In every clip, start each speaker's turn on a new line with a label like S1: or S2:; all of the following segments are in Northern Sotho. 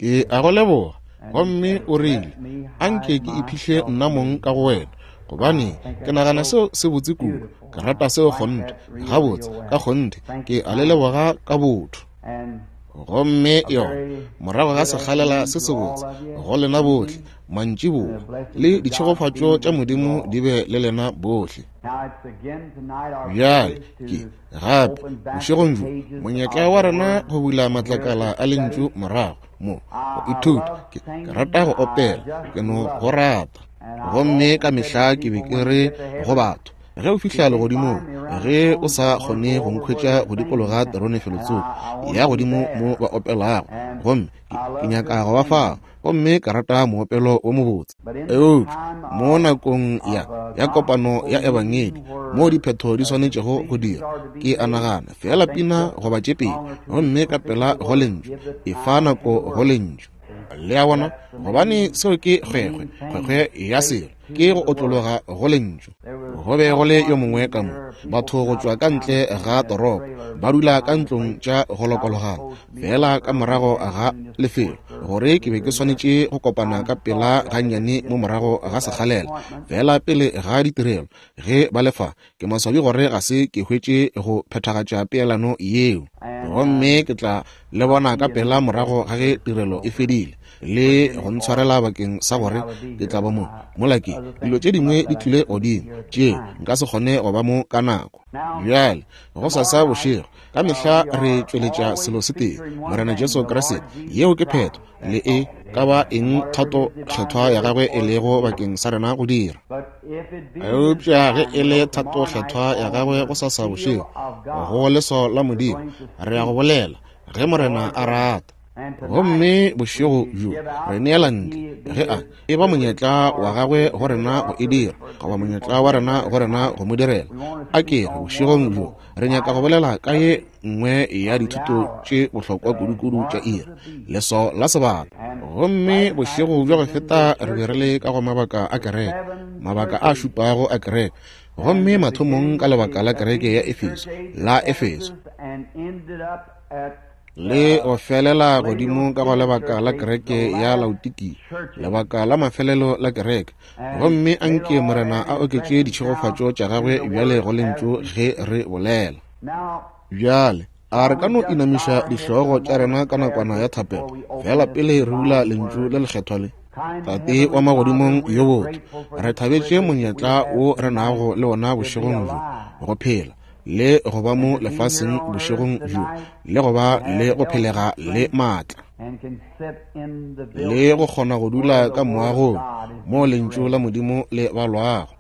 S1: Ke a go leboga. Gomme o rile, A nke ke iphihle nna mong ka go wena, gobane ke nagana seo se botse kudu. Ke rata seo kgonthe. Gabotse, ka kgonthe, ke a le leboga ka botho. Gomme yona, morago ga sekgalela se sebotse go lena bohle, mantšiboa, le ditšhegofatšo tša Modimo di be le lena bohle. Bjale ke, gape, bošegong bjo, monyetla wa rena go bula matlakala a Lentšu morago mo, go ithuta. Ke, ke rata go opela, ke no go rata. Gomme ka mehla ke be ke re go batho, ge o fihla legodimong, ge o sa kgone go nkhwetša go dikologa terone felotsoko, ya godimo mo ba opelago, gomme ke, ke nyaka go ba fao. Gomme ka rata moopelo wo mobotse. Eupša mo nakong ya, ya kopano ya Ebangedi, moo diphetho di swanetšego go dirwa, ke a nagana, feela pina goba tše pedi, gomme ka pela go Lentšu, efa nako go Lentšu. Le a bona? Gobane seo ke kgwekgwe, kgwekgwe ya selo, ke go otlologa go Lentšu. Go be go le yo mongwe ka mo, batho go tšwa ka ntle ga toropo, ba dula ka ntlong tša go lokologana, feela ka morago ga lefelo, gore ke be ke swanetše go kopana ka pela gannyane mo morago ga sekgalela, feela pele ga ditirelo, ge ba le fa. Ke maswabi gore ga se ke hwetše go phethagatša peelano yeo. Gomme ke tla le bona ka pela morago ga ge tirelo e fedile, le go ntshwarela bakeng sa gore ke tla ba mo. Mola ke, dilo tše dingwe di tlile godimo, tšeo nka se kgone go ba mo ka nako. Bjale, gosasa bošego, ka mehla re tšweletša selo se tee, Morena Jesu Kriste. Yeo ke phetho, le e ka ba eng thato kgethwa ya gagwe e lego bakeng sa rena go dira. Eupša ge e le thato kgethwa ya gagwe gosasa bošego, go leswao la Modimo, re ya go bolela, ge Morena a rata. Gomme bošego bjo re neela ntle, ge a e ba monyetla wa gagwe go rena go e dira, goba monyetla wa rena go rena go mo direla. A ke re bošegong bjo re nyaka go bolela ka ye nngwe ya dithuto tše bohlokwa kudu-kudu tša iri, leswao la sebata. Gomme bošego bjo go feta re be re le ka go mabaka a kereke, mabaka a šupago a kereke, gomme mathomong ka lebaka la kereke ya Efeso, la Efeso, le go felela godimo ka go lebaka la kereke ya Laodikia, lebaka la mafelelo la kereke. Gomme a nke Morena a oketše ditšhegofatšo tša gagwe bjale go Lentšu ge re bolela. Bjale, a re ka no inamiša dihlogo tša rena ka nakwana ya thapelo, feela pele re bula Lentšu le lekgethwa le? Tate wa magodimong yo botho, re thabetše monyetla wo re nago le wona bošegong bjo, go phela le go ba mo lefaseng bošegong bjo, le go ba le go phelega le maatla, le go kgona go dula ka moagong moo Lentšu la Modimo le balwago.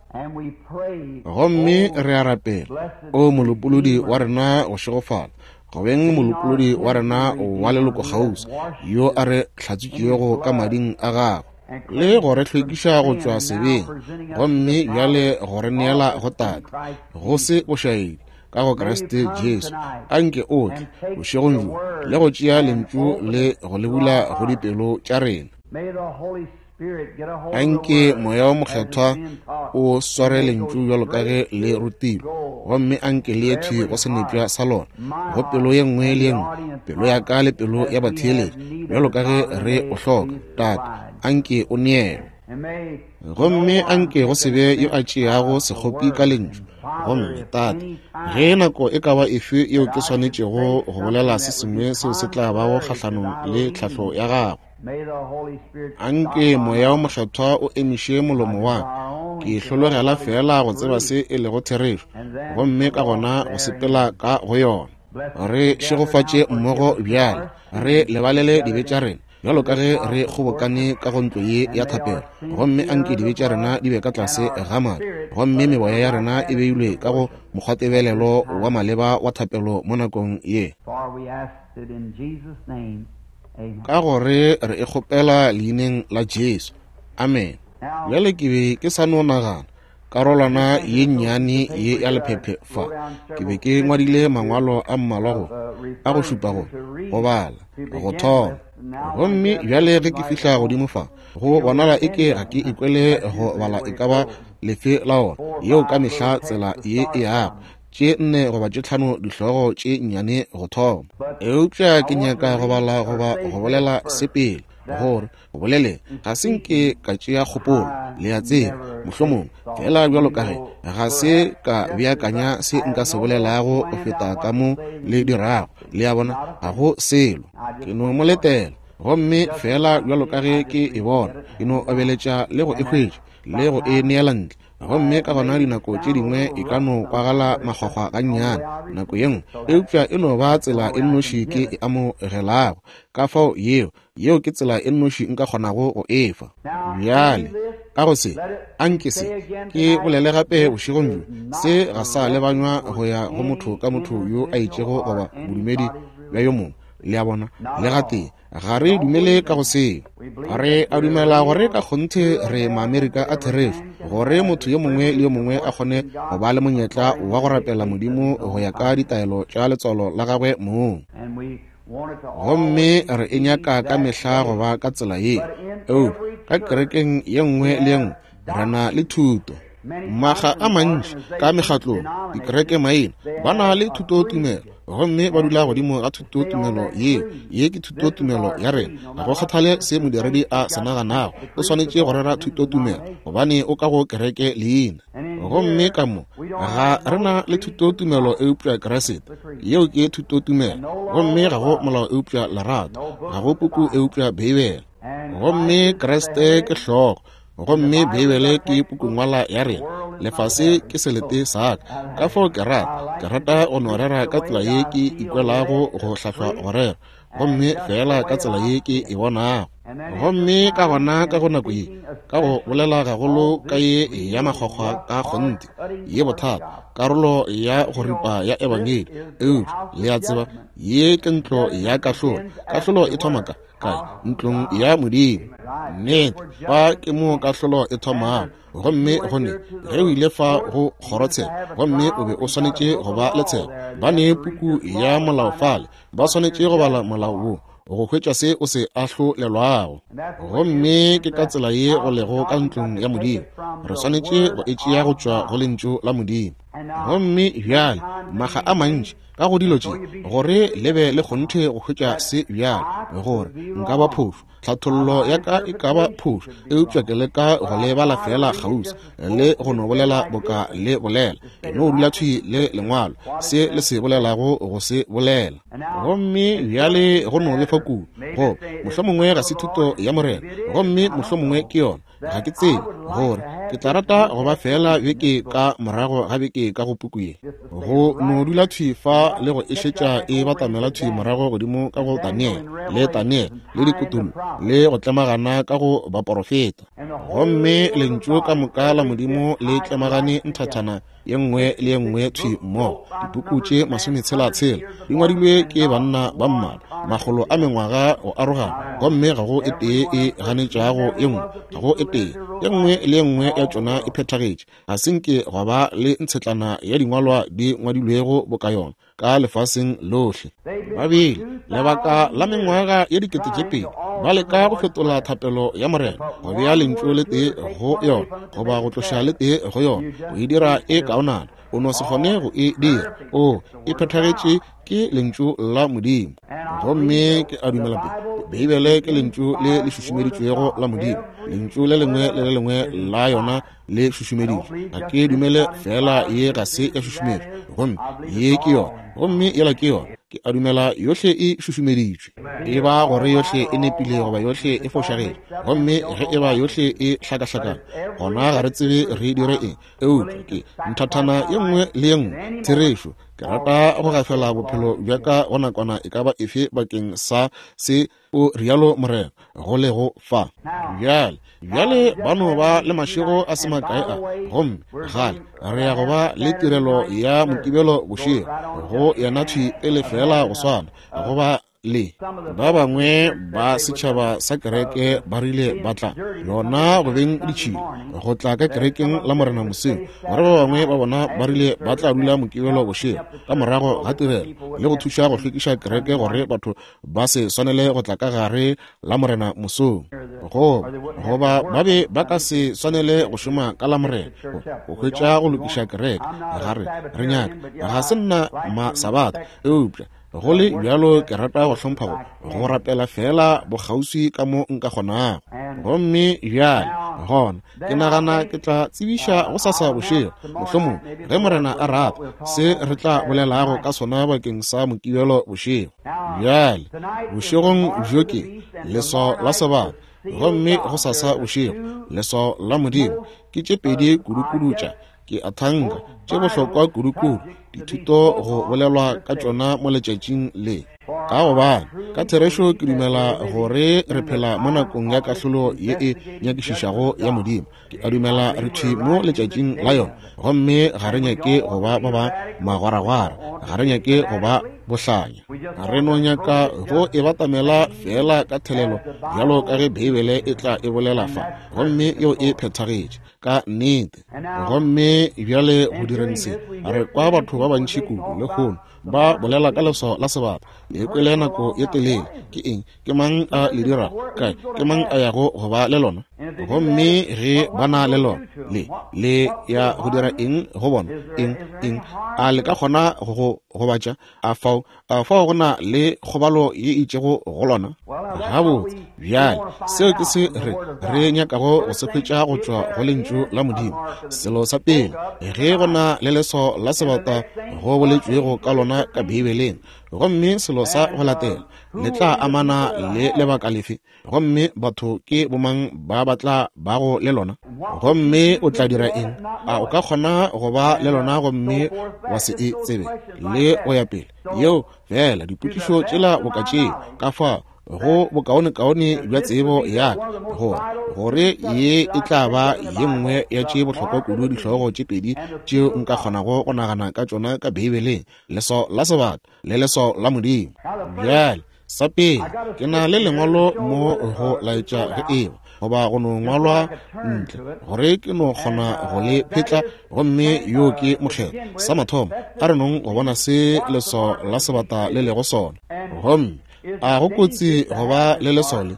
S1: Gomme re a rapela, o Molopolodi wa rena go šegofala, go beng Molopolodi wa rena wa leloko kgauswi, yo a re hlatswitšego ka mading a gagwe, le go re hlwekiša go tšwa sebeng, gomme bjale go re neela go Tate, go se bošaedi, ka go Kriste Jesu. A nke o tle bošegong bjo le go tšea Lentšu le go le bula go dipelo tša rena. A nke Moya wo Mokgethwa o sware Lentšu bjalo ka ge le rutilwe, gomme a nke le ye thwi go senepša sa lona, go pelo ye nngwe le ye nngwe, pelo ya ka le pelo ya batheeletši, bjalo ka ge re o hloka. Tate, a nke o neelwe. Gomme a nke go se be yo a tšeago sekgopi ka Lentšu. Gomme, Tate, ge nako e ka ba efe yeo ke swanetšego go bolela se sengwe seo se tla bago kgahlanong le tlhahlo ya Gago, a nke Moya wo Mokgethwa o emiše molomo wa ka. Ke hlologela feela go tseba se e lego therešo, gomme ka gona go sepela ka go yona. Re šegofatše mmogo bjale, re lebalele dibe tša rena, bjalo ka ge re kgobokane ka go ntlo ye ya thapelo. Gomme a nke dibe tša rena di be ka tlase ga madi, gomme meboya ya rena e beilwe ka go mokgwatebelelo wa maleba wa thapelo mo nakong ye. Ka gore re e kgopela leineng la Jesu. Amene. Bjale ke be ke sa no nagana, karolwana ye nnyane ye ya lephephe fa, ke be ke ngwadile mangwalo a mmalwa go, a go šupa go, go bala, go thoma. Gomme bjale ge ke fihla godimo fa, go bonala eke ga ke ikwele go bala e ka ba lefe la ona, yeo ka mehla tsela ye e yago, tše nne goba tše tlhano dihlogo tše nnyane go thoma. Eupša ke nyaka go bala goba go bolela se pele. Gore, go boleleng, ga se nke ka tšea kgopolo, le a tseba, mohlomongwe, feela bjalo ka ge ga se ka beakanya se nka se bolelago go feta ka mo le dirago, le a bona, ga go selo. Ke no mo letela, gomme feela bjalo ka ge ke e bona, ke no obeletša le go e hwetša, le go e neela ntle. Gomme ka gona dinako tše dingwe e ka no kwagala makgwakgwa gannyane nako ye nngwe, eupša e no ba tsela e nnoši ke e amogelago. Ka fao yeo, yeo ke tsela e nnoši nka kgonago go e fa. Bjale, ka go se, anke se ke bolele gape bošegong bjo, se ga sa lebanywa go ya go motho ka motho yo a itšego goba bodumedi bja yo mongwe, le a bona, le gatee. Ga re dumele ka go seo. Re a dumela gore ka kgonthe re Maamerika a therešo, gore motho yo mongwe le yo mongwe a kgone go ba le monyetla wa go rapela Modimo go ya ka ditaelo tša letswalo la gagwe mong. Gomme re e nyaka ka mehla go ba ka tsela ye. Eupša ka kerekeng ye nngwe le ye nngwe re na le thuto. Makga a mantši ka mekgatlong, dikereke maina, ba na le thutotumelo, gomme ba dula godimo ga thutotumelo yeo. Ye ke thutotumelo ya rena. Ga go kgathale se modiredi a se naganago, o swanetše go rera thutotumelo, gobane o ka go kereke leina. Gomme ka mo ga re na le thutotumelo eupša Kriste. Yeo ke thutotumelo. Gomme ga go molao eupša lerato, ga go puku eupša Beibele. Gomme Kriste ke hlogo, gomme Beibele ke pukungwala ya rena. Lefase ke selete sa ka. Ka fao ke rata, ke rata go no rera ka tsela ye ke ikwelago go hlahlwa go rera, gomme feela ka tsela ye ke e bonago. Gomme ka gona ka go nako ye, ka go bolela gagolo ka ye ya makgwakgwa ka kgonthe, ye bothata, karolo ya go ripa ya Ebangedi, eupša le a tseba, ye ke ntlo ya kahlolo. Kahlolo e thoma ka kae? Ntlong ya Modimo. Nnete, fa ke mo kahlolo e thomago. Gomme go ne, ge o ile fa go kgorotsheko, gomme o be o swanetše go ba le tsheko, ba ne puku ya molao fale, ba swanetše go bala molao wo go hwetša se o se ahlolelwago. Gomme ke ka tsela ye go lego ka ntlong ya Modimo. Re swanetše go e tšea go tšwa go Lentšu la Modimo. Gomme bjale, makga a mantši, ka go dilo tše, gore le be le kgonthe go hwetša se bjale, gore nka ba phošo, tlhathollo ya ka e ka ba phošo, eupša ke leka go le bala feela kgauswi le go no bolela boka le bolela. Ke no dula thwi le Lengwalo, se le se bolelago go se bolela. Gomme bjale go no lefa kudu, goba mohlomongwe ga se thuto ya Morena, gomme mohlomongwe ke yona, ga ke tsebe, gore ke tla rata go ba feela beke ka morago ga beke ka go puku ye, go no dula thwi fa le go e šetša e batamela thwi morago godimo ka go Daniel le Daniel le dikutullo le go tlemagana ka go baporofeta. Gomme Lentšu ka moka la Modimo le tlemagane nthathana ye nngwe le ye nngwe thwi mmogo. Dipuku tše masometshela-tshela di ngwadilwe ke banna ba mmalwa, makgolo a mengwaga go arogana, gomme ga go e tee e ganetšago ye nngwe, ga go e tee. Ye nngwe le ye nngwe ya tšona e phethagetše. Ga se nke gwa ba le ntshetlana ya dingwalwa di ngwadilwego boka yona ka lefaseng lohle. Ba bile lebaka la mengwaga ye 2000 ba leka go fetola thapelo ya Morena, go bea lentšu le tee go yona goba go tloša le tee go yona, go e dira e kaonana. O no se kgone go e dira. O e phethagetše, ke Lentšu la Modimo. Gomme ke a dumela Beibele ke Lentšu le le šušumeditšwego la Modimo. Lentšu le lengwe le le lengwe la yona le šušumeditšwe. Ga ke dumele feela ye ga se ya šušumetšwa, gomme ye ke yona, gomme yela ke yona. Ke a dumela yohle e šušumeditšwe, e ba gore yohle e nepile goba yohle e fošagetše. Gomme ge e ba yohle e hlakahlakane, gona ga re tsebe re dire eng. Eupša ke nthathana ye nngwe le ye nngwe therešo. Ke rata go gafela bophelo bja ka go nakwana e ka ba efe bakeng sa se, o rialo Morena, go lego fa. Bjale, bjale ba no ba le mašego a se makae a, gomme gale re ya go ba le tirelo ya Mokibelo bošego, go yena thwi pele feela go swana, go ba le ba bangwe ba setšhaba sa kereke ba rile ba tla yona go beng ditšhila go tla ka kerekeng la Morena moseng, gore ba bangwe ba bona ba rile ba tla dula Mokibelo bošego ka morago ga tirelo le go thuša go hlwekiša kereke gore batho ba se swanele go tla ka gare la Morena mosong, go goba ba be ba ka se swanele go šoma ka la Morena go hwetša go lokiša kereke. Ga re re nyaka, ga se nna ma Sabatha, eupša Go le bjalo ke rata go hlompha go rapela feela bokgauswi ka mo nka kgonago. Gomme bjale gona ke nagana ke tla tsebiša gosasa bošego, mohlomong, ge Morena a rata, se re tla bolelago ka sona bakeng sa Mokibelo bošego. Bjale bošegong bjo ke leswao la sebata, gomme gosasa bošego leswao la Modimo. Ke tše pedi kudukudu tša, ke a thanka, tše bohlokwa kudukudu dithuto go bolelwa ka tšona mo letšatšing le, ka gobane ka therešo ke dumela gore re phela mo nakong ya kahlolo ye e nyakišišago ya Modimo. Ke a dumela re thwi mo letšatšing la yona, gomme ga re nyake go ba ba ba magwaragwara, ga re nyake go ba bohlanya, re no nyaka go e batamela feela ka thelelo bjalo ka ge Beibele e tla e bolela fa, gomme yeo e phethagetše ka nnete. Gomme bjale go direng se, re kwa batho ba bantši kudu lehono ba bolela ka leswao la sebata. Le kwele nako ye telele. Ke eng? Ke mang a le dirago? Kae? Ke mang a yago go ba le lona? Gomme ge ba na le lona, le le ya go dira eng go bona? Eng? Eng? A le ka kgona go go gobatša? A fao, a fao go na le kgobalo ye itšego go lona? Gabotse, bjale seo ke se re re nyakago go se hwetša go tšwa go Lentšu la Modimo. Selo sa pele, ge go na le leswao la sebata go boletšwego ka lona ka Beibeleng, gomme selo sa go latela le tla amana le lebaka lefe, gomme batho ke bomang ba ba tla bago le lona, gomme o tla dira eng? A o ka kgona go ba le lona gomme wa se e tsebe, le go ya pele? Yeo fela dipotšišo tšela boka tšeo, ka fa go bokaonekaone bja tsebo ya ka, gore gore ye e tla ba ye nngwe ya tše bohlokwa kudu dihlogo tše pedi tšeo nka kgonago go nagana ka tšona ka Beibeleng, leswao la sebata le leswao la Modimo. Bjale, sa pele, ke na le lengwalo mo go laetša ge eba goba go no ngwalwa ntle gore ke no kgona go le phetla, gomme yo ke mokgethwa. Sa mathomo, a re nong go bona se leswao la sebata le lego sona. Gomme a go kotsi go ba le leswao le?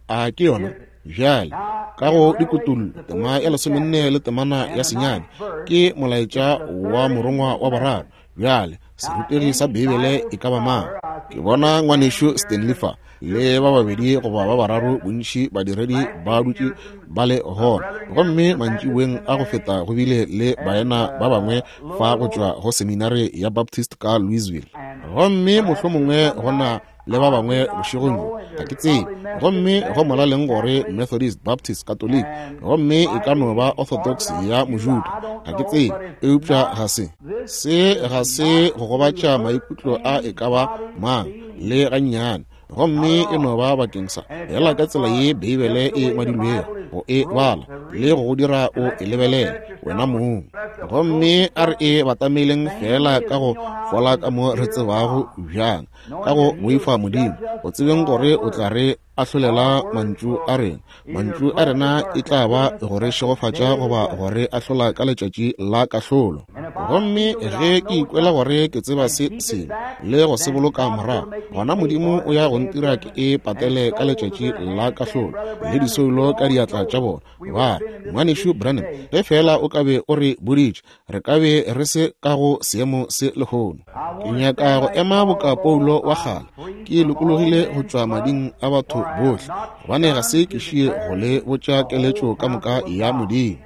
S1: A ke yona? Bjale, ka go dikutullo, tema ya 14 le temana ya 9, ke molaetša wa morongwa wa boraro. Bjale, serutegi sa Beibele e ka ba mang? Ke bona ngwanešu Stanley fa, le ba babedi goba ba bararo bontši badiredi ba dutše ba le gona. Gomme mantšiboeng a go feta go bile le baena ba bangwe fa go tšwa go seminare ya Baptist ka Louisville. Gomme mohlomongwe go na le ba bangwe bošegong bjo, ga ke tsebe. Gomme go molaleng gore Methodist, Baptist, Catholic, gomme e ka no ba Orthodox ya Mojuda, ga ke tsebe. Eupša ga se, se ga se go gobatša maikutlo a e ka ba mang, le gannyane. Gomme e no ba bakeng sa, feela ka tsela ye Beibele e ngwadilwego, go e bala le go go dira o e lebelele wena mong. Gomme a re e batameleng feela ka go fola ka mo re tsebago bjang, ka go boifa Modimo, go tsebeng gore o tla re ahlolela mantšu a rena. Mantšu a rena e tla ba go re šegofatša goba go re ahlola ka letšatši la kahlolo. Gomme ge ke ikwela gore ke tseba se sengwe le go se boloka morago, gona Modimo o ya go ntira ke e patele ka letšatši la kahlolo, le disoulo ka diatla tša bona. Ba re, Ngwanešu Branham, ge feela o ka be o re boditše, re ka be re se ka go seemo se lehono. Ke nyaka go ema boka Paulo wa kgale, ke lokologile go tšwa mading a batho bohle, gobane ga se ke šie go le botša keletšo ka moka ya Modimo.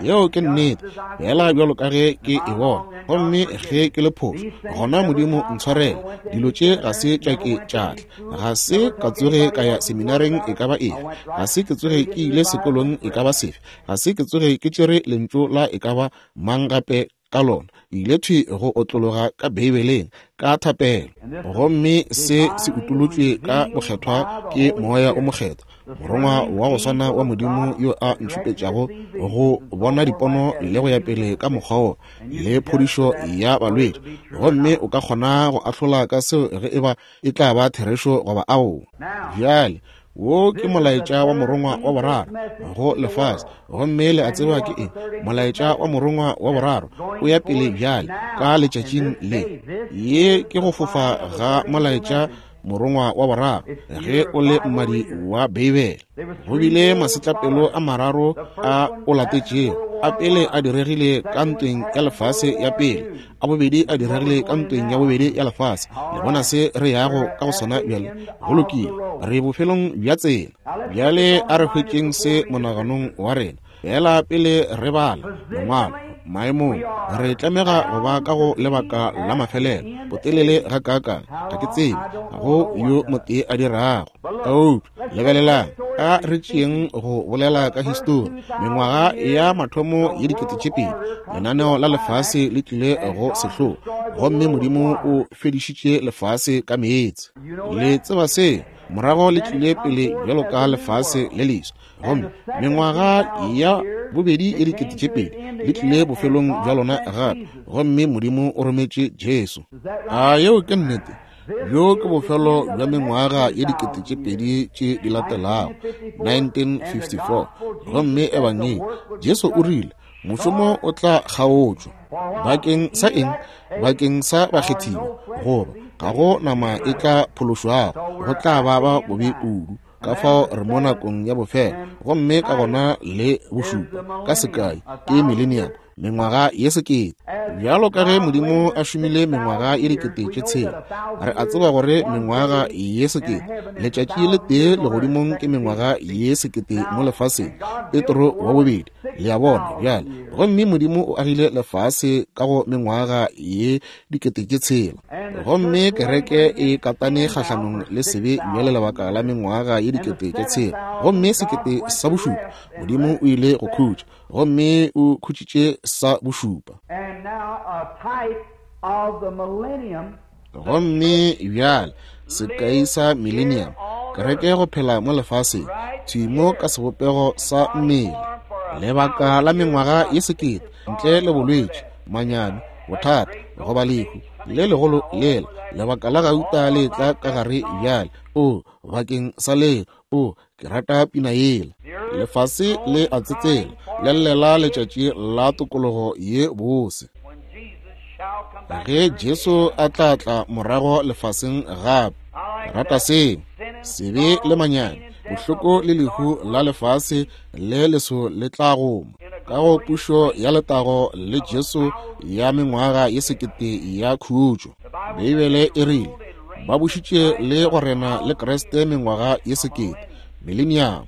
S1: Yeo ke nnete, feela bjalo ka ge ke e bona. Gomme ge ke le phošo, gona Modimo ntshwarele. Dilo tše ga se tša ke tša tla. Ga se ka tsoge ka ya seminareng e ka ba efe, ga se ke tsoge ke ile sekolong e ka ba sefe, ga se ke tsoge ke tšere lentšu la e ka ba mang gape ka lona. Ke ile thwi go otlologa ka Beibeleng ka thapelo, gomme se se utolotšwe ka bokgethwa ke Moya o Mokgethwa, morongwa wa go swana wa Modimo yo a ntšhupetšago go bona dipono le go ya pele ka mokgwa wo, le phodišo ya balwetši. Gomme o ka kgona go ahlola ka seo ge eba e tla ba therešo goba aowa. Bjale, wo ke molaetša wa morongwa wa boraro go lefase, gomme le a tseba ke eng? Molaetša wa morongwa wa boraro o ya pele bjale ka letšatšing le. Ye ke go fofa ga molaetša morongwa wa boraro ge o le mmadi wa Beibele. Go bile masetlapelo a mararo a o latetšego. A pele a diregile ka Ntweng ya Lefase ya Pele, a bobedi a diregile ka Ntweng ya Bobedi ya Lefase. Le bona se re yago ka go sona bjale? Go lokile, re bofelong bja tsela. Bjale a re hwetšeng se monaganong wa rena. Feela pele re bala Lengwalo, maemong, re tlamega go ba ka go lebaka la mafelelo. Botelele gakaakang, ga ke tsebe, ga go yo motee a dirago. Eupša, lebelelang, a re tšeeng go bolela ka histori. Mengwaga ya mathomo ye 2000, lenaneo la lefase le tlile go sehloa, gomme Modimo o fedišitše lefase ka meetse. Le tseba seo. Morago le tlile pele bjalo ka lefase le leswa. Gomme mengwaga ya bobedi ye 2000 le tlile bofelong bja lona gape, gomme Modimo o rometše Jesu. A yeo ke nnete? Bjo ke bofelo bja mengwaga ye 2000 tše di latelago, 1954. Gomme Ebangedi, Jesu o rile, mošomo o tla kgaotšwa. Bakeng sa eng? Bakeng sa bakgethiwa, goba ga go nama e tla phološwago, go tla ba ba bobe kudu. Ka fao re mo nakong ya bofelo, gomme ka gona le bošupa, ka sekai, ke millennium, mengwaga ye sekete. Bjalo ka ge Modimo a šomile mengwaga ye 6000, re a tseba gore mengwaga ye sekete, letšatši le tee legodimong ke mengwaga ye sekete mo lefaseng, Petro wa bobedi, le a bona bjale. Gomme Modimo o agile lefase ka go mengwaga ye 6000. Gomme kereke e katane kgahlanong le sebe bjale lebaka la mengwaga ye 6000. Gomme sekete sa bošupa, Modimo o ile go khutša, gomme o khutšitše sa bošupa. Gomme bjale sekai sa millennium, kereke go phela mo lefaseng, thwi mo ka sebopego sa mmele, lebaka la mengwaga ye sekete, ntle le bolwetši, manyami, bothata, goba lehu le legolo lela, lebaka la gauta le tla ka gare bjale. O, bakeng sa leo, o, ke rata pina yela. Lefase le a tsetsela, le llela letšatši la tokologo ye bose. Ge Jesu a tla tla morago lefaseng gape, ke rata seo. Sebe le manyami, bohloko le lehu la lefase le leso le tla goma ka go pušo ya letago le Jesu ya mengwaga ye sekete ya khutšo. Beibele e rile ba bušitše le go rena le Kriste mengwaga ye sekete, mileniamo.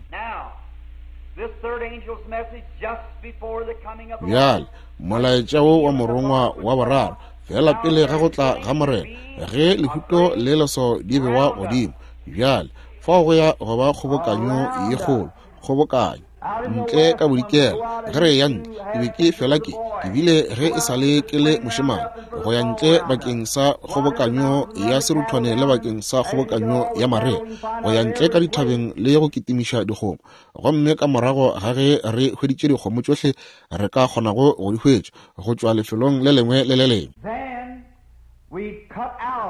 S1: Bjale molaetša wo wa morongwa wa boraro, feela pele ga go tla ga Morena, ge lehuto le leso di bewa godimo, bjale fao go ya go ba kgobokanyo ye kgolo, kgobokanyo ntle ka bodikela. Ge re ya ntle, ke be ke fela ke ke bile ge e sa le ke le mošemane, go ya ntle bakeng sa kgobokanyo ya seruthwane le bakeng sa kgobokanyo ya marea, go ya ntle ka dithabeng le go kitimiša dikgomo. Gomme ka morago ga ge re hweditše dikgomo tšohle re ka kgonago go di hwetša go tšwa lefelong le lengwe le le lengwe,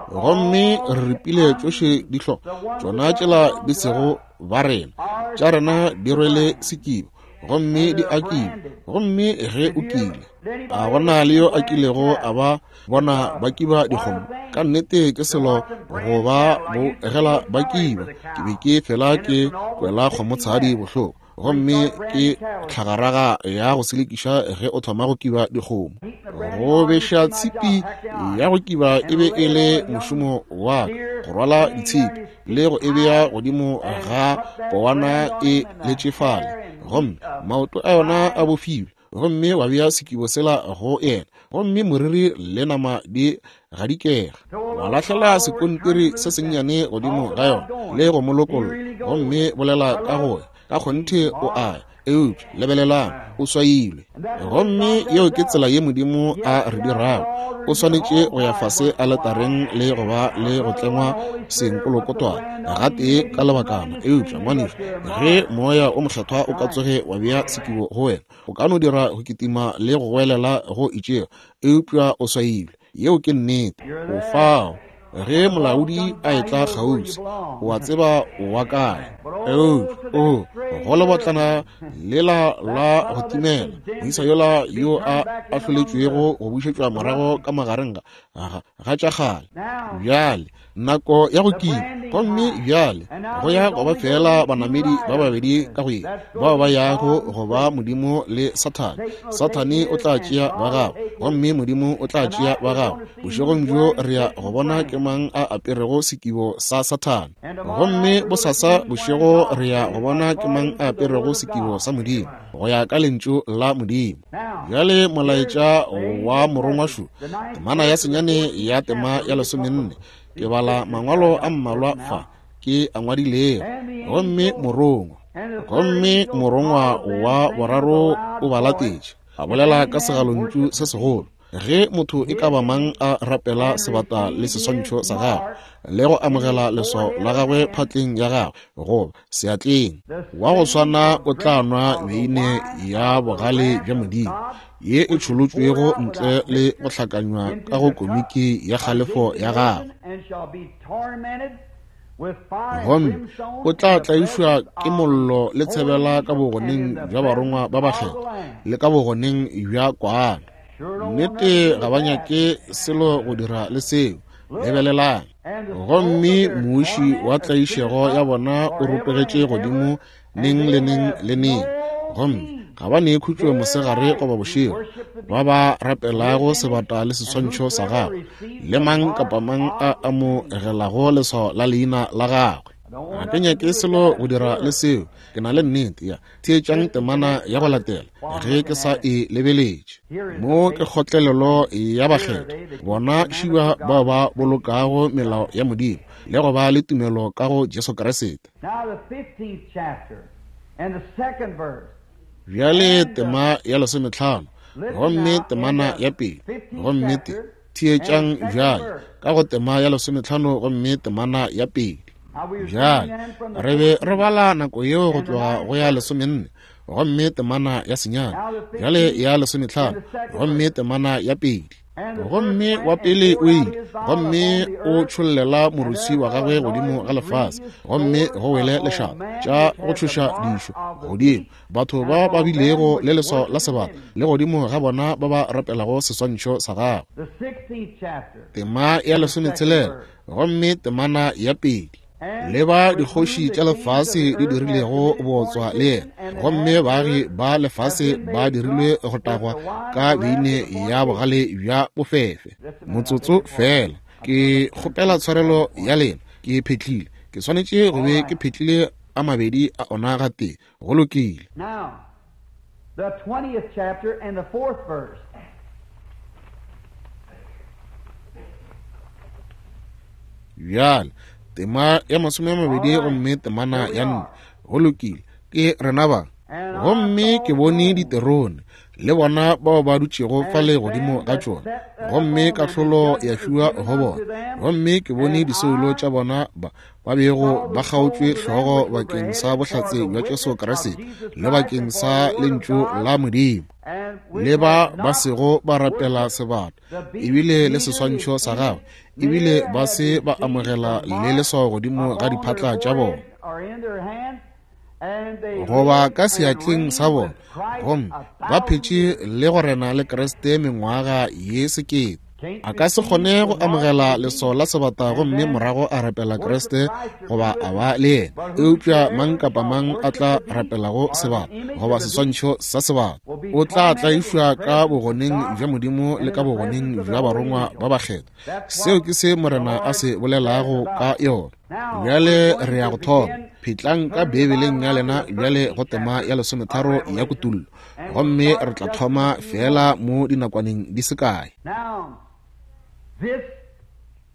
S1: gomme re ripile tšohle dihlo tšona tšela di sego ba rena, tša rena di rwele sekibo gomme di akile. Gomme ge o kile, a gona le yo a kilego a ba bona ba kiba dikgomo? Ka nnete ke selo go ba bogela ba kiba. Ke be ke fela ke kwela kgomotshadi bohloko, gomme ke tlhagaraga ya go selekiša ge o thoma go kiba dikgomo. Go beša tshipi ya go kiba e be e le mošomo wa ka, go rwala ditshipi le go e bea godimo ga powana e letše fale, gomme maoto a yona a bofilwe, gomme wa bea sekibo sela go yena, gomme moriri le nama di gadikega. Wa lahlela sekontiri se sennyane godimo ga yona le go mo lokolla, gomme bolela ka go ya ka kgonthe o a ya. Eupša lebelelang, o swailwe. Gomme yeo ke tsela ye Modimo a re dirago. O swanetše go ya fase aletareng le go ba le go tlengwa senkolokotwana gatee ka lebakana. Eupša ngwanešu, ge Moya o Mokgethwa o ka tsoge wa bea sekibo go wena, o ka no dira go kitima le go goelela go itšego, eupša o swailwe. Yeo ke nnete. O fao. Ge molaodi a etla kgauswi, o a tseba o wa kae. Eupša, oo, go lebotlana lela la go timela, moisa yola yo a ahloletšwego go bušetšwa morago ka magareng ga ga tša kgale. Bjale, nako ya go kima, gomme bjale go ya go ba feela banamedi ba babedi ka go ye, bao ba yago go ba Modimo le Sathane. Sathane o tla tšea ba gagwe, gomme Modimo o tla tšea ba gagwe. Bošegong bjo re ya go bona ke mang a aperego sekibo sa Sathane, gomme bosasa bošego re ya go bona ke mang a aperego sekibo sa Modimo, go ya ka Lentšu la Modimo. Bjale molaetša wa morongwa šo, temana ya senyane ya tema ya 14. Ke bala mangwalo a mmalwa fa ke a ngwadilego. Gomme morongwa, gomme morongwa wa boraro o ba latetše, a bolela ka segalontšu se segolo, ge motho e ka ba mang a rapela sebata le seswantšho sa gagwe le go amogela leswao la gagwe phatleng ya gagwe goba seatleng, wa go swana o tla nwa beine ya bogale bja Modimo ye e tšholotšwego ntle le go hlakanywa ka go komiki ya kgalefo ya gagwe, gomme o tla tlaišwa ke mollo le tshebela ka bogoneng bja barongwa ba bakgethwa le ka bogoneng bja Kwana. Nnete ga ba nyake selo go dira le seo. Lebelelang. Gomme muuši wa tlaišego ya bona o rotogetše godimo neng le neng le neng, gomme ga ba ne khutšo mosegare goba bošego, ba ba rapelago sebata le seswantšho sa gagwe, le mang kapa mang a amogelago leswao la leina la gagwe. Ga ke nyake selo go dira le seo, ke na le nnete ya. Theetšang temana ya go latela ge ke sa e lebeletše. Mo ke kgotlelelo ya bakgethwa, bona šiba bao ba bolokago melao ya Modimo le go ba le tumelo ka go Jesu Kriste. Bjale tema ya 15, gomme temana ya pele, gomme te theetšang bjale ka go tema ya 15 gomme temana ya pele. Bjale re be re bala nako yeo go tloga go ya 14 gomme temana ya senyane, bjale ya 15 gomme temana ya pele. Gomme wa pele o ile, gomme o tšhollela moruswi wa gagwe godimo ga lefase, gomme go wele lešata tša go tšhoša dišo godimo batho ba ba bilego le leswao la sebata, le godimo ga bona ba ba rapelago seswantšho sa gagwe. Tema ya 16 gomme temana ya pele. Le ba dikgoši tša lefase di dirilego bootswa le yena, gomme baagi ba lefase ba dirilwe go tagwa ka beine ya bogale bja bofefe. Motsotso fela, ke kgopela tshwarelo ya lena, ke phetlile. Ke swanetše go be ke phetlile a mabedi a ona gatee. Go lokile.
S2: Now, the 20th chapter and the 4th verse.
S1: Bjale, tema ya 20 gomme temana ya 4. Go lokile, ke rena ba. Gomme ke bone diterone le bona bao ba dutšego fale godimo ga tšona, gomme kahlolo ya fiwa go bona. Gomme ke bone disoulo tša bona ba ba bego ba kgaotšwe hlogo bakeng sa bohlatse bja Jesu Kriste le bakeng sa lentšu la Modimo, le ba ba sego ba rapela sebata ebile le seswantšho sa gagwe, ebile ba se ba amogela le leswao godimo ga diphatla tša bona goba ka seatleng sa bona, gomme ba phetše le go rena le Kriste mengwaga ye 1000. A ka se kgone go amogela leswao la sebata gomme morago a rapela Kriste goba a ba le yena, eupša mang kapa mang a tla rapelago sebata goba seswantšho sa sebata o tla tlaišwa ka bogoneng bja Modimo le ka bogoneng bja barongwa ba bakgethwa. Seo ke se Morena a se bolelago ka yona. Bjale re ya go thoma. Phetlang ka Beibeleng ya lena bjale go tema ya 13 ya Kutullo, gomme re tla thoma feela mo dinakwaneng di se kae.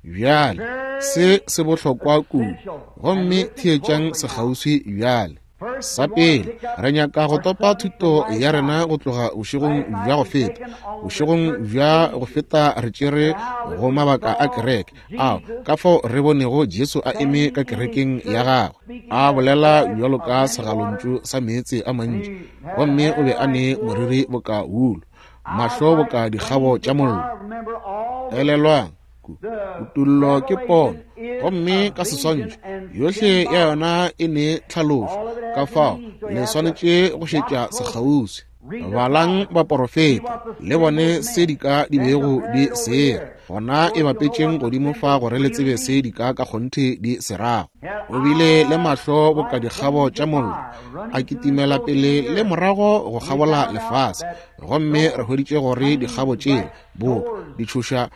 S1: Bjale se se bohlokwa kudu, gomme theetšang sekgauswi bjale. Sa pele, re nyaka go topa thuto ya rena go tloga bošegong bja go feta. Bošegong bja go feta re tšere go mabaka a kereke ao ka fao re bonego Jesu a eme ka kerekeng ya gagwe, a bolela bjalo ka segalontšu sa meetse a mantši, gomme o be a ne moriri boka wulu, mahlo boka dikgabo tša mollo. Elelwang, Kutollo ke pono, gomme ka seswantšho, yohle ya yona e ne tlhalošo, ka fao le swanetše go šetša sekgauswi. Balang baporofeta, le bone se dika di bego di sera, gona e bapetšeng godimo fa gore le tsebe se dika ka kgonthe di se rago. O bile le mahlo boka dikgabo tša mollo, a kitimela pele le morago go kgabola lefase, gomme re hweditše gore dikgabo tšela boka ditšhoša,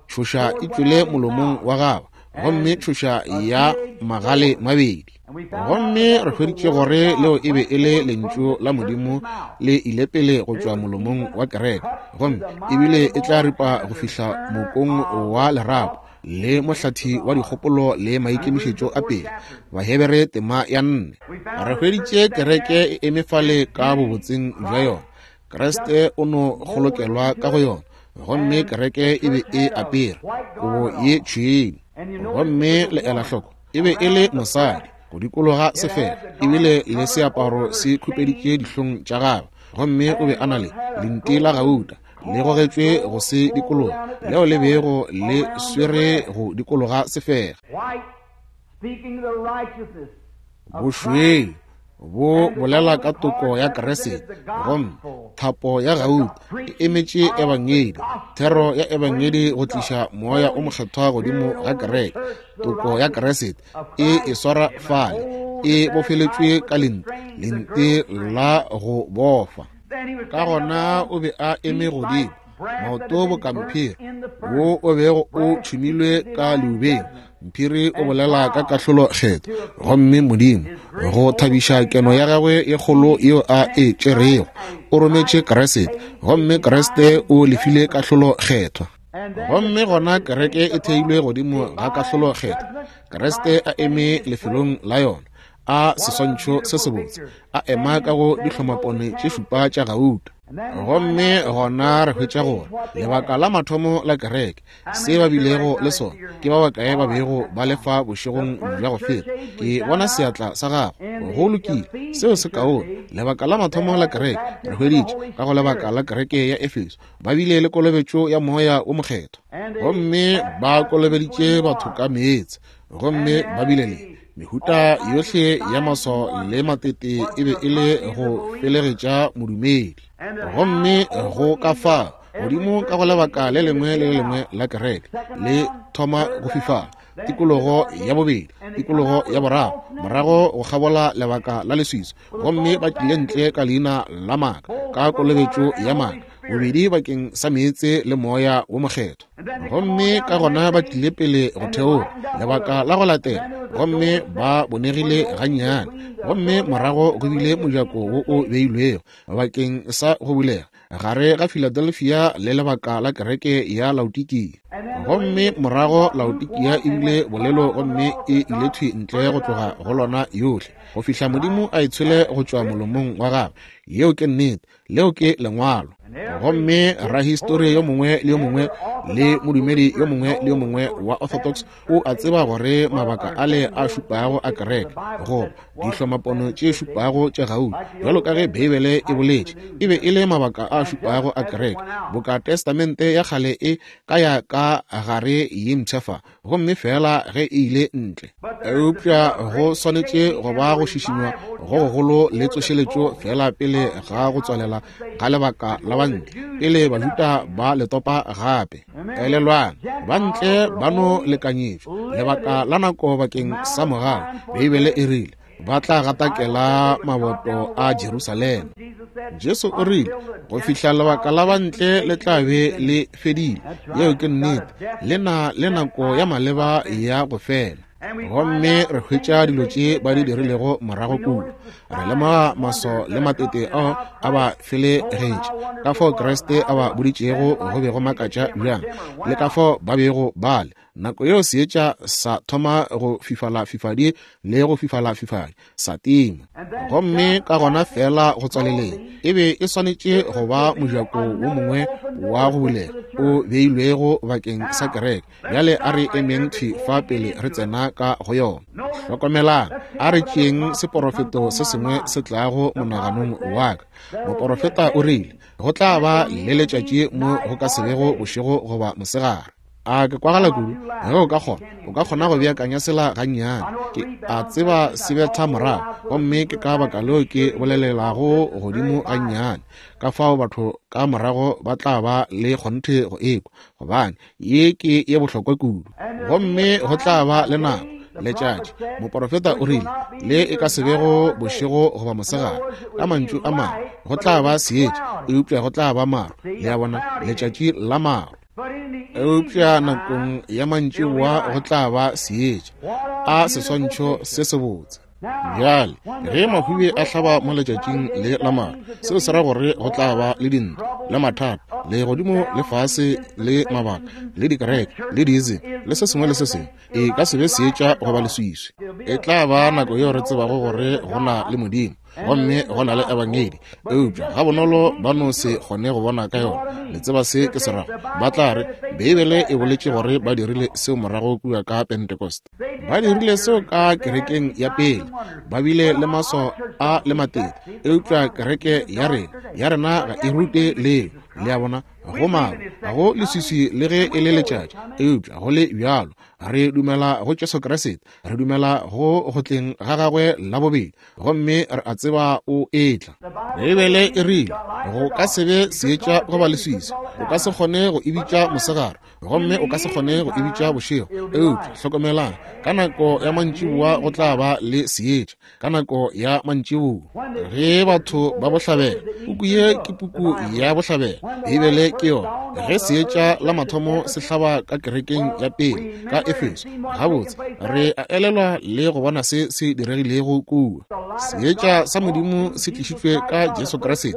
S1: tšhoša e tšwele molomong wa gagwe, gomme tšhoša ya magale mabedi. Gomme re hweditše gore leo e be e le Lentšu la Modimo le ile pele go tšwa molomong wa kereke, gomme ebile e tla ripa go fihla mokong wa lerapo le mohlathi wa dikgopolo le maikemišetšo a pele. Bahebere tema ya 4. Re hweditše kereke e eme fale ka bobotseng bja yona. Kriste o no kgolokelwa ka go yona, gomme kereke e be e apere kobo ye tšhweu. Gomme le ela hloko, e be e le mosadi go dikologa sefela, ebile le seaparo se khupeditše dihlong tša gagwe, gomme o be a na le lenti la gauta le gogetšwe go se dikologa, leo le bego le swere go dikologa sefega. Bošweu bo bolela ka toko ya Kriste, gomme thapo ya gauta e emetše ebangedi, thero ya ebangedi go tliša moya o mokgethwa godimo ga kereke. Toko ya Kriste e e swara fale, e bofeletšwe ka lenti, lenti la go bofa. Ka gona o be a eme godimo, maoto boka mphiri wo o bego o tšhumilwe ka leubeng. Mphiri o bolela ka kahlolo kgetho, gomme Modimo, go thabiša keno ya gagwe ye kgolo yeo a e tšerego, o rometše Kriste, gomme Kriste o lefile kahlolo kgethwa. Gomme gona kereke e theilwe godimo ga kahlolo kgethwa, Kriste a eme lefelong la yona, a seswantšho se sebotse, a ema ka go dihlomapone tše šupa tša gauta. Gomme gona re hwetša gore lebaka la mathomo la kereke, se ba bilego le sona, ke ba bakae ba bego ba le fa bošegong bja go feta? Ke bona seatla sa gago. Go lokile, seo se kaone. Lebaka la mathomo la kereke, re hweditše ka go lebaka la kereke ya Efeso, ba bile le kolobetšo ya Moya wo Mokgethwa, gomme ba kolobeditše batho ka meetse, gomme ba bile le mehuta yohle ya maswao le matete, e be e le go felegetša modumedi. Gomme go ka fa godimo ka go lebaka le lengwe le le lengwe la kereke le thoma go fifala, tikologo ya bobedi, tikologo ya boraro, morago go kgabola lebaka la leswiswi, gomme ba tlile ntle ka leina la maaka, ka kolobetšo ya maaka, bobedi bakeng sa meetse le Moya wo Mokgethwa. Gomme ka gona ba tlile pele go theoga lebaka la go latela, gomme ba bonegile gannyane, gomme morago go bile mojako wo o beilwego bakeng sa go bulega gare ga Philadelphia le lebaka la kereke ya Laodikia. Gomme morago Laodikia e bile bolelo, gomme e ile thwi ntle go tloga go lona yohle, go fihla Modimo a e tshwele go tšwa molomong wa gagwe. Yeo ke nnete. Leo ke Lengwalo. Gomme rahistori yo mongwe le yo mongwe le modumedi yo mongwe le yo mongwe wa Orthodox o a tseba gore mabaka ale a šupago a kereke, goba dihlomapono tše šupago tša gauta, bjalo ka ge Beibele e boletše, e be e le mabaka a šupago a kereke, boka Testamente ya Kgale e ka ya ka gare ye mpsha fa, gomme feela ge e ile ntle. Eupša go swanetše go ba go šišinywa go gogolo le tsošeletšo feela pele ga go tswalela ga lebaka la bantle, pele Bajuda ba le topa gape. Elelwang, bantle ba no lekanyetšwa lebaka la nako bakeng sa mogau. Beibele e rile ba tla gatakela maboto a Jerusalema. Jesu o rile go fihla lebaka la bantle le tla be le fedile. Yeo ke nnete. Le na le nako ya maleba ya go fela. Gomme re hwetša dilo tše ba di dirilego morago kua. Re lemoga maso le matete ao a ba felegetše, ka fao Kriste a ba boditšego go be go makatša bjang, le ka fao ba bego ba le. Nako yeo seetša sa thoma go fifala fifadi le go fifala fifadi, sa tima. Gomme ka gona feela go tswaleleng, e be e swanetše go ba mojako wo mongwe wa go bulega o beilwego bakeng sa kereke. Bjale a re emeng thwi fa pele re tsena ka go yona. Hlokomelang, a re tšeeng seporofeto se sengwe se tlago monaganong wa ka. Moporofeta o rile, Go tla ba le letšatši mo go ka se bego bošego goba mosegare. A ke kwagala kudu? Ge o ka kgona, o ka kgona go beakanya sela gannyane. Ke a tseba se betha morago, gomme ke ka baka leo ke bolelelago godimo gannyane. Ka fao batho ka morago ba tla ba le kgonthe go ekwa, gobane ye ke ye bohlokwa kudu. Gomme go tla ba le nako, letšatši, moporofeta o rile, le e ka se bego bošego goba mosegare. Ka mantšu a mangwe, go tla ba seetša, eupša go tla ba maru. Le a bona, letšatši la maru. Eupša nakong ya mantšiboa go tla ba seetša. A seswantšho se sebotse. Bjale, ge mahube a hlaba mo letšatšing le la maru, seo se ra gore go tla ba le dintwa le mathata, le godimo le fase, le mabaka, le dikereke, le diizi, le se sengwe le se sengwe. E ka se be seetša goba leswiswi. E tla ba nako yeo re tsebago gore go na le Modimo gomme go na le ebangedi, eupša gabonolo ba no se kgone go bona ka yona. Le tseba se ke se rago? Ba tla re, Beibele e boletše gore ba dirile seo morago kua ka Pentecost. Ba dirile seo ka kerekeng ya pele. Ba bile le maswao a le matete, eupša kereke ya rena, ya rena ga e rute leo. Le a bona? Go maru, ga go leswiswi le ge e le letšatši, eupša go le bjalo re dumela go Jesu Kriste, re dumela go go tleng ga gagwe la bobedi, gomme re a tseba o etla. Beibele e rile go ka se be seetša goba leswiswi, o ka se kgone go e bitša mosegare, gomme o ka se kgone go e bitša bošego. Eupša hlokomelang, ka nako ya mantšiboa go tla ba le seetša, ka nako ya mantšiboa ge batho ba bohlabela. Puku ye ke puku ya bohlabela, Beibele ke yona. Ge seetša la mathomo se hlaba ka kerekeng ya pele ka Efeso, gabotse re a elelwa le go bona se se diregilego kua. Seetša sa Modimo se tlišitšwe ka Jesu Kriste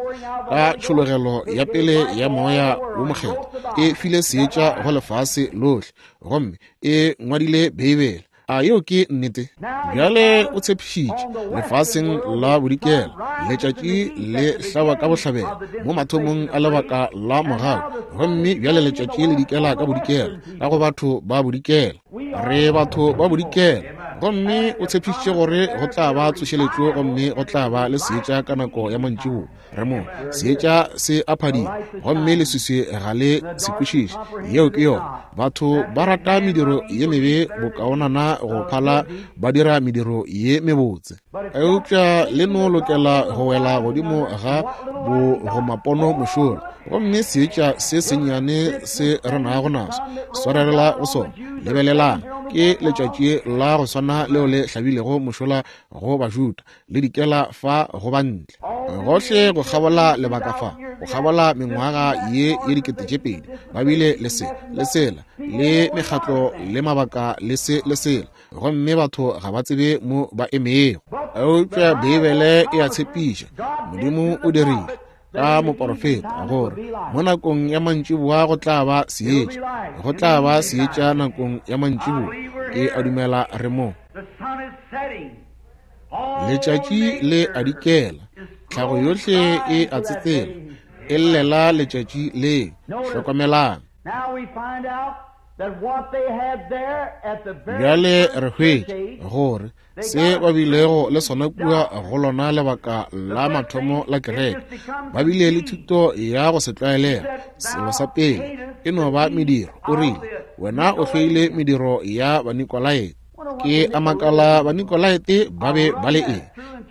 S1: ka tšhologelo ya pele ya Moya wo Mokgethwa, e file seetša go lefase lohle, gomme e ngwadile Beibele. A yeo ke nnete? Bjale o tshepišitše lefaseng la bodikela, letšatši le hlaba ka bohlabela mo mathomong a lebaka la mogau, gomme bjale letšatši le dikela ka bodikela, ka go batho ba bodikela. Re batho ba bodikela, gomme o tshepišitše gore go tla ba tsošeletšo gomme go tla ba le seetša ka nako ya mantšiboa. Re mo, seetša se a phadima, gomme leswiswi ga le se kwešiše. Yeo ke yona. Batho ba rata mediro ye mebe bokaonana go phala ba dira mediro ye mebotse. Eupša le no lokela go wela godimo ga bogomapono mošola, gomme seetša se sennyane se re nago naso, swarelela go sona. Lebelelang, ke letšatši la go swana leo le hlabilego mošola go Bajuda, le dikela fa go ba ntle gohle go kgabola lebaka fa, go kgabola mengwaga ye ye 2000, ba bile le se le sela, le mekgatlo le mabaka le se le sela, gomme batho ga ba tsebe mo ba emego. Eupša Beibele e a tshepiša, Modimo o dirile ka moporofeta gore mo nakong ya mantšiboa go tla ba seetša, go tla ba seetša nakong ya mantšiboa. Ke a dumela re mo. Letšatši le a dikela, tlhago yohle e a tsetsela, e llela letšatši le. Hlokomelang. Bjale re hwetša gore se ba bilego le sona kua go lona lebaka la mathomo la kereke, ba bile le thuto ya go se tlwaelega. Selo sa pele e no ba mediro. O rile, wena o hloile mediro ya Banikolaete. Ke a makala Banikolaete ba be ba le eng?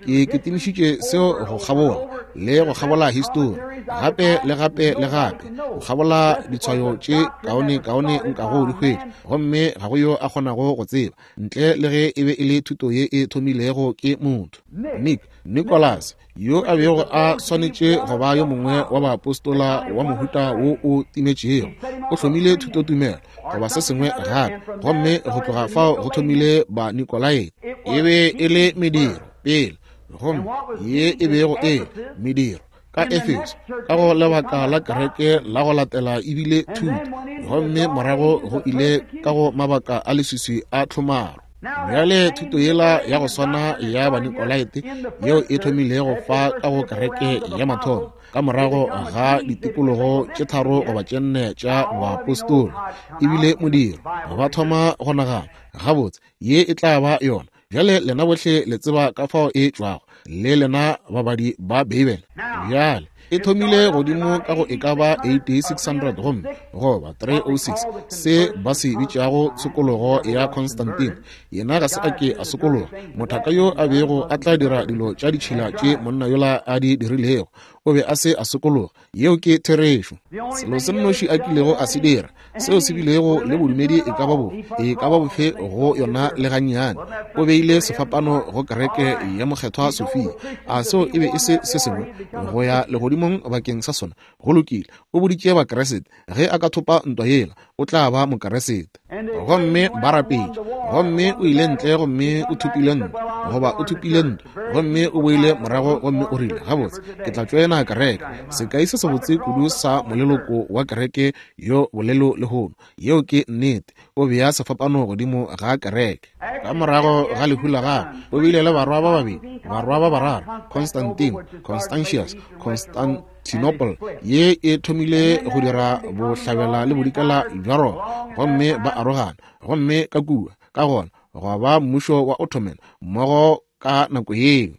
S1: Ke kitimišitše seo go kgabola le go kgabola histori, gape le gape le gape, go kgabola ditshwayo tše kaone kaone nkago di hwetša, gomme ga go yo a kgonago go tseba ntle le ge e be e le thuto ye e thomilego ke motho. Nick, Nicholas, yo a bego a swanetše go ba yo mongwe wa baapostola wa mohuta wo o timetšego, o hlomile thutotumelo goba se sengwe gape, gomme go tloga fao go thomile Banikolaete. E be e le mediro pele, gomme ye e bego e mediro ka Efeso ka go lebaka la kereke la go latela ebile thuto, gomme morago go ile ka go mabaka a leswiswi a tlhomaro. Bjale thuto yela ya go swana ya Banikolaete yeo e thomilego fa ka go kereke ya mathomo ka morago ga ditikologo tše 3 goba tše 4 tša boapostola, ebile modiro ba thoma go nagana gabotse ye e tla ba yona. Bjale lena bohle le tseba ka fao e tšwago, le lena babadi ba Beibele. Bjale E thomile godimo ka go e ka ba AD 600 gomme goba 306, se ba se bitšago tshokologo ya Constantine. Yena ga se a ke a sokologa, mothaka yo a bego a tla dira dilo tša ditšhila tše monna yola a di dirilego. O be a se a sokologa. Yeo ke therešo. Selo se nnoši a kilego a se dira, seo se bilego le bodumedi e ka ba bo e ka ba bofe go yona le gannyane, o beile sefapano go kereke ya Mokgethwa Sofia. A seo e be e se se sengwe go ya legodimong bakeng sa sona? Go lokile. O boditše Bakeresete, ge a ka thopa ntwa yela, o tla ba Mokeresete. Gomme ba rapetše. Gomme o ile ntle gomme o thopile ntwa, goba o thopile ntwa, gomme o boile morago gomme o rile, Gabotse, ke tla tšoena kereke. Sekai se sebotse kudu sa moleloko wa kereke yo bolelo lehono. Yeo ke nnete. O bea sefapano godimo ga kereke. Ka morago ga lehu la gagwe, o bile le barwa ba babedi, barwa ba bararo, Constantine, Constantius, Constantinople, ye e thomile go dira bohlabela le bodikela bja Roma, gomme ba arogana, gomme ka kua, ka gona, gwa ba mmušo wa Ottoman mmogo ka nako yeo.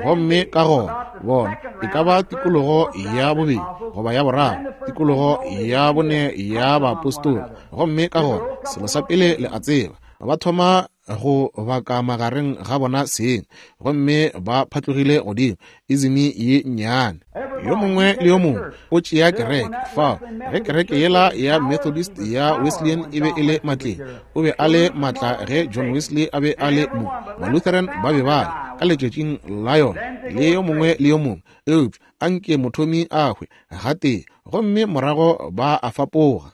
S1: Gomme ka gona, bona, e ka ba tikologo ya bobedi goba ya boraro, tikologo ya bone ya baapostola. Gomme ka gona, selo sa pele le a tseba, ba thoma go baka magareng ga bona seng, gomme ba phatlogile godimo izimi ye nnyane. Yo mongwe le yo mongwe o tšea kereke. Fao ge kereke yela ya Methodist ya Wesleyan e be e le matleng, o be a le matla ge John Wesley a be a le mo, Malutheran ba be ba le ka letšatšing la yona, le yo mongwe le yo mongwe. Eupša a nke mothomi a hwe gatee, gomme morago ba a fapoga.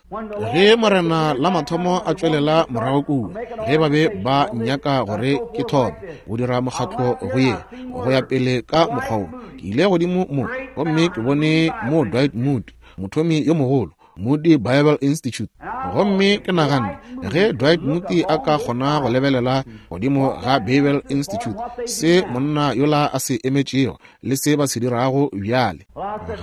S1: Ge Morena la mathomo a tšwelela morago kua, ge ba be ba nyaka gore ke thome go dira mokgatlo go ye go ya pele ka mokgwa wo, ke ile godimo mo gomme ke bone mo Dwight Moody, mothomi yo mogolo, Moody Bible Institute. Gomme ke naganne, ge Dwight Moody a ka kgona go lebelela godimo ga Bible Institute, se monna yola a se emetšego le se ba se dirago bjale.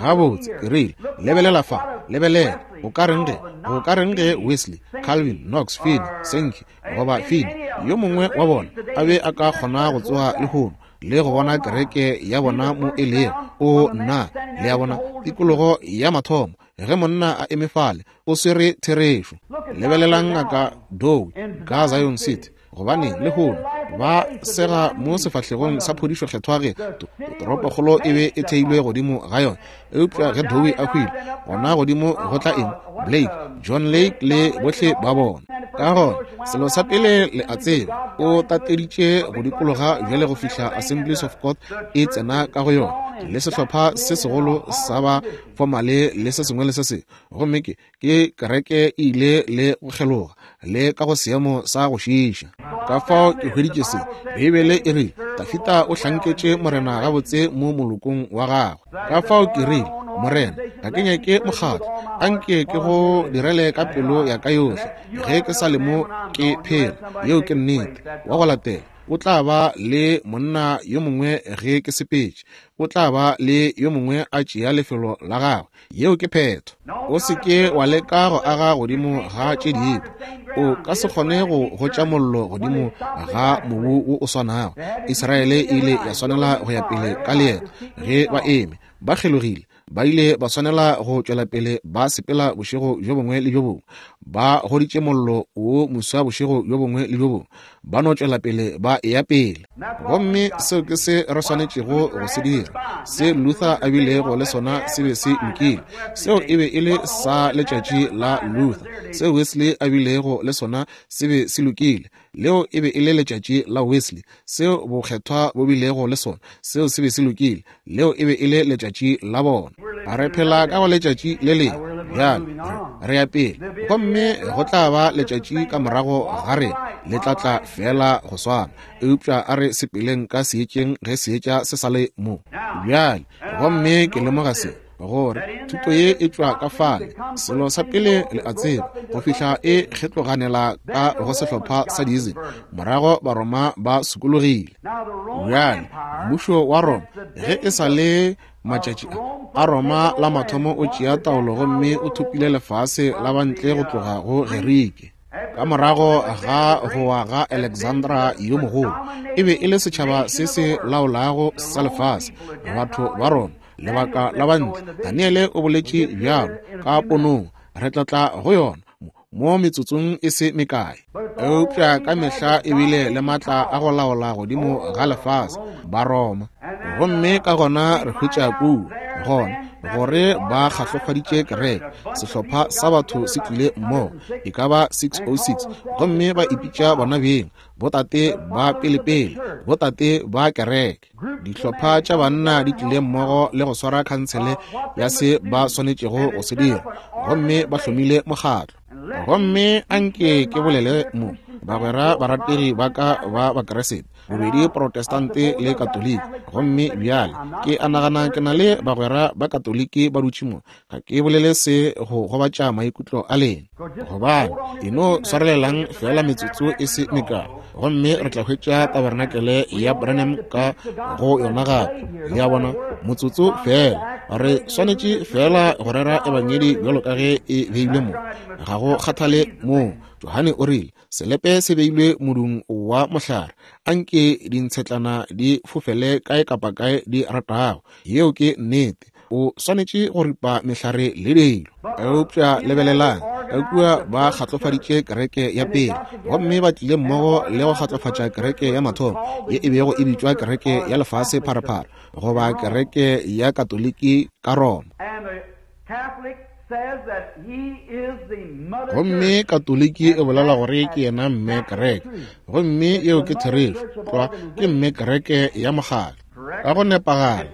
S1: Gabotse, ke rile, lebelela fa, lebelela, go ka reng ge, go ka reng ge Wesley, Calvin, Knox, Finney, Sankey, goba Finney, yo mongwe wa bona, a be a ka kgona go tsoga lehono le go bona kereke ya bona mo e lego. O nna, le a bona, tikologo ya mathomo, ge monna a eme fale, o swere therešo. Lebelelang Ngaka Dowie ka Zion City, gobane lehono ba sega mo sefahlegong sa phodišo kgethwa ge toropokgolo e be e theilwe godimo ga yona. Eupša ge Dowie a hwile, gona godimo go tla eng? Blake, John Lake le bohle ba bona. Ka gona, selo sa pele le a tseba, o tateditše go dikologa bjale go fihla Assemblies of God e tsena ka go yona, le sehlopha se segolo sa ba fomale le se sengwe le se sengwe. Gomme ke, ke kereke e ile le go kgeloga le ka go seemo sa go šiiša. Ka fao ke hweditše se. Beibele e rile, Dafida o hlanketše Morena gabotse mo molokong wa gagwe. Ka fao ke rile, Morena, ga ke nyake mokgatlo. A nke ke go direle ka pelo ya ka yohle ge ke sa le mo ke phela. Yeo ke nnete. Wa go latela o tla ba le monna yo mongwe ge ke sepetše. O tla ba le yo mongwe a tšea lefelo la gagwe. Yeo ke phetho. O se ke wa leka go aga godimo ga tše dipe. O ka se kgone go gotša mollo godimo ga mobu wo o swanago. Israele e ile ya swanela go ya pele ka leeto ge ba eme ba kgelogile. Ba ile ba swanela go tšwela pele ba sepela bošego bjo bongwe le bjo bongwe. Ba goditše mollo wo moswa bošego bjo bongwe le bjo bongwe. Ba no tšwela pele ba eya pele. Gomme seo ke se re swanetšego go se dira. Se Luther a bilego le sona se be se lokile. Seo e be e le sa letšatši la Luther. Se Wesley a bilego le sona se be se lokile. Leo e be e le letšatši la Wesley. Seo bokgethwa bo bilego le sona, seo se be se lokile. Leo e be e le letšatši la bona. Re phela ka go letšatši le lengwe bjale, re ya pele, gomme go tla ba letšatši ka morago ga rena, le tla tla feela go swana. Eupša a re sepeleng ka seetšeng ge seetša se sa le mo bjale. Gomme ke lemoga se, gore thuto ye e tšwa ka fale, selo sa pele le a tseba, go fihla e kgetloganela ka go sehlopha sa diism, morago Baroma ba sokologile. Bjale mmušo wa Roma, ge e sa le matšatši a Roma la mathomo o tšea taolo gomme o thopile lefase la bantle go tloga go Gerike. Ka morago ga go wa ga Alexandra yo Mogolo, e be e le setšhaba se se laolago sa lefase. Batho ba Roma Lebaka la Bantle. Daniele o boletše bjalo ka ponong. Re tla tla go yona mo metsotsong e se mekae. Eupša ka mehla e bile le matla a go laola godimo ga lefase, Baroma. Gomme ka gona re hwetša kua, gona, gore ba kgahlofaditše kereke. Sehlopha sa batho se tlile mmogo, e ka ba 606, gomme ba ipitša bona beng botate ba pelepele, botate ba kereke. Dihlopha tša banna di tlile mmogo le go swara khansele ya se ba swanetšego go se dira, gomme ba hlomile mokgatlo. Gomme anke ke bolele mo, bagwera barategi ba ka ba Bakeresete, bobedi Protestante le Katoliki. Gomme bjale ke a nagana ke na le bagwera ba Katoliki ba dutše mo. Ga ke bolele se go gobatša maikutlo a lena, gobane e no swarelelang fela metsotso e se mekae, gomme re tla hwetša tabernakele ya Branham ka go yona gape. Le a bona, motsotso fela. Re swanetše fela go rera ebangedi bjalo ka ge e beilwe mo. Ga go kgathale moo. Johane o rile, Selepe se beilwe modung wa mohlare, anke dintshetlana di fofele kae kapa kae di ratago. Yeo ke nnete. O swanetše go ripa mehlare le dilo. Eupša lebelelang, ka kua ba kgatlofaditše kereke ya pele, gomme ba tlile mmogo le go kgatlofatša kereke ya mathomo, ye e bego e bitšwa kereke ya lefase pharephare, goba kereke ya Katoliki ka Roma. Gomme Katoliki e bolela gore ke yena mme kereke, gomme yeo ke therešo tlwa, ke mme kereke ya mokgatlo. Ka go nepagala,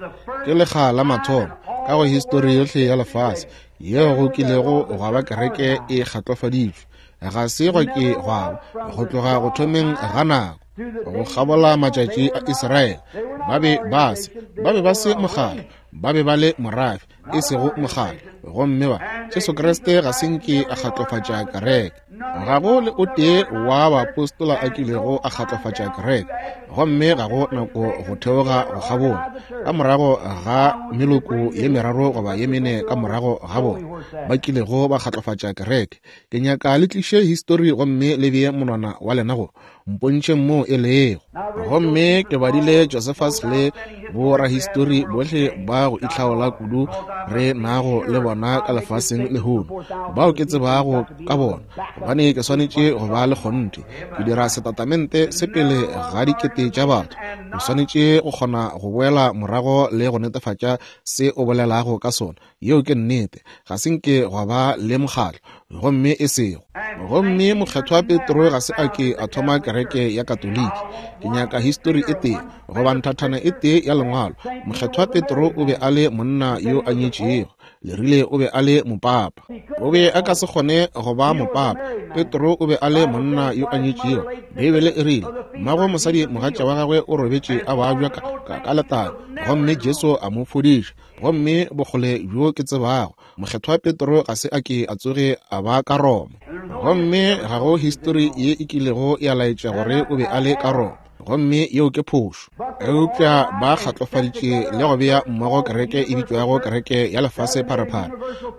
S1: ke lekga la mathomo ka go histori yohle ya lefase yeo go kilego gwa ba kereke e kgatlofaditšwe. Ga se gwa ke gwa ba go tloga go thomeng ga nako go kgabola matšatši a Israele. Ba be ba se, ba be ba se mokgatlo, ba be ba le morafe, e sego mokgatlo. Gomme ba, Jesu Kriste ga se nke a kgatlofatša kereke. Ga go le o tee wa baapostola a kilego a kgatlofatša kereke, gomme ga go nako go theoga go kgabola ka morago ga meloko ye meraro goba ye mene ka morago ga bona ba kilego ba kgatlofatša kereke. Ke nyaka le tliše histori gomme le bee monwana wa lena go mpontšheng moo e lego. Gomme ke badile Josephus le borahistori bohle ba go itlhaola kudu re nago le bona ka lefaseng lehono, bao ke tsebago ka bona, gobane ke swanetše go ba le kgonthe. Ke dira setatamente se pele ga dikete tša batho. O swanetše go kgona go boela morago le go netefatša se o bolelago ka sona. Yeo ke nnete. Ga se nke gwa ba le mokgatlo, gomme e sego. Gomme Mokgethwa Petro ga se a ke a thoma kereke ya Katoliki. Ke nyaka histori e tee, goba nthathana e tee ya Lengwalo. Mokgethwa Petro o be a le monna yo a nyetšego. Le rile o be a le mopapa. O be a ka se kgone go ba mopapa. Petro o be a le monna yo a nyetšego. Beibele e rile, Mmago mosadi mogatša wa gagwe o robetše a babja ka, ka, ka letala, gomme Jesu a mo fodiša. Gomme bokgole bjo ke tsebago, Mokgethwa Petro ga se a ke a tsoge a ba ka Roma. Gomme ga go histori ye e kilego ya laetša gore o be a le ka Roma. Gomme yeo ke phošo. Eupša ba kgatlofaditše le go bea mmogo kereke e bitšwago kereke ya lefase pharephare.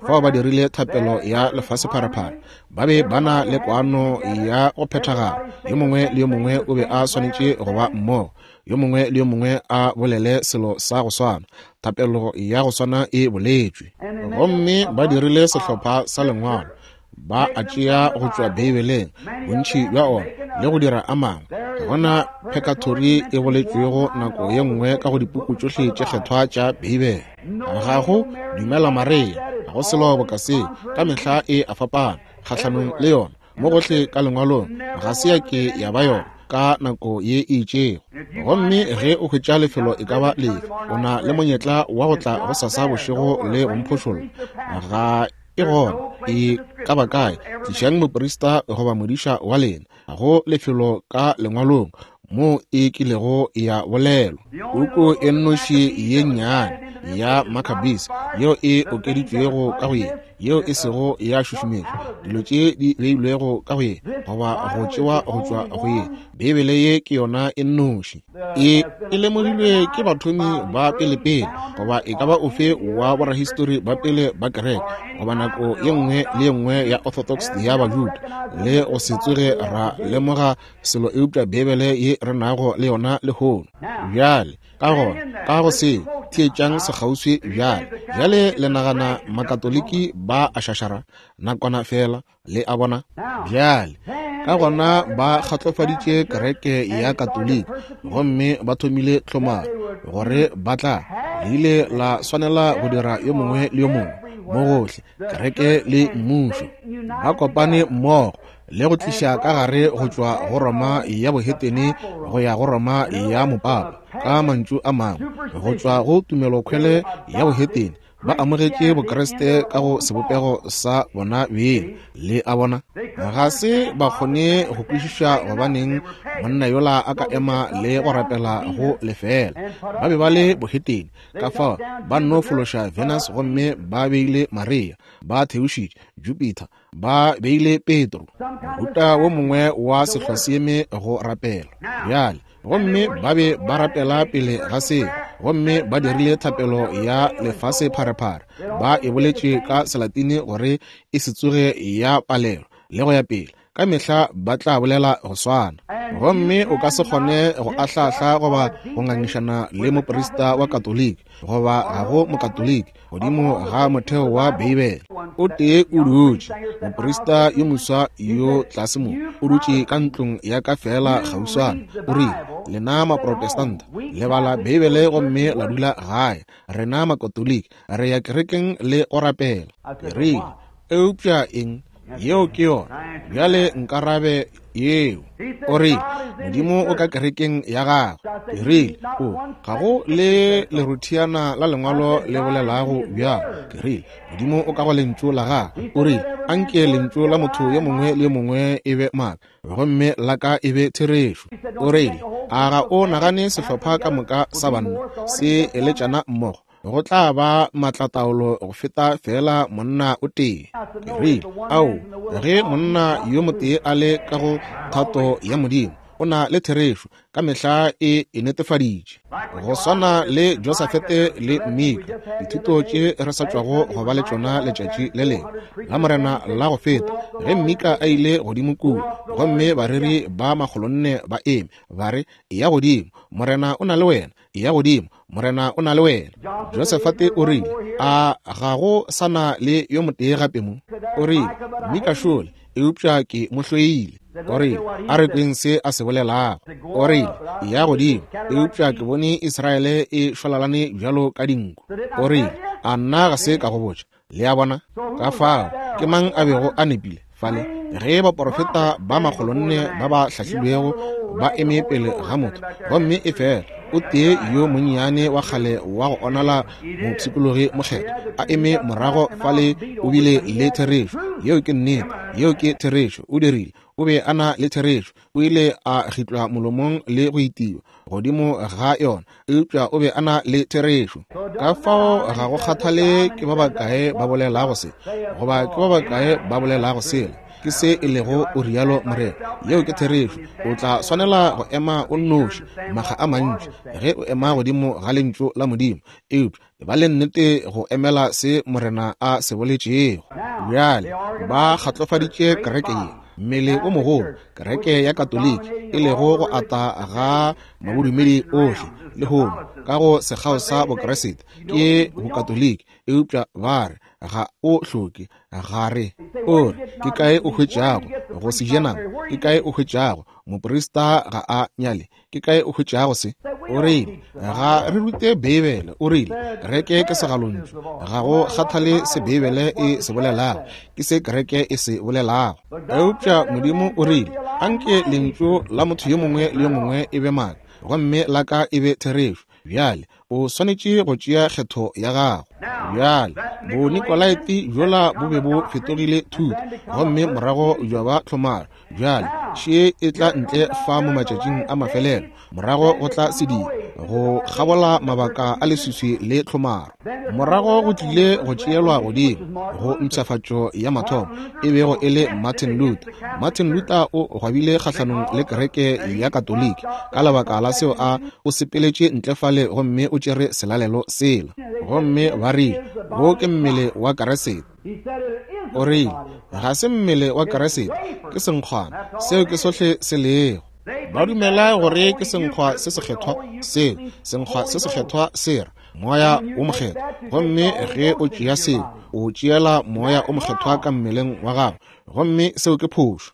S1: Fao ba dirile thapelo ya lefase pharephare. Ba be ba na le kwano ya go phethagala. Yo mongwe le yo mongwe o be a swanetše go ba mmogo. Yo mongwe le yo mongwe a bolele selo sa go swana. Thapelo ya go swana e boletšwe. Gomme ba dirile sehlopha sa lengwalo, ba a tšea go tšwa Beibeleng, bontši bja ona, le go dira a mangwe. Ga gona phekathori e boletšwego nako ye nngwe ka go dipuku tšohle tše kgethwa tša Beibele. Ga go Dumela Maria, ga go selo boka seo. Ka mehla e a fapana kgahlanong le yona. Mo gohle ka lengwalong ga se ya ke ya ba yona ka nako ye e itšego. Gomme ge o hwetša lefelo e ka ba lefe, o na le monyetla wa go tla go sasa bošego le go mphošolla. Ga e gona e ka ba kae, tlišang moprista goba modiša wa lena. Ga go lefelo ka lengwalong moo e kilego ya bolelwa. Puku e nnoši ye nnyane ya Maccabees yeo e okeditšwego ka go ye. yeo e sego ya šušumetšwa, dilo tše di beilwego ka go ye goba go tšewa go tšwa go ye. Beibele ye ke yona e nnoši. E, e lemogilwe ke bathomi ba pelepele goba e ka ba ofe wa borahistori ba pele ba kereke goba nako ye nngwe le ye nngwe ya Orthodox ya Bajuda, le go se tsoge ra lemoga selo eupša Beibele ye re nago le yona lehono. Bjale, ka gona, ka go seo, theetšang sekgauswi bjale. Bjale le nagana Makatoliki ba a šašara nakwana feela, le a bona? Bjale, ka gona ba kgatlofaditše kereke ya Katoliki gomme ba thomile tlhomaro gore ba tla, le ile la swanela go dira yo mongwe le yo mongwe mo gohle, kereke le mmušo ba kopane mmogo le go tliša ka gare go tšwa go Roma ya bohetene go ya go Roma ya mopapa, ka mantšu a mangwe, go tšwa go tumelokhwele ya bohetene ba amogetše Bokriste ka go sebopego sa bona beng. Le a bona? Ga se ba kgone go kwešiša gobaneng monna yola a ka ema le go rapela go lefeela. Ba be ba le bohetene, ka fao ba nno fološa Venus gomme ba beile Maria, ba theošitše Jupiter, ba beile Petro, mohuta wo mongwe wa sehlwaseeme go rapela. Bjale, gomme ba be ba rapela pele ga seo, gomme ba dirile thapelo ya lefase pharephare, ba e boletše ka Selatini gore e se tsoge ya palelwa, le go ya pele. Ka mehla ba tla bolela go swana. Gomme o ka se kgone go ahlaahla goba go ngangišana le moprista wa Katoliki, goba ga go Mokatoliki, godimo ga motheo wa Beibele. O tee o dutše, moprista yo moswa yo tlase mo, o dutše ka ntlong ya ka feela kgauswana, o rile, Lena Maprotestanta le bala Beibele gomme la dula gae, rena Makatoliki re ya kerekeng le go rapela. Ke rile, Eupša eng? Yeo ke yona. Bjale nkarabe yeo. O rile, Modimo o ka kerekeng ya gagwe. Ke rile, O, ga go le leruthiana la lengwalo le bolelago bjalo. Ke rile, Modimo o ka go lentšu la gagwe. O rile, Anke lentšu la motho yo mongwe le yo mongwe e be maaka, gomme la ka e be therešo. O rile, A ga o nagane sehlopha ka moka sa banna se eletšana mmogo go tla ba maatlataolo go feta feela monna o tee? Ke rile, Ao, ge monna yo motee a le ka go thato ya Modimo, o na le therešo, ka mehla e e netefaditše. Go swana le Josafete le Mika, dithuto tše re sa tšwago go ba le tšona letšatši le lengwe la Morena la go feta, ge Mika a ile godimo kua, gomme bareri ba 400 ba eme, ba re, Eya godimo, Morena o na le wena. Eya godimo, Morena o na le wena. Josefate o rile, A ga go sa na le yo motee gape mo? O rile, Mika šole, eupša ke mo hloile. O rile, A re kweng se a se bolelago. O rile, Eya godimo, eupša ke bone Israele e šwalalane bjalo ka dinku. O rile, A nna ga se ka go botša? Le a bona? Ka fao, ke mang a bego a nepile fale? Ge baporofeta ba 400 ba ba hlahlilwego ba eme pele ga motho, gomme e fela o tee yo monnyane wa kgale wa go onala mopshikologi mokgethwa a eme morago fale, o bile le therešo. Yeo ke nnete. Yeo ke therešo. O dirile. O be a na le therešo. O ile a gitlwa molomong le go itiwa godimo ga yona, eupša o be a na le therešo. Ka fao ga go kgathale ke ba bakae ba bolelago se, goba ke ba bakae ba bolelago sela, ke se e lego o rialo Morena. Yeo ke therešo. O tla swanela go ema o nnoši makga a mantši ge o ema godimo ga Lentšu la Modimo, eupša ba le nnete go emela se Morena a se boletšego. Bjale ba kgatlofaditše kereke ye, mmele o mogolo, kereke ya Katoliki, e lego go ata ga mabodumedi ohle lehono ka go sekgao sa Bokriste ke Bokatoliki, eupša ba re ga o hloke ga re. O re, ke kae o hwetšago go se je nama? Ke kae o hwetšago moprista ga a nyale? Ke kae o hwetšago se? O rile, ga re rute Beibele. O rile, kereke ke segalontšu. Ga go kgathale se Beibele e se bolelago, ke se kereke e se bolelago. Eupša Modimo o rile, anke lentšu la motho yo mongwe le yo mongwe e be maaka, gomme la ka e be therešo. Bjale, o swanetše go tšea kgetho ya gago. Bjale, Bonikolaite bjola bo be bo fetogile thuto, gomme morago bja ba tlhomaro. Bjale, še e tla ntle fa mo matšatšing a mafelelo, morago go tla sediri, go kgabola mabaka a leswiswi le tlhomaro. Morago go tlile go tšeelwa godimo go mpshafatšo ya mathomo, e bego e le Martin Luther. Martin Luther o gwabile kgahlanong le kereke ya Katoliki ka lebaka la seo a o sepeletše ntle fale gomme o tšere selalelo sela. Gomme ba rile, Wo ke mmele wa Keresete. O rile, Ga se mmele wa Keresete, ke senkgwana. Seo ke sohle se lego. Ba dumela gore ke senkgwa se sekgethwa seo, senkgwa se sekgethwa se ra Moya wo Mokgethwa. Gomme ge o tšea seo, o tšeela Moya o Mokgethwa ka mmeleng wa gago, gomme seo ke phošo.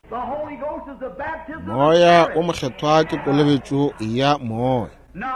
S1: Moya wo Mokgethwa ke kolobetšo ya Moya.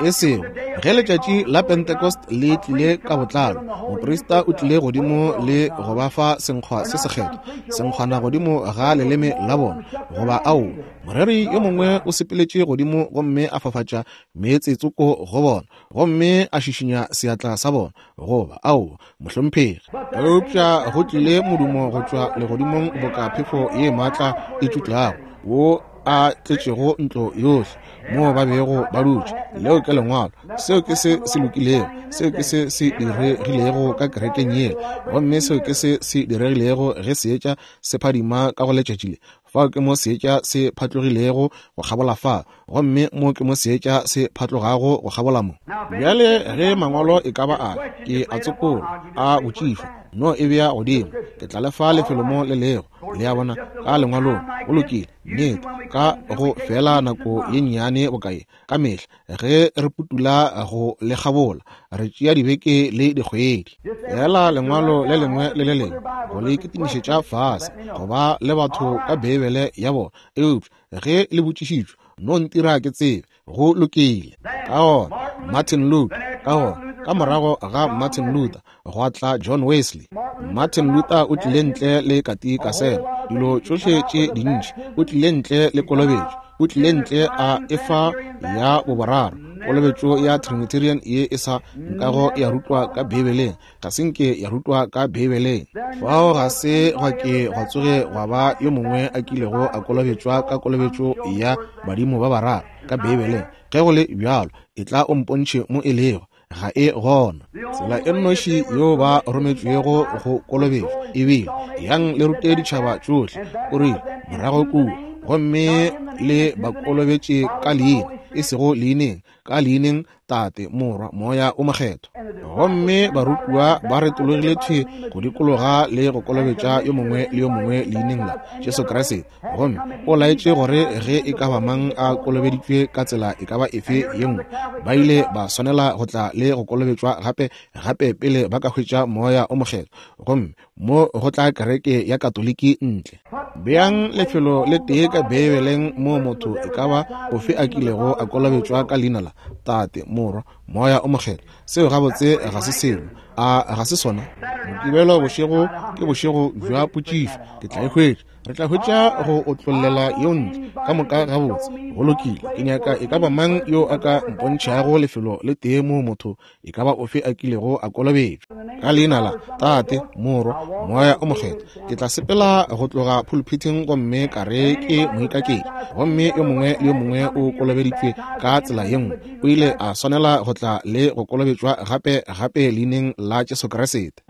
S1: E sego ge letšatši la Pentecost le tlile ka botlalo, moprista o tlile godimo le go ba fa senkgwa se sekgethwa, senkgwana godimo ga leleme la bona, goba ao, moreri yo mongwe o sepeletše godimo gomme a fafatša meetse tsoko go bona, gomme a šišinya seatla sa bona, goba ao, mohlomphegi. Eupša go tlile modumo go tšwa legodimong boka phefo ye maatla e tšutlago, wo a tletšego ntlo yohle moo ba bego ba dutše. Leo ke Lengwalo. Seo ke se se lokilego. Seo ke se se diregilego ka kerekeng yela. Gomme seo ke se se diregilego ge seetša se phadima ka go letšatši le. Fao ke mo seetša se phatlogilego go kgabola fa, gomme mo ke mo seetša se phatlogago go kgabola mo. Bjale ge Mangwalo e ka ba a ke a tsopola, a botšišwa, no e bea godimo, ke tla le fa lefelo mo le lego, le a bona, ka Lengwalong. Go lokile, nnete, ka go feela nako ye nnyane bokae, ka mehla ge re putula go le kgabola, re tšea dibeke le dikgwedi. Feela Lengwalo le lengwe le le lengwe go le kitimišetša fase, go ba le batho ka Beibele ya bona, eupša ge le botšišitšwe, no ntira ke tsebe. Go lokile. Ka gona Martin Luther, ka gona ka morago ga Martin Luther gwa tla John Wesley. Martin Luther o tlile ntle le katikasema, dilo tšohle tše dintši, o tlile ntle le kolobetšo, o tlile ntle a efa ya boboraro, kolobetšo ya Trinitarian ye e sa nkago ya rutwa ka Beibeleng, ga se nke ya rutwa ka Beibeleng. Fao ga se gwa ke gwa tsoge gwa ba yo mongwe a kilego a kolobetšwa ka kolobetšo ya badimo ba bararo ka Beibeleng. Ge go le bjalo, etla o mpontšhe mo e lego. Ga e gona. Tsela e nnoši yeo ba rometšwego go kolobetšwa e bile, Yang le rute ditšhaba tšohle, o rile, morago kua, gomme le ba kolobetše ka leina, e sego leineng, ka leineng Tate, Morwa, Moya o Mokgethwa. Gomme barutiwa ba retologile thwi go dikologa le go kolobetša yo mongwe le yo mongwe leineng la Jesu Kriste. Gomme o laetše gore ge e ka ba mang a kolobeditšwe ka tsela e ka ba efe ye nngwe, ba ile ba swanela go tla le go kolobetšwa gape, gape pele ba ka hwetša Moya o Mokgethwa. Gomme mo go tla kereke ya Katoliki ntle. Beang lefelo le tee ka Beibeleng moo motho e ka ba ofe a kilego a kolobetšwa ka leina la Tate, Morwa, Moya o Mokgethwa. Seo gabotse ga se selo. A ga se sona? Mokibelo bošego ke bošego bja potšišo. Ke tla e hwetša. Re tla hwetša go otlollela yeo ntle ka moka gabotse. Go lokile. Ke nyaka e ka ba mang yo a ka mpontšhago lefelo le tee moo motho e ka ba ofe a kilego a kolobetšwa ka leina la Tate, Morwa, Moya o Mokgethwa. Ke tla sepela go tloga phuluphithing gomme ka re ke moikaketši, gomme yo mongwe le yo mongwe o kolobeditšwe ka tsela ye nngwe, o ile a swanela go tla le go kolobetšwa gape, gape leineng la Jesu Kriste,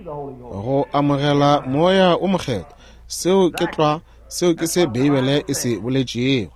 S1: go amogela Moya o Mokgethwa. Seo ke tlwa, seo ke se Beibele e se boletšego.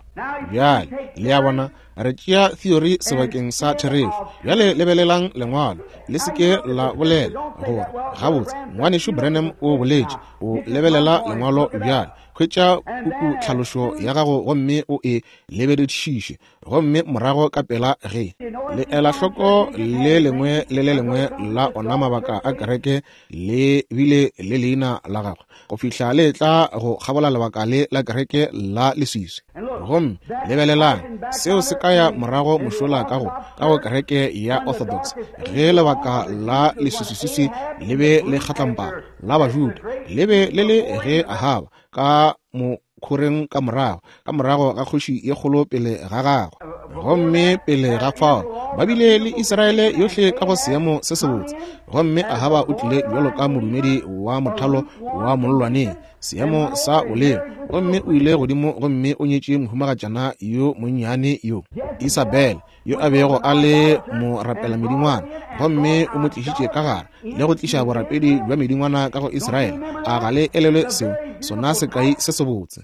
S1: Bjale, le a bona, Re tšea theory sebakeng sa therešo. Bjale lebelelang Lengwalo. Le se ke la bolela gore, Gabotse, Ngwanešu Branham o boletše. O lebelela Lengwalo bjale. Hwetša puku tlhalošo ya gago gomme o e lebeledišiše, gomme morago ka pela ge le ela hloko le lengwe le le lengwe la ona mabaka a kereke le bile le leina la gagwe go fihla le tla go kgabola lebaka le la kereke la leswiswi. Gomme lebelelang, seo se ka ya morago mošola ka go, ka go kereke ya Orthodox, ge lebaka la leswiswiswiswi le be le kgatlampana la Bajuda, le be le le ge Ahaba ka mokhoreng ka morago, ka morago ga kgoši ye kgolo pele ga gagwe. Gomme pele ga fao, Ba bile le Israele yohle ka go seemo se sebotse, gomme Ahaba o tlile bjalo ka modumedi wa mothalo wa mollwaneng, seemo sa boleng, gomme o ile godimo gomme o nyetše mohumagatšana yo monnyane yo, Isabel, yo a bego a le morapelamedingwana, gomme o mo tlišitše ka gare le go tliša borapedi bja medingwana ka go Israele. A ga le elelwe seo, sona sekai se sebotse?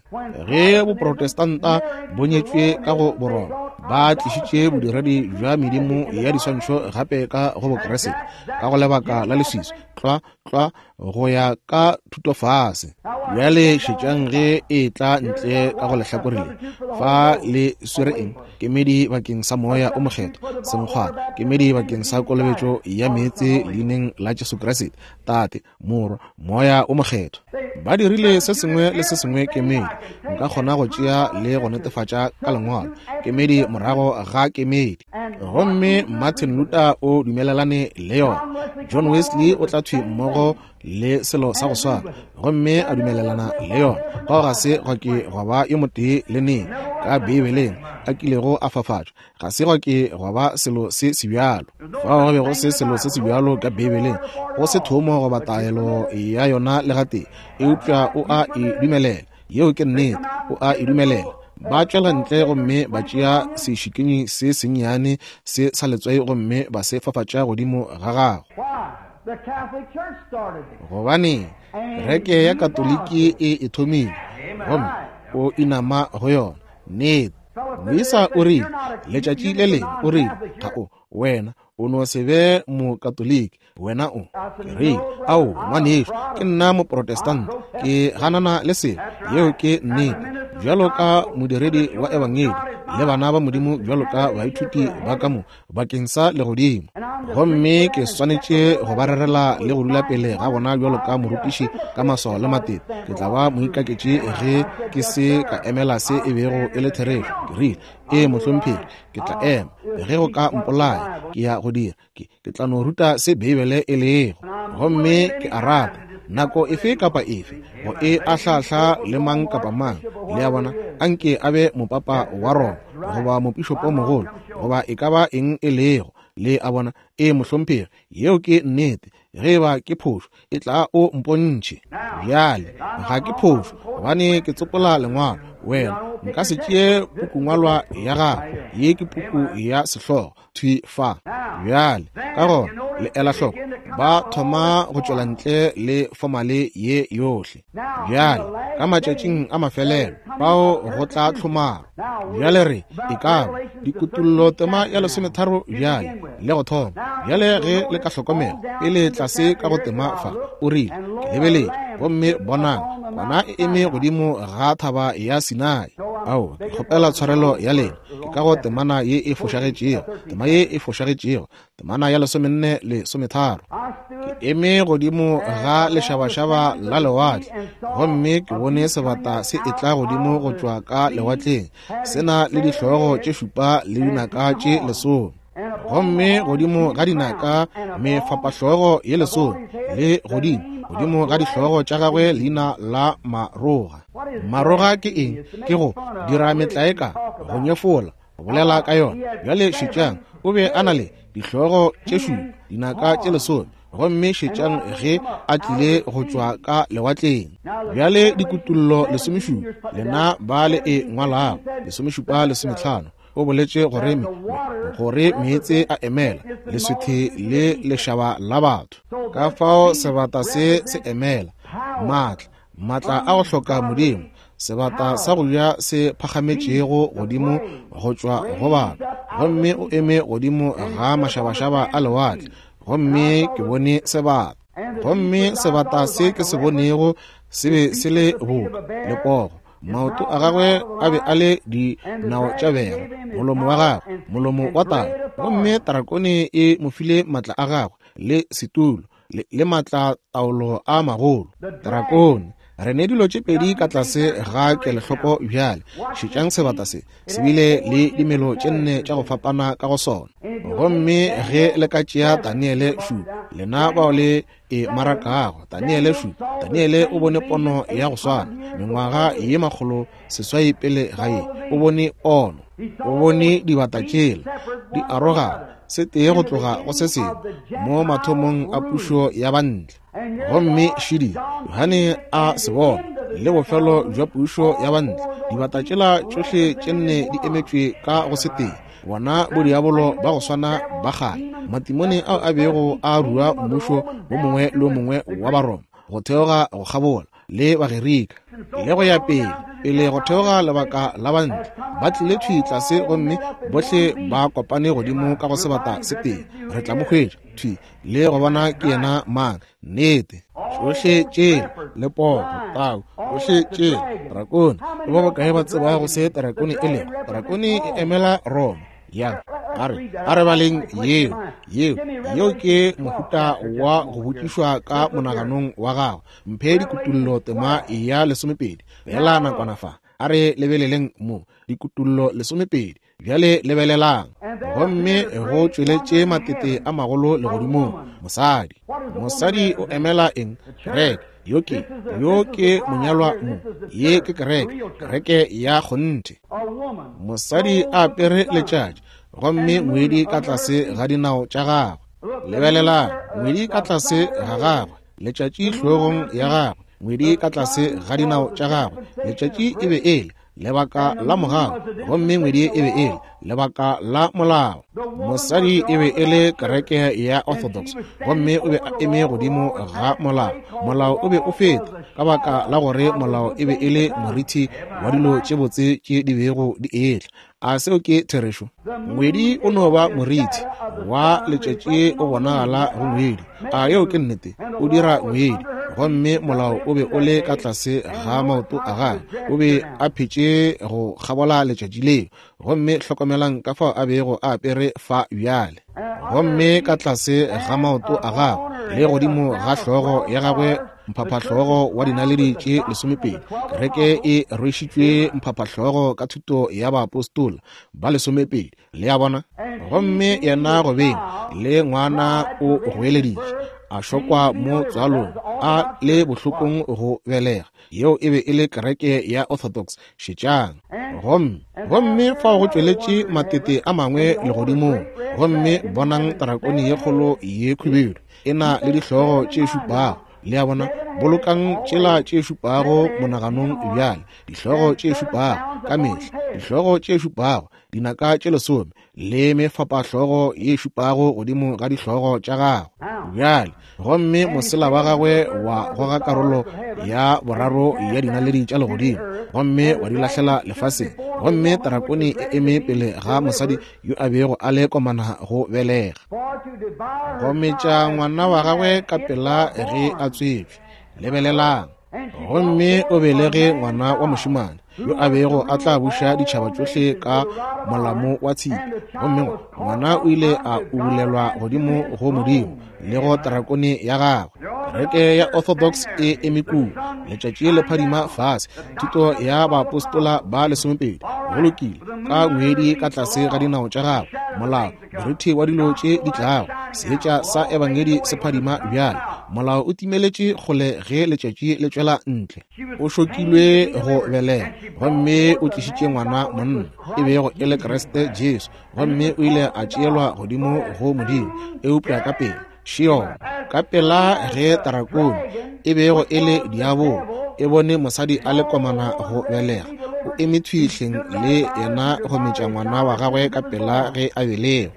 S1: Ge Boprotestanta bo nyetšwe ka go Boroma, ba tlišitše bodiredi bja medimo ya diswantšho gape ka go Bokeresete, ka go lebaka la leswiswi, tlwa, tlwa, go ya ka thutofase. Bjale šetšang ge e tla ntle ka go lehlakore le. Fa le swere eng? Kemedi bakeng sa Moya o Mokgethwa, senkgwana, kemedi bakeng sa kolobetšo ya meetse leineng la Jesu Kriste, Tate, Morwa, Moya o Mokgethwa. Ba dirile se sengwe le se sengwe kemedi. Nka kgona go tšea le go netefatša ka Lengwalo, kemedi morago ga kemedi. Gomme Martin Luther o dumelelane le yona. John Wesley o tla thwi mmogo le selo sa go swana, gomme a dumelelana le yona. Fao ga se gwa ke gwa ba yo motee le neng ka Beibeleng a kilego a fafatšwa. Ga se gwa ke gwa ba selo se sebjalo. Fao go be go se selo se sebjalo ka Beibeleng, go se thomo goba taelo ya yona le gatee, eupša o a e dumelela. Yeo ke nnete, o a e dumelela. Ba tšwela ntle gomme ba tšea sešikinyi se sennyane se sa letswai gomme ba se fafatša godimo ga gagwe. Gobaneng, kereke ya Katoliki e e thomile, gomme o inama go yona. Nnete. Moisa o rile, letšatši le lengwe, o rile, Ga o, wena, o no se be Mokatoliki, wena o. Ke rile, Ao, ngwanešu, ke nna Moprotestant, ke ganana le selo. Yeo ke nnete. Bjalo ka modiredi wa Ebangedi, le bana ba Modimo bjalo ka baithuti ba ka mo, bakeng sa legodimo, gomme ke swanetše go ba rerela le go dula pele ga bona bjalo ka morutiši ka maswao le matete. Ke tla ba moikaketši ge ke se ka emela se e bego e le therešo. Ke rile, Ee, mohlomphegi, ke tla ema. Ge go ka mpolaya, ke ya go dira. Ke, ke tla no ruta se Beibele e lego. Gomme ke a rata nako efe kapa efe go e ahlahla le mang kapa mang, le a bona, anke a be mopapa wa Roma goba mopišopomogolo goba e ka ba eng e lego, le a bona. Ee, mohlomphegi, yeo ke nnete. Ge e ba ke phošo, e tla o mpontšhe. Bjale, ga ke phošo, gobane ke tsopola Lengwalo. Wena, nka se tšee pukungwalwa ya gago. Ye ke puku ya sehlogo, thwi fa. Bjale, ka gona, le ela hloko, ba thoma go tšwela ntle le fomale ye yohle. Bjale, ka matšatšing a mafelelo, fao go tla tlhomaro. Bjale re, e ka ba, dikutullo tema ya lesometharo bjale, le go thoma. Bjale ge le ka hlokomela, pele tlase ka go tema fa, o rile, Ke lebeletše, gomme bonang, kwana e eme godimo ga thaba ya Sinai. Ao, ke kgopela tshwarelo ya lena, ke ka go temana ye e fošagetšego, tema ye e fošagetšego, temana ya lesomenne lesometharo. Ke eme godimo ga lešabašaba la lewatle, gomme ke bone sebata se etla godimo go tšwa ka lewatleng, se na le dihlogo tše šupa le dinaka tše lesome, gomme godimo ga dinaka mefapahlogo ye lesome, le godimo godimo ga dihlogo tša gagwe leina la Maroga. Maroga ke eng? Ke go dira metlae ka, go nyefola, go bolela ka yona. Bjale šetšang, o be a na le dihlogo tše šupa, dinaka tše lesome, gomme šetšang ge a tlile go tšwa ka lewatleng. Bjale dikutullo lesomešupa, lena ba le e ngwalago, lesomešupa lesometlhano, o boletše gore, gore meetse a emela leswithe le lešaba la batho. Ka fao sebata se se emela maatla, maatla a go hloka Modimo, sebata sa go ja se phagametšego godimo go tšwa go batho, gomme o eme godimo ga mašabašaba a lewatle, gomme ke bone sebata. Gomme sebata se ke se bonego se be se le boka lepogo, maoto a gagwe a be a le dinao tša bera, molomo wa gagwe molomo wa tau, gomme tarakone e mo file matla a gagwe le setulo le, le maatlataolo a magolo. Drakone, re ne dilo tše pedi ka tlase ga kelohloko bjale. Šetšang sebata se, se bile le dimelo tše nne tša go fapana ka go sona. Gomme ge le ka tšea Daniele šupa, lena bao le e marakago, Daniele šupa, Daniele o bone pono ya go swana, mengwaga ye makgolo seswai pele ga ye, o bone pono. O bone dibata tšela di arogana se tee go tloga go se sengwe mo mathomong a pušo ya bantle. Gomme šidi Johane a se bona le bofelo bja pušo ya bantle, dibata tšela tšohle tše nne di emetšwe ka go se tee, bona bodiabolo ba go swana ba kgale, matimone ao a bego a rua mmušo wo mongwe le wo mongwe wa Baroma go theoga go kgabola le Bagerika le go ya pele, pele go theoga lebaka la bantle, ba tlile thwi tlase gomme bohle ba kopane godimo ka go sebata se tee. Re tla mo hwetša thwi le go bona ke yena mang. Nnete, tšohle tšela le pogo, tau, tšohle tšela, drakone. Ke ba bakae ba tsebago se drakone e lego? Drakone e emela Roma. Yang, a re baleng yeo, yeo, yeo ke mohuta wa go botšišwa ka monaganong wa gago. Mphe dikutullo tema ya 12, feela nakwana fa. A re lebeleleng mo, dikutullo 12. Bjale lebelelang. Gomme go tšweletše matete a magolo legodimong. Mosadi. Mosadi o emela eng? Kereke. Yo ke, yo ke monyalwa mo. Ye ke kereke, kereke ya kgonthe. Mosadi a apere letšatši, gomme ngwedi ka tlase ga dinao tša gagwe. Lebelelang, ngwedi ka tlase ga gagwe, letšatši hlogong ya gagwe, ngwedi ka tlase ga dinao tša gagwe. Letšatši e be e le lebaka la mogau, gomme ngwedi e be e le lebaka la molao. Mosadi e be e le kereke ya Orthodox, gomme o be a eme godimo ga molao. Molao o be o feta ka baka la gore molao e be e le morithi wa dilo tše botse tše di bego di etla. A seo ke therešo? Ngwedi o no ba morithi wa letšatši, o bonagala go ngwedi. A yeo ke nnete? O dira ngwedi. Gomme molao o be o le ka tlase ga maoto a gagwe, o be a phetše go kgabola letšatši leo. Gomme hlokomelang ka fao a bego a apere fa bjale. Gomme ka tlase ga maoto a gagwe le godimo ga hlogo ya gagwe mphaphahlogo wa dinaledi tše 12. Kereke e rwešitšwe mphaphahlogo ka thuto ya baapostola ba 12. Le a bona? Gomme yena go beng le ngwana o goeleditše, a šokwa mo tswalong, a le bohlokong go belega. Yeo e be e le kereke ya Orthodox. Šetšang. Gomme, gomme fao go tšweletše matete a mangwe legodimong, gomme bonang drakone ye kgolo ye khubedu, e na le dihlogo tše šupago. Le a bona? Bolokang tšela tše šupago monaganong bjale. Dihlogo tše šupago, ka mehla dihlogo tše šupago, dinaka tše 10, le mefapahlogo ye šupago godimo ga dihlogo tša gagwe. Bjale, gomme mosela wa gagwe wa goga karolo ya boraro ya dinaledi tša legodimo, gomme wa di lahlela lefaseng. Gomme drakone e eme pele ga mosadi yo a bego a le komana go belega, go metša ngwana wa gagwe ka pela ge a tswetšwe. Lebelelang. Gomme o belege ngwana wa mošemane yo a bego a tla buša ditšhaba tšohle ka molamo wa tshipi. Gomme ngwana o ile a ubulelwa godimo go Modimo le go drakone ya gagwe. Kereke ya Orthodox e eme kua, letšatši le phadima fase, thuto ya baapostola ba 12, go lokile, ka ngwedi ka tlase ga dinao tša gagwe, molao, morithi wa dilo tše di tlago, seetša sa ebangedi se phadima bjale. Molao o timeletše kgole ge letšatši le tšwela ntle. O šokilwe go belega, gomme o tlišitše ngwana monna, e bego e le Kriste Jesu, gomme o ile a tšeelwa godimo go Modimo. Eupša ka pela, Sheol, ka pela ge drakone, e bego e le diabolo, e bone mosadi a le komana go belega, o eme thwi hleng le yena go metša ngwana wa gagwe ka pela ge a belegwe.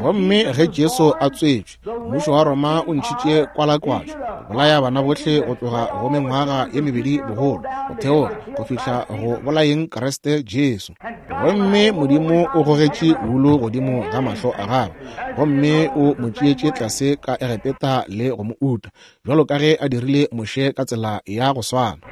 S1: Gomme ge Jesu a tswetšwe, mmušo wa Roma o ntšhitše kwalakwatšo go bolaya bana bohle go tloga go mengwaga ye mebedi bogolo go theoga go fihla go bolayeng Kriste Jesu. Gomme Modimo o gogetše wulu godimo ga mahlo a gagwe, gomme o mo tšeetše tlase ka Egepeta le go mo uta, bjalo ka ge a dirile Moshe ka tsela ya go swana.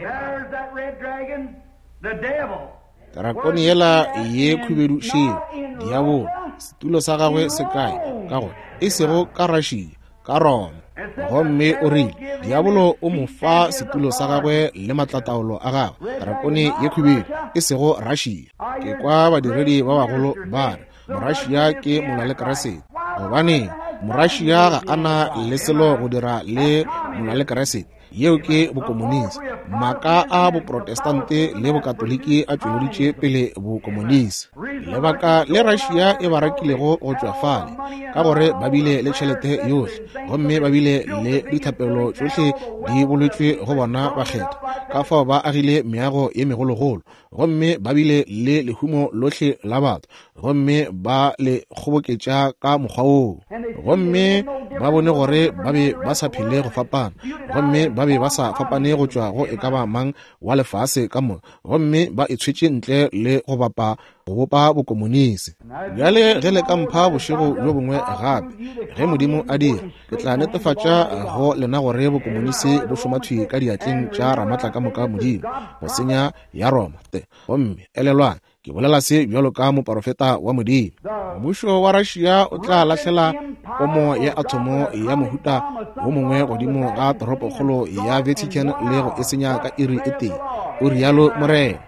S1: Drakone yela ye khubedu šeo, diabolo, setulo sa gagwe se kae? Ka gore e sego ka Russia, ka Roma. Gomme o rile, diabolo o mo fa setulo sa gagwe le matlataolo a gagwe, drakone ye khubedu, e sego Russia. Ke kwa badiredi ba bagolo ba re, Morussia ke molwa le Kriste. Gobaneng, Morussia ga a na le selo go dira le molwa le Kriste. Yeo ke bokomonisi. Maaka a Boprotestante le Bokatoliki a tšweleditše pele bokomonisi. Lebaka le Russia e ba rakilego go tšwa fale, ka gore ba bile le tšhelete yohle, gomme ba bile le dithapelo tšohle di bolotšwe go bona bakgethwa, ka fao ba agile meago ye megologolo, gomme ba bile le lehumo lohle la batho, gomme ba le kgoboketša ka mokgwa woo. Gomme ba bone gore ba be ba sa phele go fapana, gomme ba be ba sa fapane go tšwa go e ka ba mang wa lefase ka moka, gomme ba e tshwetše ntle le go bapa go bopa bokomonisi. Bjale ge le ka mpha bošego bjo bongwe gape, ge Modimo a dira, ke tla netefatša go lena gore bokomonisi bo šoma thwi ka diatleng tša Ramatlakamoka Modimo, go senya ya Roma. Gomme elelwang, ke bolela se bjalo ka moporofeta wa Modimo. Mmušo wa Russia o tla lahlela pomo ya athomo ya mohuta wo mongwe godimo ga toropokgolo ya Vatican le go e senya ka iri e tee, o rialo Morena.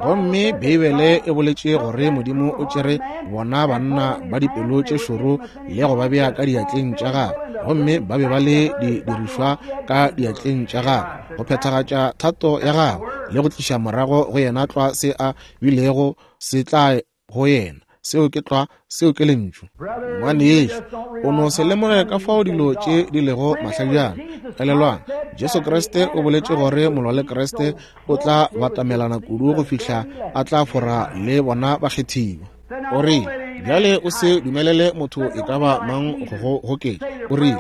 S1: Gomme Beibele e boletše gore Modimo o tšere bona banna ba dipelo tše šoro le go ba bea ka diatleng tša gagwe, gomme ba be ba le didirišwa ka diatleng tša gagwe go phethagatša thato ya gagwe le go tliša morago go yena tlwa se a bilego se tla go yena. Seo ke tlwa, seo ke Lentšu. Ngwanešu, o no se lemoge ka fao dilo tše di lego mahlajana. Elelwang, Jesu Kriste o boletše gore molwa le Kriste o tla batamelana kudu go fihla a tla fora le bona bakgethiwa. O rile, bjale o se dumelele motho e ka ba mang go go goketša. O rile,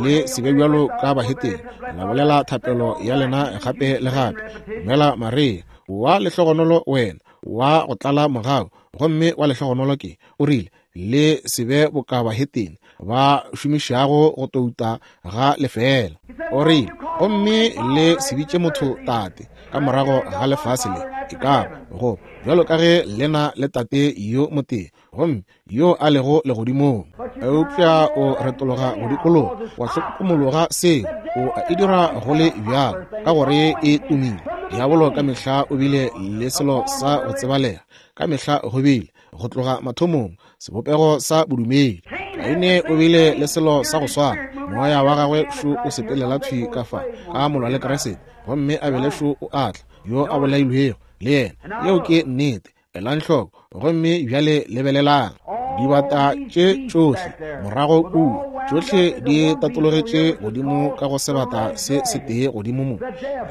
S1: le se be bjalo ka bahetene, la bolela thapelo ya lena gape le gape. Dumela Maria, wa lehlogonolo wena, wa go tlala mogau, gomme wa lehlogonolo ke. O rile, le se be boka bahetene ba šomišago go touta ga lefeela. O rile, gomme le se bitše motho tate ka morago ga lefase le, e ka ba go bjalo ka ge le na le tate yo motee, gomme yo a lego legodimong. Eupša o retologa go dikologa, wa hlokomologa seo, o a e dira go le bjalo, ka gore e tumile. Diabolo ka mehla o bile le selo sa go tsebalega, ka mehla go bile, go tloga mathomong, sebopego sa bodumedi. Kaine o bile le selo sa go swana, moya wa gagwe šo o sepelela thwi ka fa, ka molwa le Kriste, gomme Abele šo o a tla, yo a bolailwego le yena. Yeo ke nnete. Elang hloko, gomme bjale lebelelang dibata tše tšohle morago kua, tšohle di tatologetše godimo ka go sebata se setee godimo mo,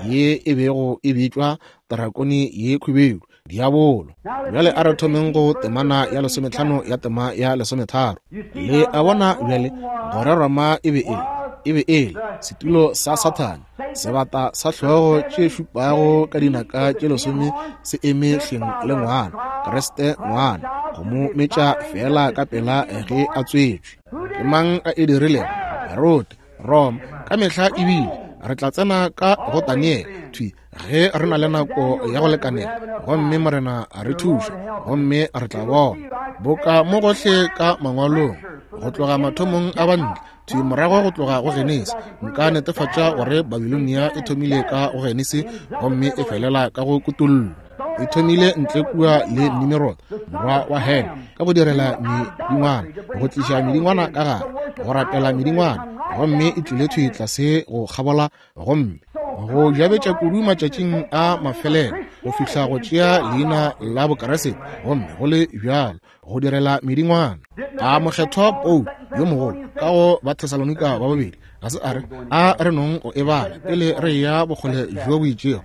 S1: ye e bego e bitšwa drakone ye khubedu, diabolo. Bjale a re thomeng go temana ya 15 ya tema ya 13. Le a bona bjale gore Roma e be e le, e be e le setulo sa Sathane, sebata sa hlogo tše šupago ka dinaka tše 10 se eme hleng le ngwana, Kriste ngwana, go mo metša feela ka pela ge a tswetšwe. Ke mang a e dirilego? Herode, Roma, ka mehla ebile. Re tla tsena ka go Daniele thwi ge re na le nako ya go lekanela, gomme Morena a re thuša, gomme re tla bona boka mo gohle ka mangwalong go tloga mathomong a bantle thwi morago go tloga go Genesi. Nka netefatša gore Babilonia e thomile ka go Genesi gomme e felela ka go Kutollo. E thomile ntle kua le Nimirod, morwa wa Ham, ka go direla medingwana, go tliša medingwana ka gare, go rapela medingwana, gomme e tlile thwi tlase go kgabola gomme go jabetša kudu matšatšing a mafelelo go fihla go tšea leina la Bokeresete, gomme go le bjalo go direla medingwana. A mokgethwa Paulo yo mogolo ka go Bathesalonika ba babedi ga se a re a re nong go e bala pele re ya bokgole bjo bo itšego.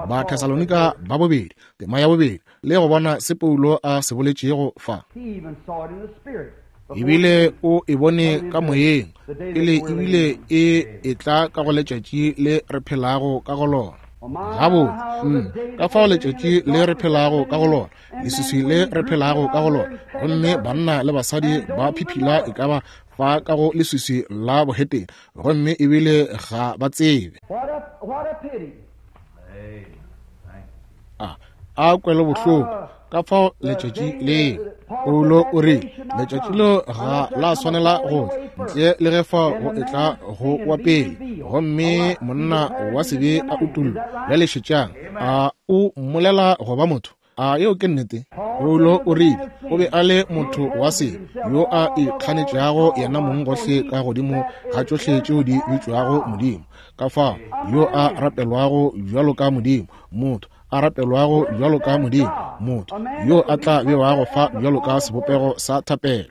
S1: Bathesalonika ba bobedi tema ya bobedi, le go bona se Paulo a se boletšego fa. Ebile o e bone ka moyeng pele ebile e etla ka go letšatši le re phelago ka go lona. Gabotse, ka fao letšatši le re phelago ka go lona, leswiswi le re phelago ka go lona, gomme banna le basadi ba phiphila e ka ba fa ka go leswiswi la bohetene, gomme ebile ga ba tsebe. A kwelobohloko ka fao letšatši leo. Paulo o rile letšatši leo ga la swanela go tla ntle le ge fao go etla go wa pele, gomme monna wa sebe a utollwa. Bjale šetšang, a o mmolela go ba motho? A yeo ke nnete? Paulo o rile o be a le motho wa sebe yo a ikganetšago yena mong gohle ka godimo ga tšohle tšeo di bitšwago Modimo, ka fao yo a rapelwago bjalo ka Modimo, motho a rapelwago bjalo ka Modimo, motho yo a tla bewago fa bjalo ka sebopego sa thapelo.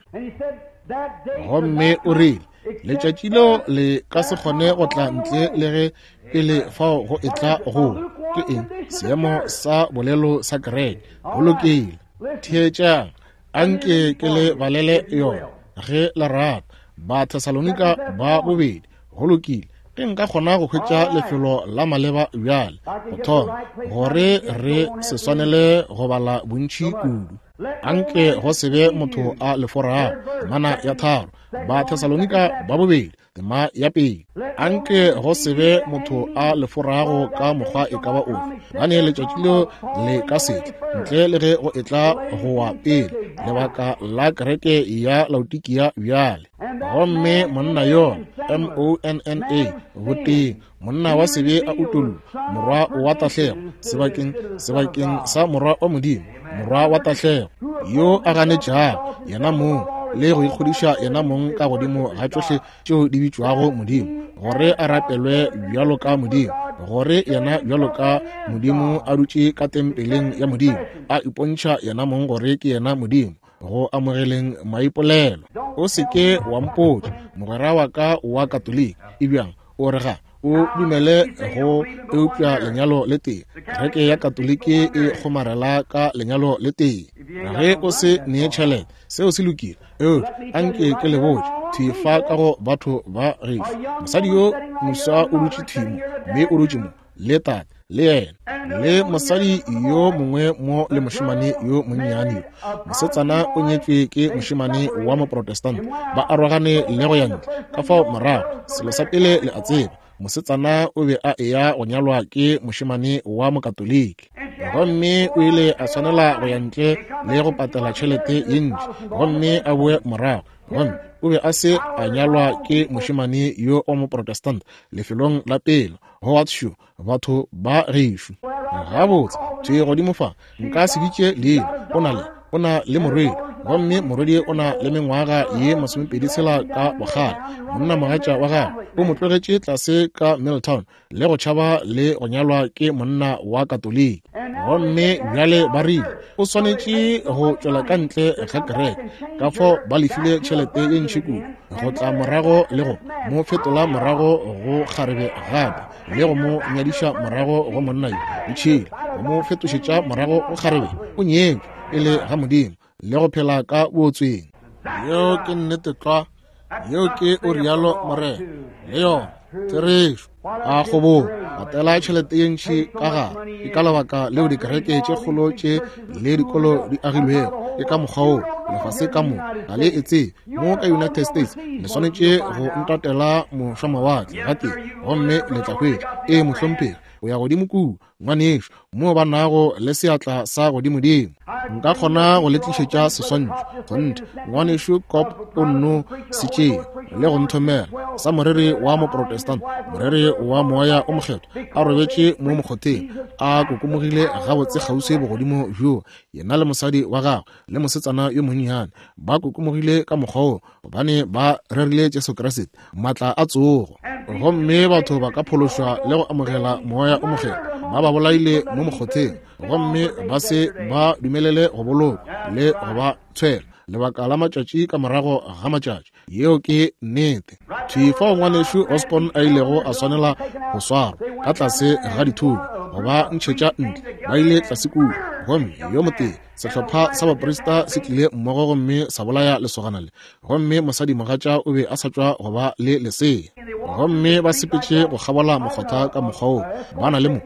S1: Gomme o rile letšatši leo le ka se kgone go tla ntle le ge pele fao go etla go ke eng seemo sa bolelo sa kereke. Go lokile, theetšang, anke ke le balele yona ge le rata. Bathesalonika ba bobedi. Go lokile, ge nka kgona go hwetša lefelo la maleba bjale go thoma, gore re se swanele go bala bontši kudu. Anke go se be motho a le forago. Temana ya 3, Bathesalonika ba bobedi, tema ya 1. Anke go se be motho a le forago ka mokgwa e ka ba ofe, gobane letšatši leo le ka se tle ntle le ge go etla go wa pele lebaka la kereke ya Laodikia bjale. Gomme monna yo, M-O-N-N-A, botee, monna wa sebe a utollwa, morwa wa tahlego, sebakeng, sebakeng sa morwa wa Modimo, morwa wa tahlego, yo a ganetšago yena mong le go ikgodiša yena mong ka godimo ga tšohle tšeo di bitšwago Modimo, gore a rapelwe bjalo ka Modimo, gore yena bjalo ka Modimo a dutše ka tempeleng ya Modimo, a ipontšha yena mong gore ke yena Modimo, go amogeleng maipolelo. O se ke wa mpotša, mogwera wa ka wa Katoliki, e bjang o re ga o dumele go eupša lenyalo le tee. Kereke ya Katoliki e kgomarela ka lenyalo le tee. Ge o se nee tšhelete, seo se lokile, eupša anke ke le botše thwi fa ka go batho ba gešo, mosadi yo moswa o dutše thwi mo, mme o dutše mo le tate le yena, le mosadi yo mongwe mo le mošemane yo monnyane yo. Mosetsana o nyetšwe ke mošemane wa Moprotestant, ba arogane le go ya ntle. Ka fao morago, selo sa pele le a tseba, mosetsana o be a eya go nyalwa ke mošemane wa Mokatoliki, gomme o ile a swanela go ya ntle le go patela tšhelete ye ntši gomme a boe morago. Gomme o be a se a nyalwa ke mošemane yo wa Moprotestant lefelong la pele. Howard Shoe, batho ba gešo. Gabotse, thwi godimo fa, nka se bitše leina, o na le, o na le morwedi, gomme morwedi o na le mengwaga ye 26 ka bokgale. Monna mogatša wa gagwe o mo tlogetše tlase ka Milltown le go tšhaba le go nyalwa ke monna wa Katoliki. Gomme bjale ba rile o swanetše go tšwela ka ntle ga kereke, ka fao ba lefile tšhelete ye ntši kudu go tla morago le go mo fetola morago go kgarebe gape, le go mo nyadiša morago go monna yo ditšhila, go mo fetošetša morago go kgarebe. O nyetšwe pele ga Modimo le go phela ka bootsweng. Yeo ke nnete tlwa. Yeo ke o rialo Morena. Le yona therešo. A kgobogo patela tšhelete ye ntši ka gare. Ke ka lebaka leo dikereke tše kgolo tše le dikolo di agilwego ke ka mokgwa wo. Lefase ka moka ga le e tsebe. Mo ka United States le swanetše go ntatela mošwamawatle gatee gomme le tla hwetša. Ee, mohlomphegi, o ya godimo kua, ngwanešu, moo ba nago le seatla sa godimodimo. Nka kgona go le tlišetša seswantšho, kgonthe. Ngwanešu Kopp o nno se tšea le go nthomela, sa moreri wa Moprotestant, moreri wa Moya o Mokgethwa, a robetše mo mokgotheng, a kokomogile gabotse kgauswi bogodimo bjo, yena le mosadi wa gagwe le mosetsana yo monnyane ba kokomogile ka mokgwa wo, gobane ba rerile Jesu Kriste, maatla a tsogo, gomme batho ba ka phološwa le go amogela Moya o Mokgethwa. Ba ba bolaile mo mokgotheng, gomme ba se ba dumelele go bolokwa le go ba tshwela lebaka la matšatši ka morago ga matšatši. Yeo ke nnete. Thwi fao ngwanešu Osborn a ilego a swanela go swarwa ka tlase ga dithunya go ba ntšhetša ntle, ba ile tlase kua, gomme yo motee sehlopha sa baprista se tlile mmogo gomme sa bolaya lesogana le, gomme mosadimogatša o be a sa tšwa go ba le lesea, gomme ba sepetše go kgabola mokgotha ka mokgwa wo, ba na le mo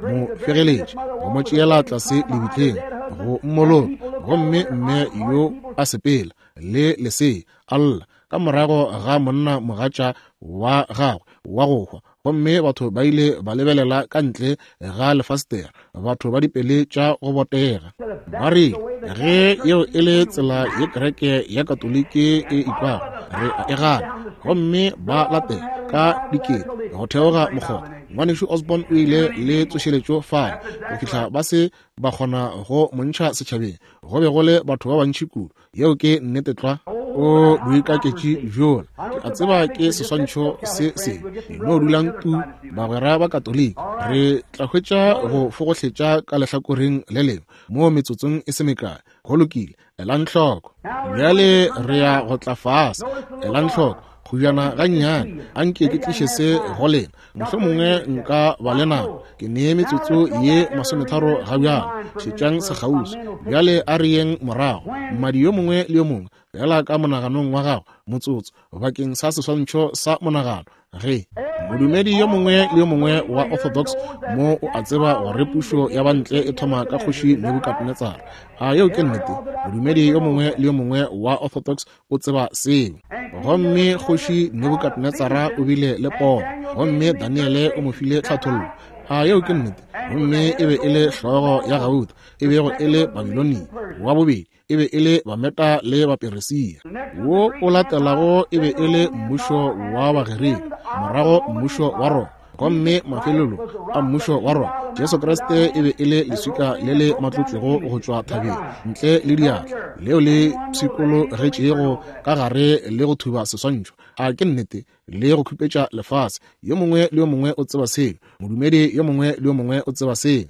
S1: mo fegeletše go mo tšeela tlase lebitleng go mmoloka, gomme mme yo a sepela le lesea a lla ka morago ga monna mogatša wa gagwe wa go hwa, gomme batho ba ile ba lebelela ka ntle ga lefastere, batho ba dipele tša go botega, ba rile, ge yeo e le tsela ye kereke ya Katoliki e ikwago, re a e gana. Gomme ba latela ka dikete go theoga mokgotha. Ngwanešu Osborn o ile le tsošeletšo fale go fihla ba se ba kgona go mo ntšha setšhabeng. Go be go le batho ba bantši kudu. Yeo ke nnete tlwa. O boikaketši bjola. Ke a tseba ke seswantšho se sebe. No dulang tu, bagwera ba Katoliki. Re tla hwetša go fogohletša ka lehlakoreng le lengwe mo metsotsong e se mekae. Go lokile. Elang hloko. Bjale re ya go tla fase. Elang hloko. Kgujana gannyane. A nke ke tliše se go lena. Mohlomongwe nka ba le nako. Ke nee metsotso ye masometharo ga bjale. Šetšang sekgauswi. Bjale a re yeng morago. Mmadi yo mongwe le yo mongwe, feela ka monaganong wa gago, motsotso, bakeng sa seswantšho sa monagano. Ge modumedi yo mongwe le yo mongwe wa Orthodox mo o a tseba gore pušo ya bantle e thoma ka kgoši Nebukadnetsara. A yeo ke nnete? Modumedi yo mongwe le yo mongwe wa Orthodox o tseba seo. Gomme kgoši Nebukadnetsara o bile le pono, gomme Daniele o mo file tlhathollo. A yeo ke nnete? Gomme e be e le hlogo ya gauta, e bego e le Babilonia wa bobedi e be e le Bameta le Baperesia. Wo o latelago e be e le mmušo wa Bagerika, morago mmušo wa Roma, gomme mafelelo a mmušo wa Roma. Jesu Kriste e be e le leswika le le matlotšwego go tšwa thabeng ntle le diatla, leo le pshikologetšego ka gare le go thuba seswantšho. A ke nnete? Le go khupetša lefase. Yo mongwe le yo mongwe o tseba seo. Modumedi yo mongwe le yo mongwe o tseba seo.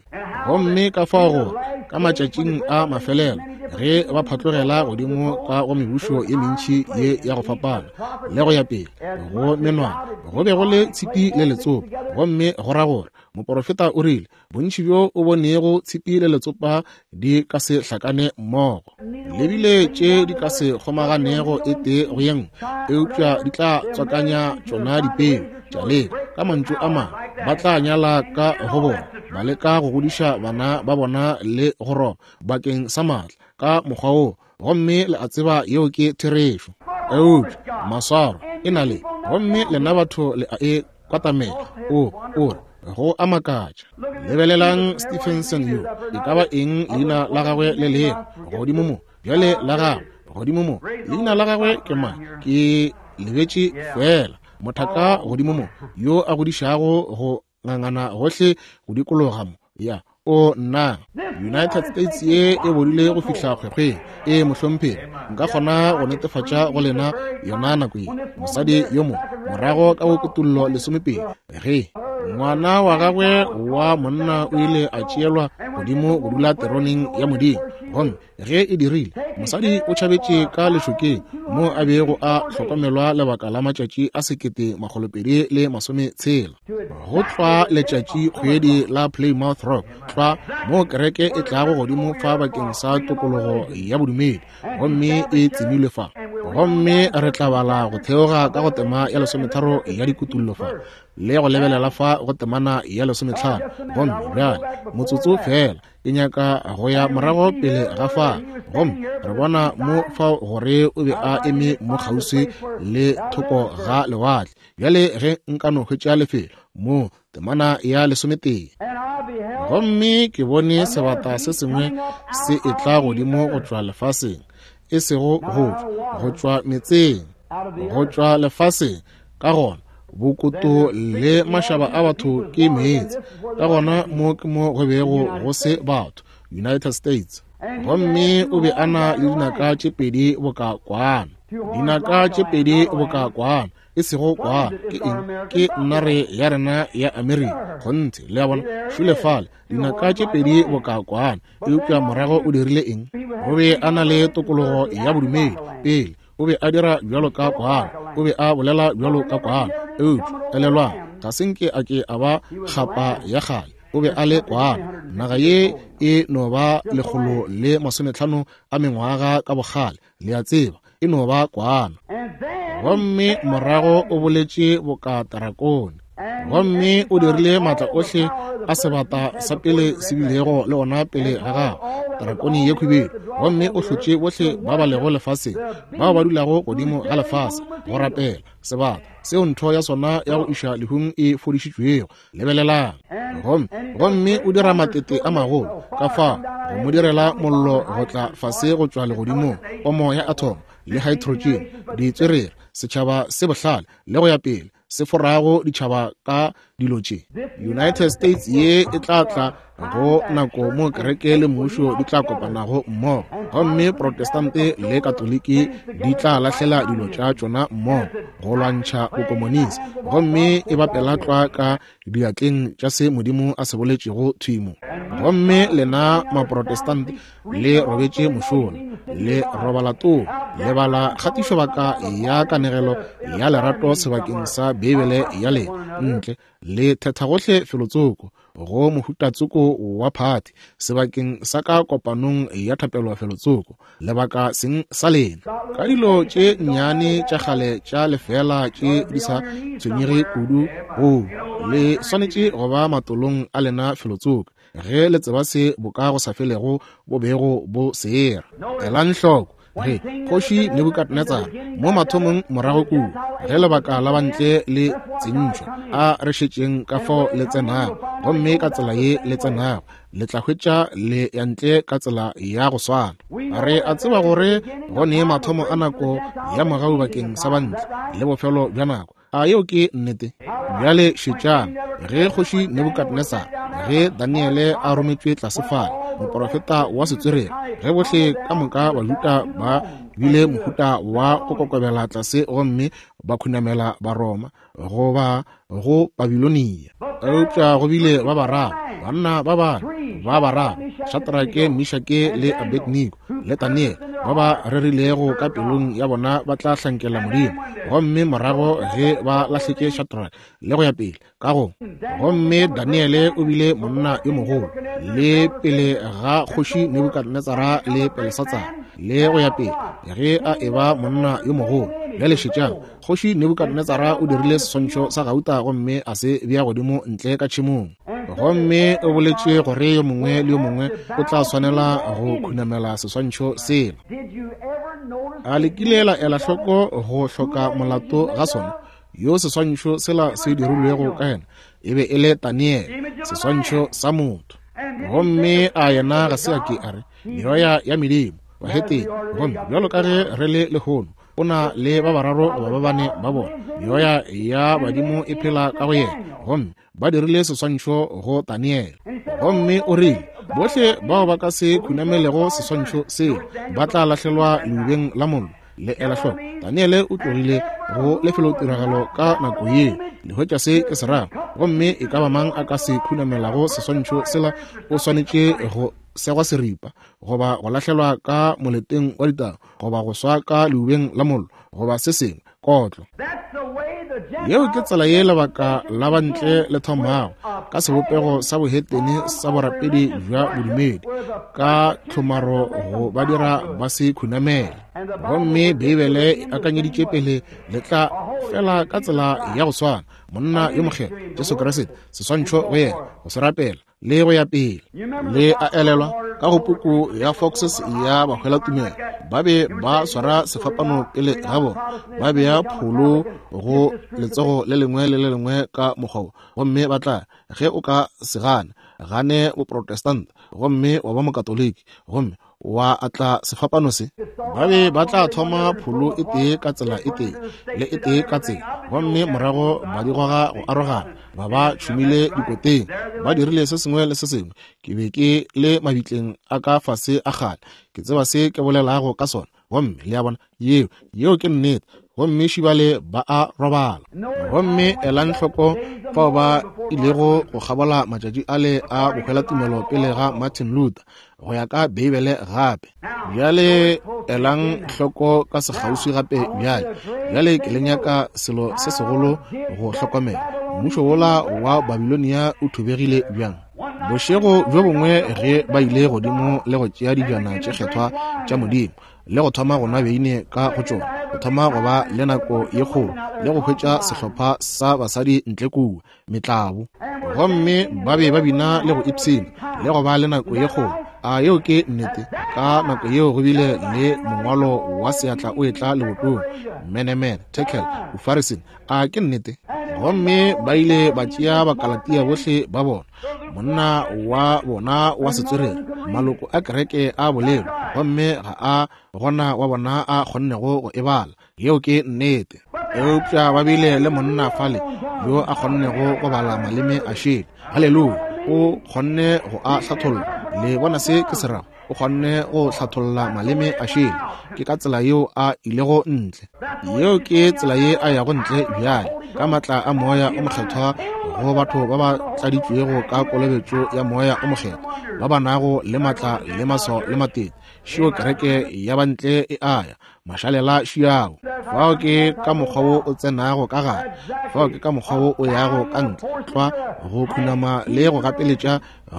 S1: Gomme ka fao gore ka matšatšing a mafelelo ge ba phatlogela godimo ka go mebušo ye mentši ye ya go fapana le go ya pele go menwana, go be go le tshipi le letsopa. Gomme go ra gore moporofeta o rile, Bontši bjo o bonego tshipi le letsopa di ka se hlakane mmogo, le bile tše di ka se kgomaganego e tee go ye nngwe, eupša di tla tswakanya tšona dipeu tša leka. Ka mantšu a mangwe, ba tla nyala ka go bona, ba leka go godiša bana ba bona le go roba bakeng sa maatla ka mokgwa woo. Gomme le a tseba yeo ke therešo. Eupša maswaro e na le, gomme lena batho le a e kwatamela. O, o re, go a makatša. Lebelelang Stephenson yo, e ka ba eng leina la gagwe le lego godimo mo bjale, la gagwe godimo mo, leina la gagwe ke mang? Ke lebetše feela. Mothaka godimo mo yo a godišago go ngangana gohle go dikologa mo. Ya, o nna, United States ye e bodile go fihla kgwekgweng. E mohlomphegi, nka kgona go netefatša go lena yona nako ye. Mosadi yo mo morago ka go Kutollo lesomepedi, ge ngwana wa gagwe wa monna o ile a tšeelwa godimo go dula teroneng ya Modimo, gomme ge e dirile, mosadi o tšhabetše ka lešokeng mo a bego a hlokomelwa lebaka la matšatši a 1260. Go tlwa letšatši kgwedi la Plymouth Rock, tlwa mo kereke e tlago godimo fa bakeng sa tokologo ya bodumedi, gomme e tsemilwe fa. Gomme re tla bala go theoga ka go tema ya lesometharo ya dikutullo fa, le go lebelela fa go temana ya lesometlhano. Gomme bjale motsotso feela, ke nyaka go ya morago pele ga fa. Gomme re bona mo fao gore o be a eme mo kgauswi le thoko ga lewatle. Bjale ge nka no hwetša lefelo mo temana ya lesometee. Gomme ke bone sebata se sengwe se etla godimo go tšwa lefaseng, e sego go tšwa, go tšwa metseng, go tšwa lefaseng. Ka gona bokoto le mašaba a batho ke meetse. Ka gona mo ke mo go bego go se batho, United States. Gomme o be a na le dinaka tše pedi boka kwana, dinaka tše pedi boka kwana, e sego kwana. Ke eng? Ke nare ya rena ya Amerika. Kgonthe, le a bona, šule fale, dinaka tše pedi boka kwana. Eupša morago o dirile eng? O be a na le tokologo ya bodumedi pele. O be a dira bjalo ka kwana, o be a bolela bjalo ka kwana. Eupša elelwang, ga se nke a ke a ba kgapa ya kgale. O be a le kwana. Naga ye e no ba 150 a mengwaga ka bokgale, le a tseba, e no ba kwana. Gomme morago o boletše boka tarakone, gomme o dirile maatla ohle a sebata sa pele se bilego le ona pele ga gagwe, tarakone ye khubedu. Gomme o hlotše bohle ba ba lego lefaseng, bao ba dulago godimo ga lefase, go rapela sebata seo ntho ya sona ya go iša lehung e fodišitšwego. Lebelelang. Gomme, gomme o dira matete a magolo ka fao go mo direla mollo go tla fase go tšwa legodimong, pomo ya athomo le hydrogen, ditswerere, setšhaba se bohlale, le go ya pele. se forago ditšhaba ka dilo tše. United States ye e tla tla go nako mo kereke le mmušo di tla kopanago mmogo, gomme Protestante le Katoliki di tla lahlela dilo tša tšona mmogo go lwantšha bokomonisi, gomme e bapela tlwa ka diatleng tša se Modimo a se boletšego thwi mo. Gomme lena Maprotestante le robetše mošola, le robala too, le bala kgatišobaka ya kanegelo ya lerato sebakeng sa Beibele ya lena, ntle le thetha gohle felotsoko go mohutatsoko wa phathi sebakeng sa ka kopanong ya thapelo felotsoko, lebaka seng sa lena ka dilo tše nnyane tša kgale tša lefeela tše di sa tshwenyege kudu. Go le swanetše go ba matolong a lena felotsoko ge le tseba se boka go sa felego bo bego bo sera. Elang hloko ge kgoši Nebukadnetsara mo mathomong morago kua ge lebaka la bantle le tsentšwe, a re šetšeng ka fao le tsenago, gomme ka tsela ye le tsenago le tla hwetša le ya ntle ka tsela ya go swana. Re a tseba gore go ne mathomo a nako ya mogau bakeng sa bantle le bofelo bja nako. A yeo ke nnete? Bjale šetšang, ge kgoši Nebukadnesar, ge Daniele a rometšwe tlase fale, moprofeta wa setswerere, ge bohle ka moka Bajuda ba bile mohuta wa go kokobela tlase gomme ba khunamela Baroma goba go Babilonia, eupša go bile ba bararo, banna ba bane ba bararo, Shadrake, Mishake le Abednego le Daniele, ba ba rerilego ka pelong ya bona ba tla hlankela Modimo, gomme morago ge ba lahletše Shadrake le go ya pele ka go, gomme Daniele o bile monna yo mogolo le pele ga kgoši Nebukadnetsara le Belesatsara le go ya pele, ge a eba monna yo mogolo. Bjale šetšang, kgoši Nebukadnetsara o dirile seswantšho sa gauta gomme a se bea godimo ntle ka tšhemong, gomme o boletše gore yo mongwe le yo mongwe o tla swanela go khunamela seswantšho sela. A le kile la ela hloko go hloka molato ga sona? Yo seswantšho sela se dirilwego ka yena e be e le Daniele, seswantšho sa motho. Gomme a yena ga se a ke a re meoya ya medimo bahetene, gomme bjalo ka ge re le lehono, o na le ba bararo goba ba bane ba bona, meoya ya badimo e phela ka go yena, gomme ba dirile seswantšho go Daniele. Gomme o rile, bohle bao ba ka se khunamelego seswantšho seo ba tla lahlelwa leubeng la mollo. Le ela hloko, Daniele o tlogile go lefelotiragalo ka nako yeo. Le hwetša se ke se rago? Gomme e ka ba mang a ka se khunamelago seswantšho sela o swanetše go segwa seripa, goba go lahlelwa ka moleteng wa ditau, goba go swa ka leubeng la mollo, goba se sengwe, kotlo. Yeo ke tsela ye lebaka la bantle le thomago, ka sebopego sa bohetene sa borapedi bja bodumedi, ka tlhomaro go ba dira ba se khunamele. Gomme Beibele e akanyeditše pele le tla fela ka tsela ya go swana, monna yo mokgethwa Jesu Kriste, seswantšho go yena, go se rapela le go ya pele. Le a elelwa ka go puku ya Foxes ya bahwelatumelo, ba be ba swara sefapano pele ga bona, ba bea pholo go letsogo le lengwe le le lengwe ka mokgwa, gomme ba tla, ge o ka se gane, gane boprotestant gomme wa ba mokatoliki, gomme wa atla sefapano se, ba be ba tla thoma pholo e tee ka tsela e tee le e tee ka tsela, gomme morago ba di goga go arogana, ba ba tšhumile dikoteng, ba dirile se sengwe le se sengwe. Ke be ke le mabitleng a ka fase a kgale, ke tseba se ke bolelago ka sona. Gomme le a bona, yeo, yeo ke nnete. Gomme šibale ba a robala. Gomme elang hloko fao ba ilego go kgabola matšatši ale a bohwelatumelo pele ga Martin Luther, go ya ka Beibele gape. Bjale elang hloko ka sekgauswi gape bjale. Bjale ke le nyaka selo se segolo go hlokomela. Mmušo wola wa Babilonia o thubegile bjang? Bošego bjo bongwe ge ba ile godimo le go tšea dijana tše kgethwa tša Modimo le go thoma go nwa beine ka go tšona, go thoma go ba le nako ye kgolo le go hwetša sehlopha sa basadi ntle kua metlabo, gomme ba be ba bina le go ipshina le go ba le nako ye kgolo. A yeo ke nnete? Ka nako yeo go bile le mongwalo wa seatla o etla lebotong, Menemene, Tekel, Ufarisini. A ke nnete? Gomme ba ile ba tšea Bakalatia bohle ba bona, monna wa bona wa setswerere, maloko a kereke a bolelo, gomme ga a gona wa bona a kgonnego go e bala. Yeo ke nnete. Eupša ba bile le monna fale yo a kgonnego go bala maleme a šele. Haleluya! O kgonne go a hlatholla. Le bona se ke se rago? O kgonne go hlatholla maleme a šele. Ke ka tsela yeo a ilego ntle. Yeo ke tsela ye a yago ntle bjale, ka maatla a Moya o Mokgethwa go batho ba ba tladitšwego ka kolobetšo ya Moya o Mokgethwa, ba ba nago le maatla le maswao le matete. Šio kereke ya bantle e a ya, mašalela šiago. Fao ke ka mokgwa wo o tsenago ka gare, fao ke ka mokgwa wo o yago ka ntle, tlwa go khunama le go gapeletša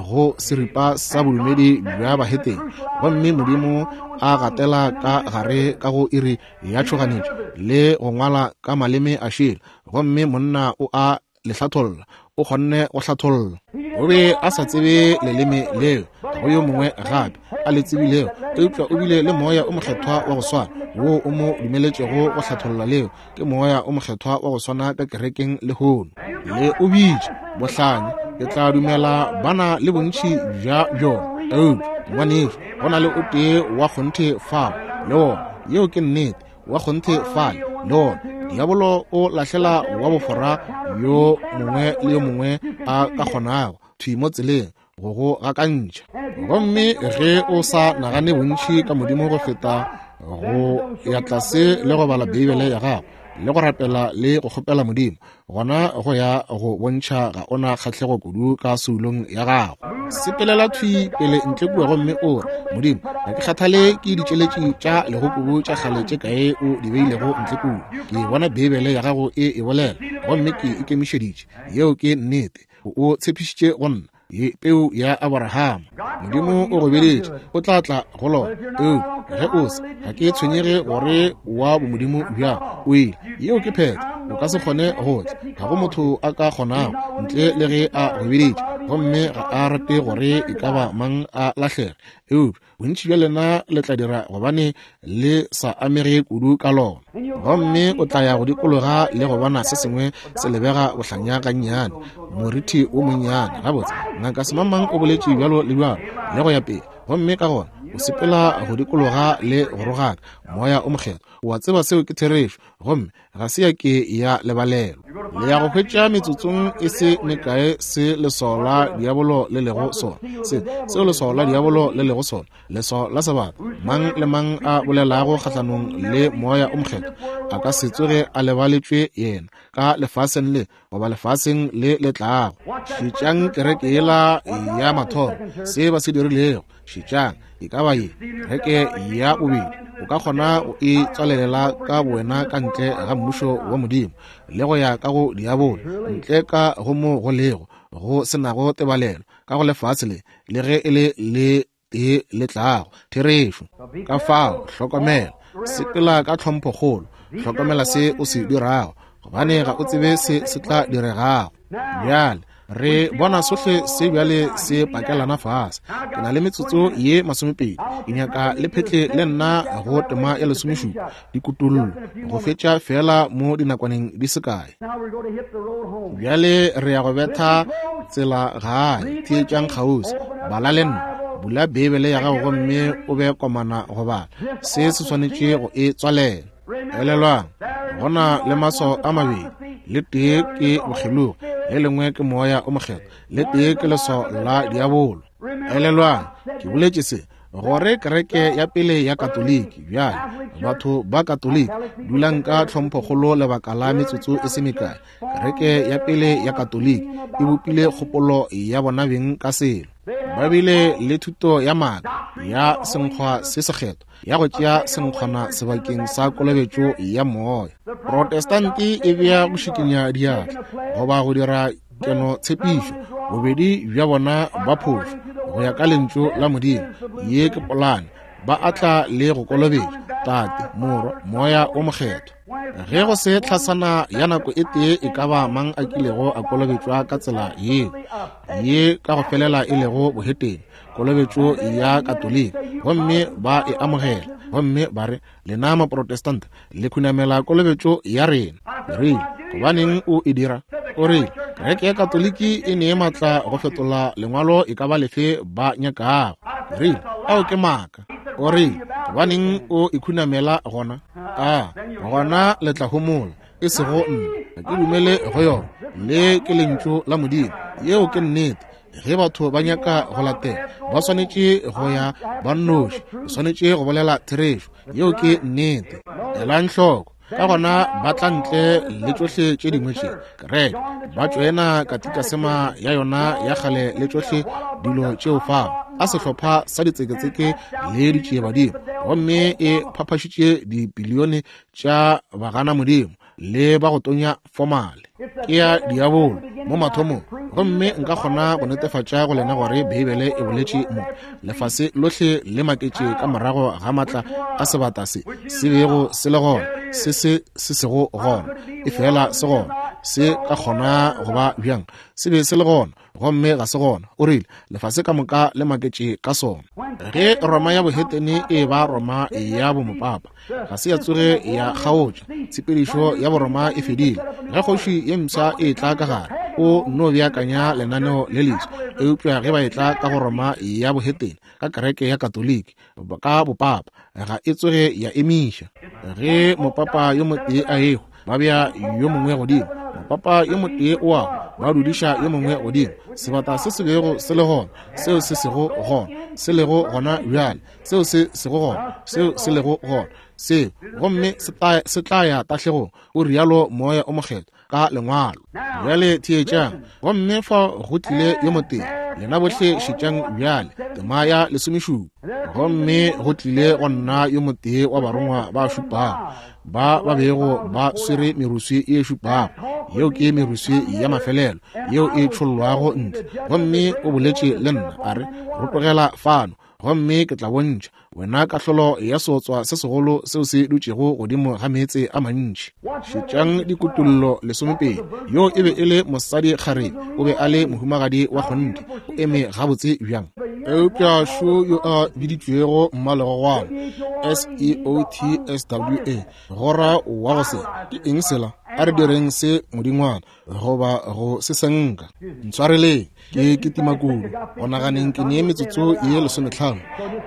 S1: go seripa sa bodumedi bja bahetene. Gomme Modimo a gatela ka gare ka go iri ya tšhoganetšo le go ngwala ka maleme a šele, gomme monna o a le hlatholla. O kgonne go hlatholla. O be a sa tsebe leleme leo, ga go yo mongwe gape a le tsebilego, eupša o bile le Moya o Mokgethwa wa go swana woo o mo dumeletšego go hlatholla leo. Ke Moya o Mokgethwa wa go swana ka kerekeng lehono. Le o bitša bohlanya, ke tla dumela ba na le bontši bja bjona, eupša ngwanešu, go na le o tee wa kgonthe fao le wona. Yeo ke nnete. Wa kgonthe fale le wona. Diabolo o lahlela wa bofora yo mongwe le yo mongwe a ka kgonago thwi mo tseleng go go gakantšha. Gomme ge o sa nagane bontši ka Modimo go feta go ya tlase le go bala Beibele ya gago le go rapela le go kgopela Modimo, gona go ya go bontšha ga o na kgahlego kudu ka soulong ya gago. Sepelela thwi pele ntle kua gomme o re, Modimo, ga ke kgathale ke ditšeletši tša legokubu tša kgale tše kae o di beilego ntle kua. Ke bona Beibele ya gago e e bolela, gomme ke ikemišeditše. Yeo ke nnete. O tshepišitše go nna ye peu ya Abrahama. Modimo o go biditše, o tla tla go lona. Eupša ge o se, ga ke tshwenyege gore wa bomodimo bjang, o ile. Yeo ke phetho. O ka se kgone go tla. Ga go motho a ka kgonago ntle le ge a go biditše. Gomme ga a rate gore e ka ba mang a lahlege. Eupša bontši bja lena le tla dira gobane le sa amege kudu ka lona. Gomme o tla ya go dikologa le go bona se sengwe se lebega bohlanya gannyane, morithi wo monnyane. Gabotse, ngaka semangmang o boletše bjalo le bjalo, le go ya pele. Gomme ka gona o sepela go dikologa le go rogaka Moya o Mokgethwa. O a tseba seo ke therešo, gomme ga se ya ke ya lebalelwa. Le ya go hwetša metsotsong e se mekae se leswao la diabolo le lego sona, se seo leswao la diabolo le lego sona, leswao la sebata. Mang le mang a bolelago kgahlanong le Moya o Mokgethwa a ka se tsoge a lebaletšwe yena ka lefaseng le goba lefaseng le le tlago. Šetšang kereke yela ya mathomo, se ba se dirilego. Šetšang, e ka ba ye kereke ya bobedi, o ka kgona go e tswalelela ka bowena ka ntle ga mmušo wa Modimo le go ya ka go diabolo, ntle ka go mo go lego go se nago tebalelo ka go lefase le, le ge e le le tee le tlago. Therešo. Ka fao, hlokomela, sepela ka tlhomphokgolo, hlokomela se o se dirago, gobane ga o tsebe se se tla diregago. Bjale re bona sohle se bjale se pakelana fase. Ke na le metsotso ye 20. Ke nyaka le phetle le nna go tema ya 17, dikutullo, go fetša feela mo dinakwaneng di se kae. Bjale re ya go betha tsela gae. Theetšang kgauswi, bala le nna. Bula Beibele ya gago gomme o be komana go bala. Se se swanetše go e tswalela. Elelwang, go na le maswao a mabedi. Le tee ke bokgelogi, le lengwe ke Moya o Mokgethwa. Le tee ke leswao la diabolo. Elelwang, ke boletše se gore kereke ya pele ya Katoliki. Bjale, batho ba Katoliki, dulang ka tlhomphokgolo lebaka la metsotso e se mekae. Kereke ya pele ya Katoliki e bopile kgopolo ya bona beng ka selo. Ba bile le thuto ya maaka ya senkgwa se sekgethwa, ya go tšea senkgwana sebakeng sa kolobetšo ya moya. Protestante e bea go šikinya diatla goba go dira keno tshepišo. Bobedi bja bona ba phošo go ya ka lentšu la Modimo. Ye ke polane. Ba atla le go kolobetša Tate, Morwa, Moya o Mokgethwa. Ge go se tlhasana ya nako e tee e ka ba mang a kilego a kolobetšwa ka tsela yeo, ye ka go felela e lego bohetene, kolobetšo ya Katoliki, gomme ba e amogela, gomme ba re, Lena Maprotestanta le khunamela kolobetšo ya rena. Ke rile, Gobaneng o e dira? O rile, Kereke ya Katoliki e ne maatla go fetola lengwalo e ka ba lefe ba nyakago. Ke rile, Ao ke maaka. O rile, Gobaneng o e khunamela gona? A gona le tla homola. E sego nna, ga ke dumele go yona. Le ke Lentšu la Modimo. Yeo ke nnete. Ge batho ba nyaka go latela, ba swanetše go ya ba nnoši. O swanetše go bolela therešo. Yeo ke nnete. Elang hloko. Ka gona ba tla ntle le tšohle tše dingwe tše kereke, ba tšoena katikasema ya yona ya kgale le tšohle dilo tšeo fao, a sehlopha sa ditseketseke le ditšiebadimo, gomme e phaphašitše dipilione tša bagana Modimo le ba go tonya fomale. Ke ya diabolo mo mathomong, gomme nka kgona go netefatša go lena gore Beibele e boletše mo. Lefase lohle le maketše ka morago ga matla a sebata se se bego se le gona, se se se sego gona, e fela se gona. Se ka kgona go ba bjang? Se be se le gona, gomme ga se gona. O rile lefase ka moka le maketše ka sona. Ge Roma ya bohetene e ba Roma ya bomopapa, ga se ya tsoge ya kgaotša. Tshepedišo ya Boroma e fedile. Ge kgoši ye mpsha e tla ka gare, o no beakanya lenaneo le leswa. Eupša ge ba etla ka go Roma ya bohetene, ka kereke ya Katoliki, ka bopapa, ga e tsoge ya emiša. Ge mopapa yo motee a ehwa, ba bea yo mongwe godimo. Mopapa yo motee o a ba dudiša yo mongwe godimo. Sebata se se bego se le gona, seo se sego gona, se lego gona bjale, seo se sego gona, seo se lego gona, seo, gomme se tla ya tahlegong, o rialo Moya o Mokgethwa ka Lengwalo. Bjale theetšang. Gomme fa go tlile yo motee, lena bohle šetšang bjale, tema ya lesomešupa. Gomme go tlile go nna yo motee wa barongwa ba šupago, ba ba bego ba swere meruswi e šupago, yeo ke meruswi ya mafelelo yeo e tšhollwago ntle. Gomme o boletše le nna, a re, Rotogela fano, gomme ke tla bontšha wena kahlolo ya seotswa se segolo seo se dutšego godimo ga meetse a mantši. Šetšang dikutullo 12. Yo e be e le mosadi kgarebe, o be a le mohumagadi wa kgonthe, o eme gabotse bjang. Eupša šo yo a biditšwego mmalegogwana, S-E-O-T-S-W-A, gora wa go se, ke eng sela? A re direng se modingwana goba go se senka. Ntshwareleng, ke kitima kudu. Go naganeng ke nee metsotso ye 15,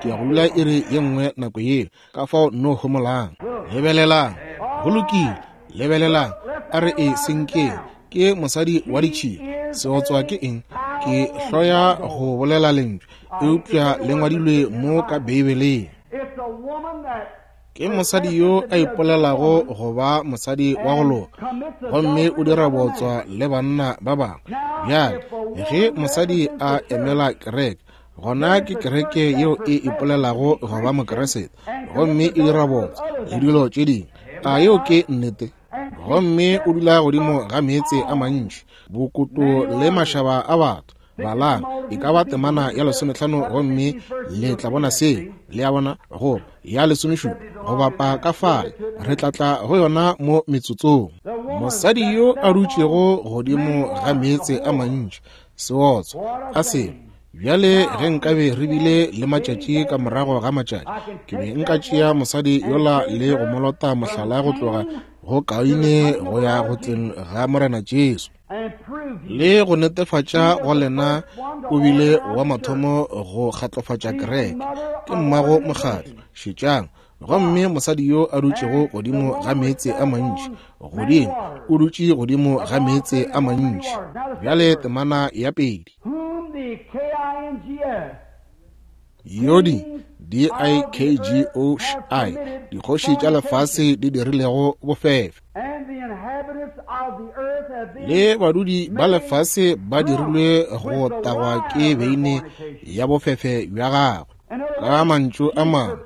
S1: ke ya go dula iri ye nngwe nako yeo. Ka fao nno homolang. Lebelelang. Go lokile. Lebelelang. A re e senkeng. Ke mosadi wa ditšhila. Seotswa ke eng? Ke hloya go bolela lentšu, eupša le ngwadilwe mo ka Beibeleng. Ke mosadi yo a ipolelago go ba mosadi wa go loka, gomme o dira bootswa le banna ba bangwe. Bjale, ge mosadi a emela kereke, gona ke kereke yeo e ipolelago go ba Mokeresete, gomme e dira bootswa le dilo tše dingwe. A yeo ke nnete? Gomme o dula godimo ga meetse a mantši, bokoto le mašaba a batho. Balang e ka ba temana ya 15 gomme le tla bona seo. Le a bona? Goba ya 17, go bapa ka fale. Re tla tla go yona mo metsotsong. Mosadi yo a dutšego godimo ga meetse a mantši, seotswa a sengwe. Bjale ge nkabe re bile le matšatši ka morago ga matšatši, ke be nka tšea mosadi yola le go mo lota mohlala go tloga go Kaine go ya go tleng ga Morena Jesu, le go netefatša go lena o bile wa mathomo go kgatlofatša kereke, ke mmago mokgatlo. Šetšang. Gomme mosadi yo a dutšego godimo ga meetse a mantši, godimo, o dutše godimo ga meetse a mantši. Bjale temana ya pedi. Yodi, D-I-K-G-O-Š-I, dikgoši tša lefase di dirilego bofefe, le badudi ba lefase ba dirilwe go tagwa ke beine ya bofefe bja gagwe. Ka mantšu a mangwe,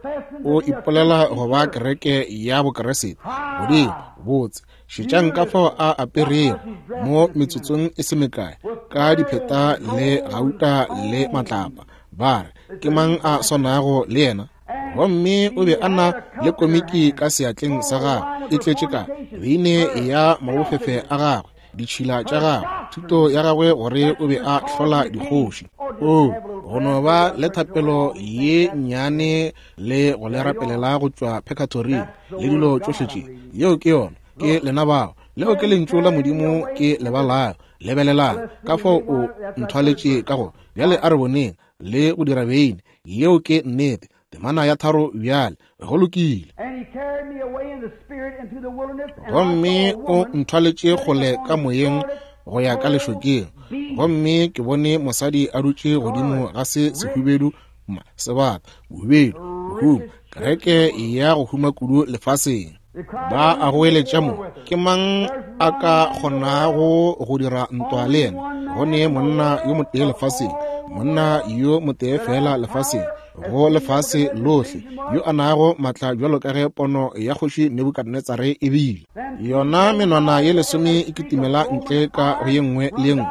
S1: o ipolela go ba kereke ya Bokeresete. Godimo, botse, šetšang ka fao a aperego mo metsotsong e se mekae, ka dipheta le gauta le matlapa. Ba re, ke mang a swanago le yena? Gomme o be a na le komiki ka seatleng sa gagwe, e tletše ka beine ya mabofefe a gagwe, ditšhila tša gagwe, thuto ya gagwe gore o be a hlola dikgoši. O, go no ba le thapelo ye nnyane le go le rapelela go tšwa pekatoring le dilo tšohle tše. Yeo ke yona. Ke lena bao. Leo ke Lentšu la Modimo ke le balago. Lebelelang ka fao o nthwaletše ka go. Bjale a re boneng le go dira beine. Yeo ke nnete. Temana ya 3 bjale. Go lokile. Gomme o nthwaletše kgole ka moyeng go ya ka lešokeng, gomme ke bone mosadi a dutše godimo ga se sehubedu sebata, bohubedu, bohumo, kereke ya go huma kudu lefaseng. Ba a goeletša mo, ke mang a ka kgonago go dira ntwa le yena? Go ne monna yo motee lefaseng, monna yo motee fela lefaseng, go lefase lohle, yo a nago matla bjalo ka ge pono ya kgoši Nebukadnetsare e bile. Yona menwana ye lesome e kitimela ntle ka go ye nngwe le ye nngwe.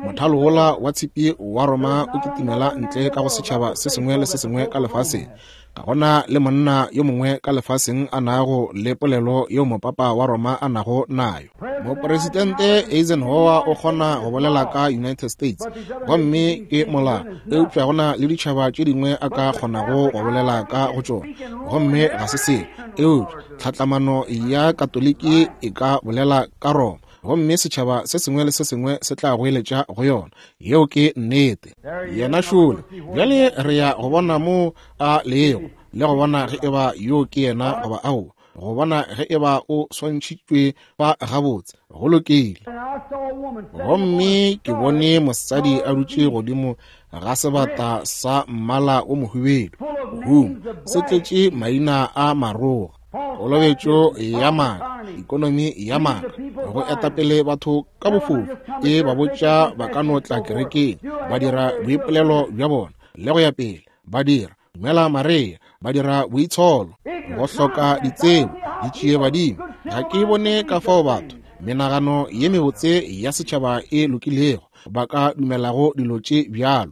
S1: Mothalo wola wa tshipi wa Roma o kitimela ntle ka go setšhaba se sengwe le se sengwe ka lefaseng. Ga gona le monna yo mongwe ka lefaseng a nago le polelo yeo mopapa wa Roma a nago nayo. Mopresidente Eisenhower o kgona go bolela ka United States, gomme ke molao, eupša go na le ditšhaba tše dingwe a ka kgonago go bolela ka go tšona, gomme ga se selo. Eupša tlhatlamano ya Katoliki e ka bolela ka Roma, gomme setšhaba se sengwe le se sengwe se tla goeletša go yona. Yeo ke nnete. Yena šole. Bjale re ya go bona mo a lego, le go bona ge eba yo ke yena goba aowa, go bona ge eba o swantšhitšwe fa gabotse. Go lokile. Gomme ke bone mosadi a dutše godimo ga sebata sa mmala o mohubedu, bohumo, se tletše maina a maroga, kolobetšo ya maaka, ikonomi ya maaka, go etapele batho ka bofofu, e ba botša ba ka no tla kerekeng, ba dira boipolelo bja bona, le go ya pele, ba dira dumela Maria, ba dira boitsholo, go hloka ditsebo, ditšie badimo. Ga ke bone ka fao batho, menagano ye mebotse ya setšhaba e lokilego, ba ka dumelago dilo tše bjalo.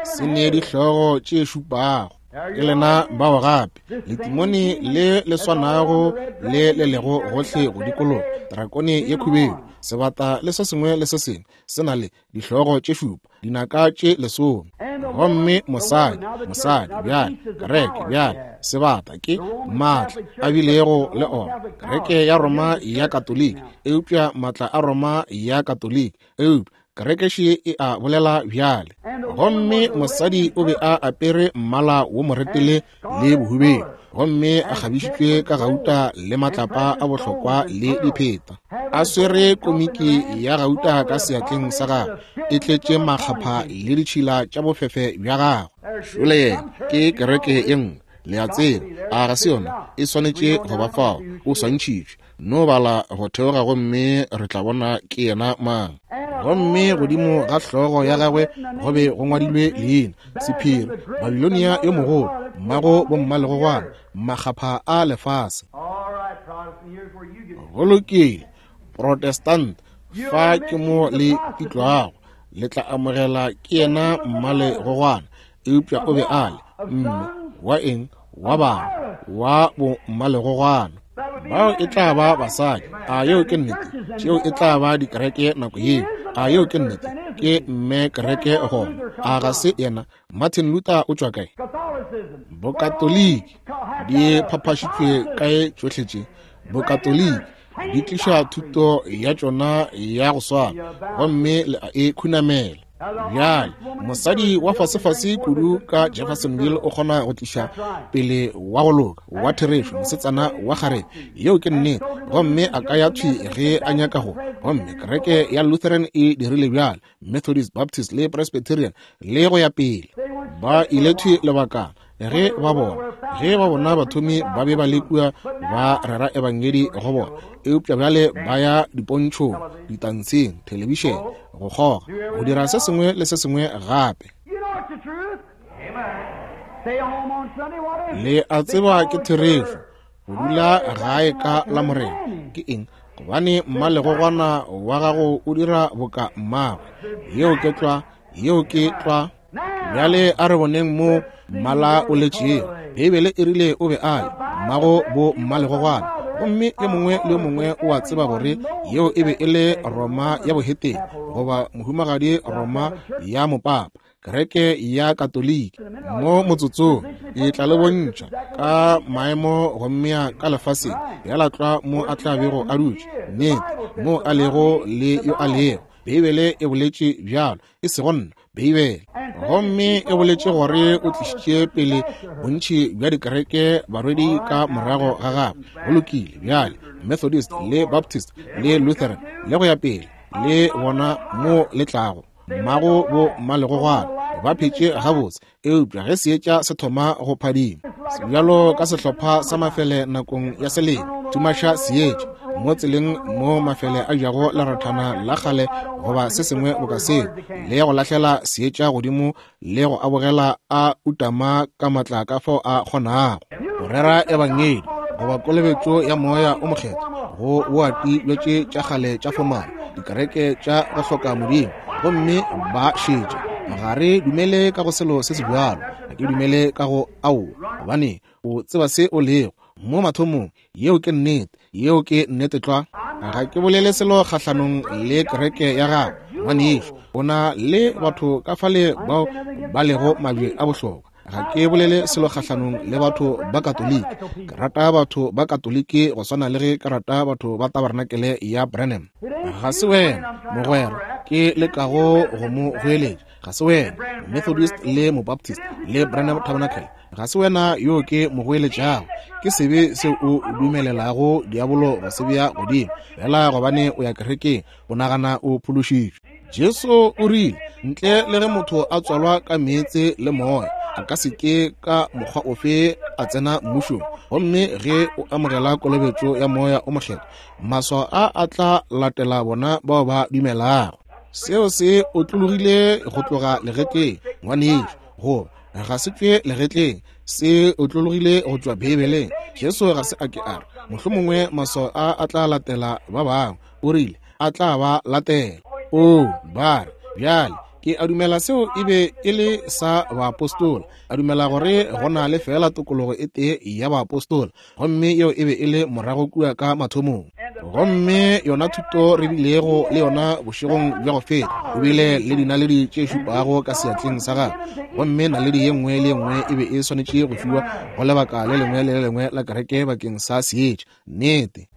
S1: Se ne dihlogo tše šupago. Ke lena bao gape, letimone le le swanago le le lego gohle go dikologa, drakone ye khubedu, sebata le se sengwe le se sengwe se na le dihlogo tše šupa, dinaka tše lesome. Gomme mosadi, mosadi bjale, kereke bjale, sebata ke maatla a bilego le ona, kereke ya Roma ya Katoliki, eupša maatla a Roma ya Katoliki, eupša kereke še e a bolela bjale. Gomme mosadi o be a apere mmala wo moretele le bohubedu, gomme a kgabišitšwe ka gauta le matlapa a bohlokwa le dipheta, a swere komiki ya gauta ka seatleng sa gagwe, e tletše makgapha le ditšhila tša bofefe bja gagwe. Šole yena, ke kereke ye nngwe, le a tseba, a ga se yona? E swanetše go ba fao, o swantšhitšwe. No bala go theoga gomme re tla bona ke yena mang. Gomme godimo ga hlogo ya gagwe go be go ngwadilwe leina, sephiri, Babilonia yo mogolo, mmago bommalegogwana, makgapha a lefase. Go lokile, Protestant, fa ke mo le pitlwago, le tla amogela ke yena mmalegogwana, eupša o be a le mme wa eng? Wa bana, wa bommalegogwana. Bao e tla ba basadi. A yeo ke nnete? Tšeo e tla ba dikereke nako yeo. A yeo ke nnete? Ke mme kereke gona. A ga se yena? Martin Luther o tšwa kae? Bokatoliki di phaphašitšwe kae tšohle tše? Bokatoliki di tliša thuto ya tšona ya go swana, gomme le a e khunamela. Bjale mosadi wa fasefase kudu ka Jeffersonville o kgona go tliša pele wa go loka wa therešo, mosetsana wa kgarebe, yeo ke nnete, gomme a ka ya thwi ge a nyaka go. Gomme kereke ya Lutheran e dirile bjalo, Methodist, Baptist le Presbyterian le go ya pele. Ba ile thwi lebakana ge ba bona, ge ba bona bathomi ba be ba le kua ba rera ebangedi go bona, eupša bjale ba ya dipontšhong, ditantsheng, thelebišene, go kgoga, go dira se sengwe le se sengwe gape. Le a tseba ke therešo, go dula gae ka la Morena ke eng? Gobane mmalegogwana wa gago o dira boka mmagwe. Yeo ke tlwa, yeo ke tlwa. Bjale a re boneng mo mmala o letšego. Beibele e rile o be a le mmago bo mmalegogwana, gomme yo mongwe le yo mongwe o a tseba gore yeo e be e le Roma ya bohetene, goba mohumagadi Roma ya mopapa, kereke ya Katoliki. Mo motsotsong e tla le bontšha ka maemo gommea ka lefaseng, bjala tlwa mo a tla bego a dutše, nnete, mo a lego le yo a lego. Beibele e boletše bjalo, e sego nna. Beibele. Gomme e boletše gore o tlišitše pele bontši bja dikereke barwedi ka morago ga gagwe. Go lokile, bjale, Methodist le Baptist le Lutheran le go ya pele, le bona mo le tlago, mmago bo mmalegogwana ba phetše gabotse, eupša ge seetša se thoma go phadima bjalo ka sehlopha sa mafele nakong ya selemo, tumaša seetša mo tseleng mo mafele a jago lerathana la kgale goba se sengwe boka seo, le go lahlela seetša godimo le go abogela a utama ka matla ka fao a kgonago go rera ebangedi goba kolobetšo ya moya o mokgethwa go boati bja tše tša kgale tša fomala dikereke tša go hloka modimo, gomme ba šetša. Ga re dumele ka go selo se se bjalo. Ga ke dumele ka go ao, gobane o tseba se o lego mo mathomong. Yeo ke nnete. Yeo ke nnete tlwa. Ga ke bolele selo kgahlanong le kereke ya gago, ngwanešu. O na le batho ka fale bao ba lego mabje a bohlokwa. Ga ke bolele selo kgahlanong le batho ba Katoliki. Ke rata batho ba Katoliki go swana le ge ke rata batho ba Tabarnakele ya Branham. Ga se wena, mogwera, ke lekago go mo goeletša. Ga se wena, Methodist le Mobaptist le Branham Tabernacle. Ga se wena yo ke mo goeletšago. Ke sebe seo o dumelelago diabolo go se bea godimo, fela gobane o ya kerekeng, o nagana o phološitšwe. Jesu o rile, ntle le ge motho a tswalwa ka meetse le moya, a ka se ke ka mokgwa ofe a tsena mmušong. Gomme ge o amogela kolobetšo ya moya o mokgethwa, maswao a a tla latela bona bao ba dumelago. Seo se otlologile go tloga legetleng, ngwanešu, goba ga se tšwe legetleng, se otlologile go tšwa Beibeleng. Jesu ga se a ke a re, mohlomongwe maswao a a tla latela ba bangwe. O rile, a tla ba latela. Oo, ba re, bjale, ke a dumela seo e be e le sa baapostola. A dumela gore go na le feela tokologo e tee ya baapostola, gomme yeo e be e le morago kua ka mathomong. Gomme yona thuto re bilego le yona bošegong bja go feta, o bile le dinaledi tše šupago ka seatleng sa gagwe, gomme naledi ye nngwe le ye nngwe e be e swanetše go fiwa go lebaka le lengwe le le lengwe la kereke bakeng sa seetša. Nnete,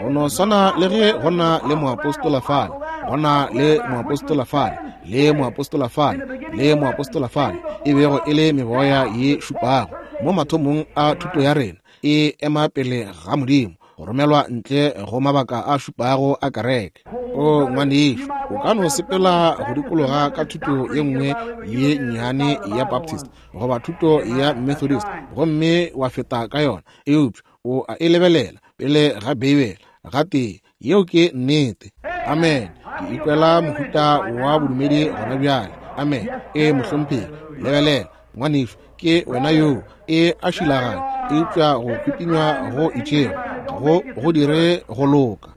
S1: go no swana le ge go na le moapostola fale, go na le moapostola fale, le moapostola fale, le moapostola fale, e bego e le meboya ye šupago mo mathomong a thuto ya rena, e ema pele ga Modimo, go romelwa ntle go mabaka a šupago a kereke. O ngwanešu, o ka no sepela go dikologa ka thuto ye nngwe ye nnyane ya Baptist goba thuto ya Methodist gomme wa feta ka yona, eupša o a e lebelela pele ga Beibele gatee. Yeo ke nnete. Amen. Ke ikwela mohuta wa bodumedi gona bjale. Amen. E mohlomphegi, lebelela ngwanešu, ke wena yoo. E a šilaganya, eupša go kwipinywa go itšego go go dire go loka.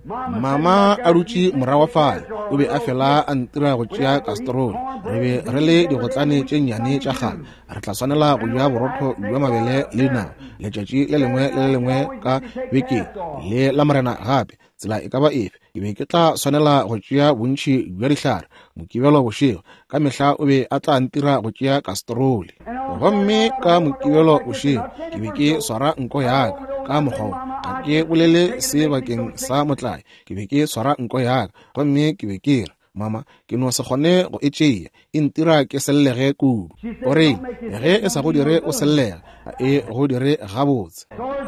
S1: Mama a dutše morago fale, o be a fela a ntira go tšea kastroli. Re be re le digotlane tše nnyane tša kgale. Re tla swanela go ja borotho bja mabele le dinao letšatši le lengwe le le lengwe ka bekeng, le la morena gape. Tsela e ka ba efe, ke be ke tla swanela go tšea bontši bja dihlare. Mokibelo bošego, ka mehla o be a tla ntira go tšea kastroli. Gomme ka Mokibelo bošego, ke be ke swara nko ya ka ka mokgwa wo. Ga ke bolele se bakeng sa motlae. Ke be ke swara nko ya ka, gomme ke be ke re, Mama, ke no se kgone go e tšea, e ntira ke sellege kudu. O re, ge e sa go dire o sellega, ga e go dire gabotse.